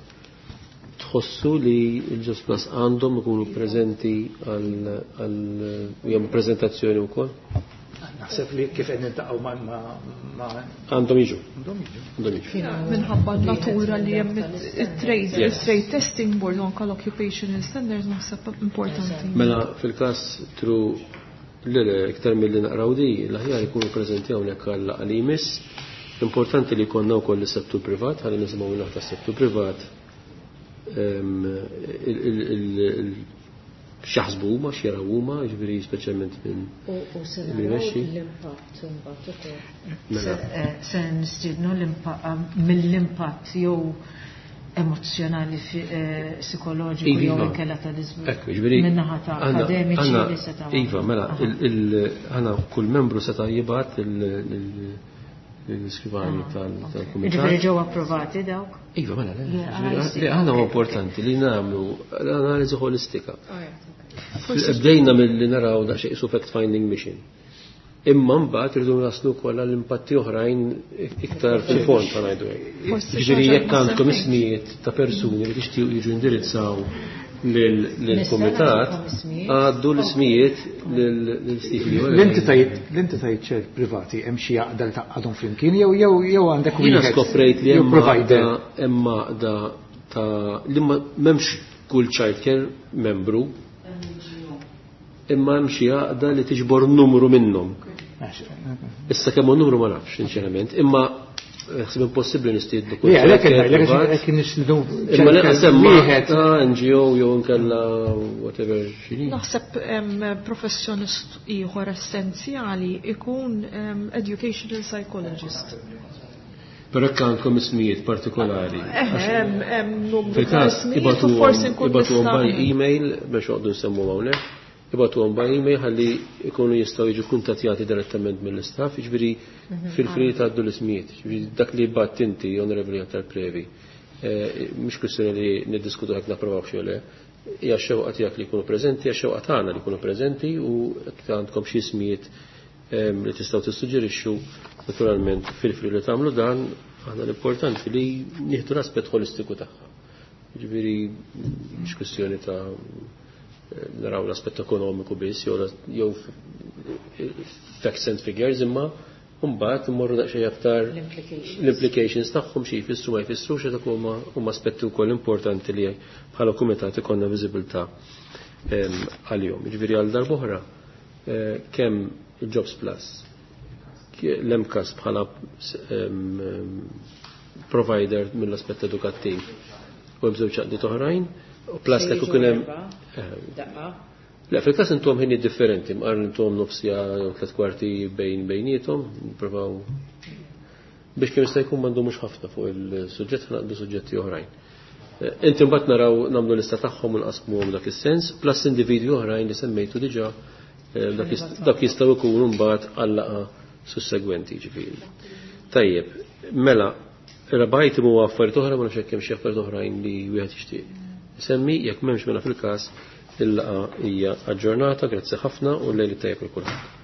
Tħossu li l-Jobs Plus għandhom ikunu preżenti għal jagħmlu preżentazzjoni wkoll? Naħseb li kif qed niltaqgħu ma' Għandhom jiġu. Għandhom jiġu. Għandhom jiġu. Minħabba n-natura li hemm it-trade, il-trade testing board u anke l-occupational standards, naħseb importanti. Mela fil-każ tru le, iktar mill-li naqraw di, l-aħjar ikunu preżenti hawnhekk għal jmiss. Importanti li jkollna wkoll is-settur privat, ħalli nisimgħu minn tas-settur privat x'jaħsbu huma, x'jaraw huma, jiġifieri speċjalment minn U se min naraw imexxi. l-impatt imbagħad ukoll. Mela. Se nistiednu mill-impatt jew emozjonali, psikoloġiku Iva, jew iva. inkella tal-iżvilupp. Ekku, jiġifieri Min-naħa ta' akademiċi li setgħu. Iva, mela, għandna kull membru seta' jibgħat l-iskrivani tal-kumitat. Jiġifieri ġew approvati dawk? Iva, mela, le, Yeah, jiġifieri, I see. li għandna huwa importanti li nagħmlu l-analiżi ħolistika. Forsi Bdejna mill-li naraw daqsxejn su fact-finding mission. Imma mbagħad irridu naslu wkoll għall impatti oħrajn iktar fil-fond, ta' ngħidu hekk. Forsi Jiġifieri xi ħaġa jekk għandkom ma ismijiet ta' persuni li tixtiequ jiġu indirizzaw lill-kumitat, Nista' ismijiet? għaddu l-ismijiet lil Steve. L-entitajiet ċert privati hemm xi għaqda li taqgħadhom flimkien jew għandek Jiena wieħed skoprejt li jew hemm provider? Hemm għaqda ta' li ma m'hemmx kull childcare membru. Imma hemm xi għaqda li tiġbor numru minnhom. Issa kemm hu numru ma nafx, sinċerament, imma ħsib impossibbli nistiednu kull. Għalhekk għalhekk nistiednu. Imma le semma wieħed NGO jew inkella whatever x'inhi. Naħseb professjonist ieħor essenzjali ikun educational psychologist. Però hekk għandkom ismijiet partikolari. Hemm numru. Fil-każ ibatuhom by email biex oqgħdu nsemmu hawnhekk. Ibatuhom by email ħalli jkunu jistgħu jiġu kuntattjati direttament mill-istaff, jiġifieri fil-fri tgħaddu l-ismijiet. Jiġifieri dak li bat inti, Onorevoli tal-Previ, mhux kwistjoni li niddiskutu hekk napprovaw xi le, hija xewqa tiegħek li jkunu preżenti, hija xewqa tagħna li jkunu preżenti u għandkom xi ismijiet li tistgħu tissuġġerixxu naturalment fil-fri li tagħmlu dan, aħna l-importanti li nieħdu l-aspett holistiku tagħha. Jiġifieri mhux kwistjoni ta' naraw l-aspett ekonomiku biss jew facts and figures, imma mbagħad immorru daqsxejn aktar l-implications tagħhom xi jfissru ma jfissrux, dak huma aspetti wkoll importanti li bħala kumitat ikollna viżibilità għalihom. Jiġifieri għal darb'oħra kemm il-Jobs Plus, l-MCAST bħala provider mill-aspett edukattiv u hemm żewġ għaqdiet oħrajn, u plus li kien hemm Le, fil-każ intom ħini differenti, mqar intom nofsija jew 3/4 bejn bejnietom, nippruvaw biex kemm jista' jkun m'għandhomx ħafna fuq il-suġġett, ħanaqdu suġġetti oħrajn. Inti mbagħad naraw nagħmlu lista tagħhom u nqasmuhom dak is-sens, plus individwi oħrajn li semmejtu diġà, dak jistgħu jkunu mbagħad għal-laqgħa sussegwenti, ġifieri. Tajjeb, mela, rabajt huwa affarijiet oħra, ma nafx hekk hemm xi affarijiet oħrajn li wieħed jixtieq isemmi, jekk m'hemmx mela fil-każ il-laqgħa hija aġġornata, grazzi ħafna u l-lejl tajjeb lil kulħadd.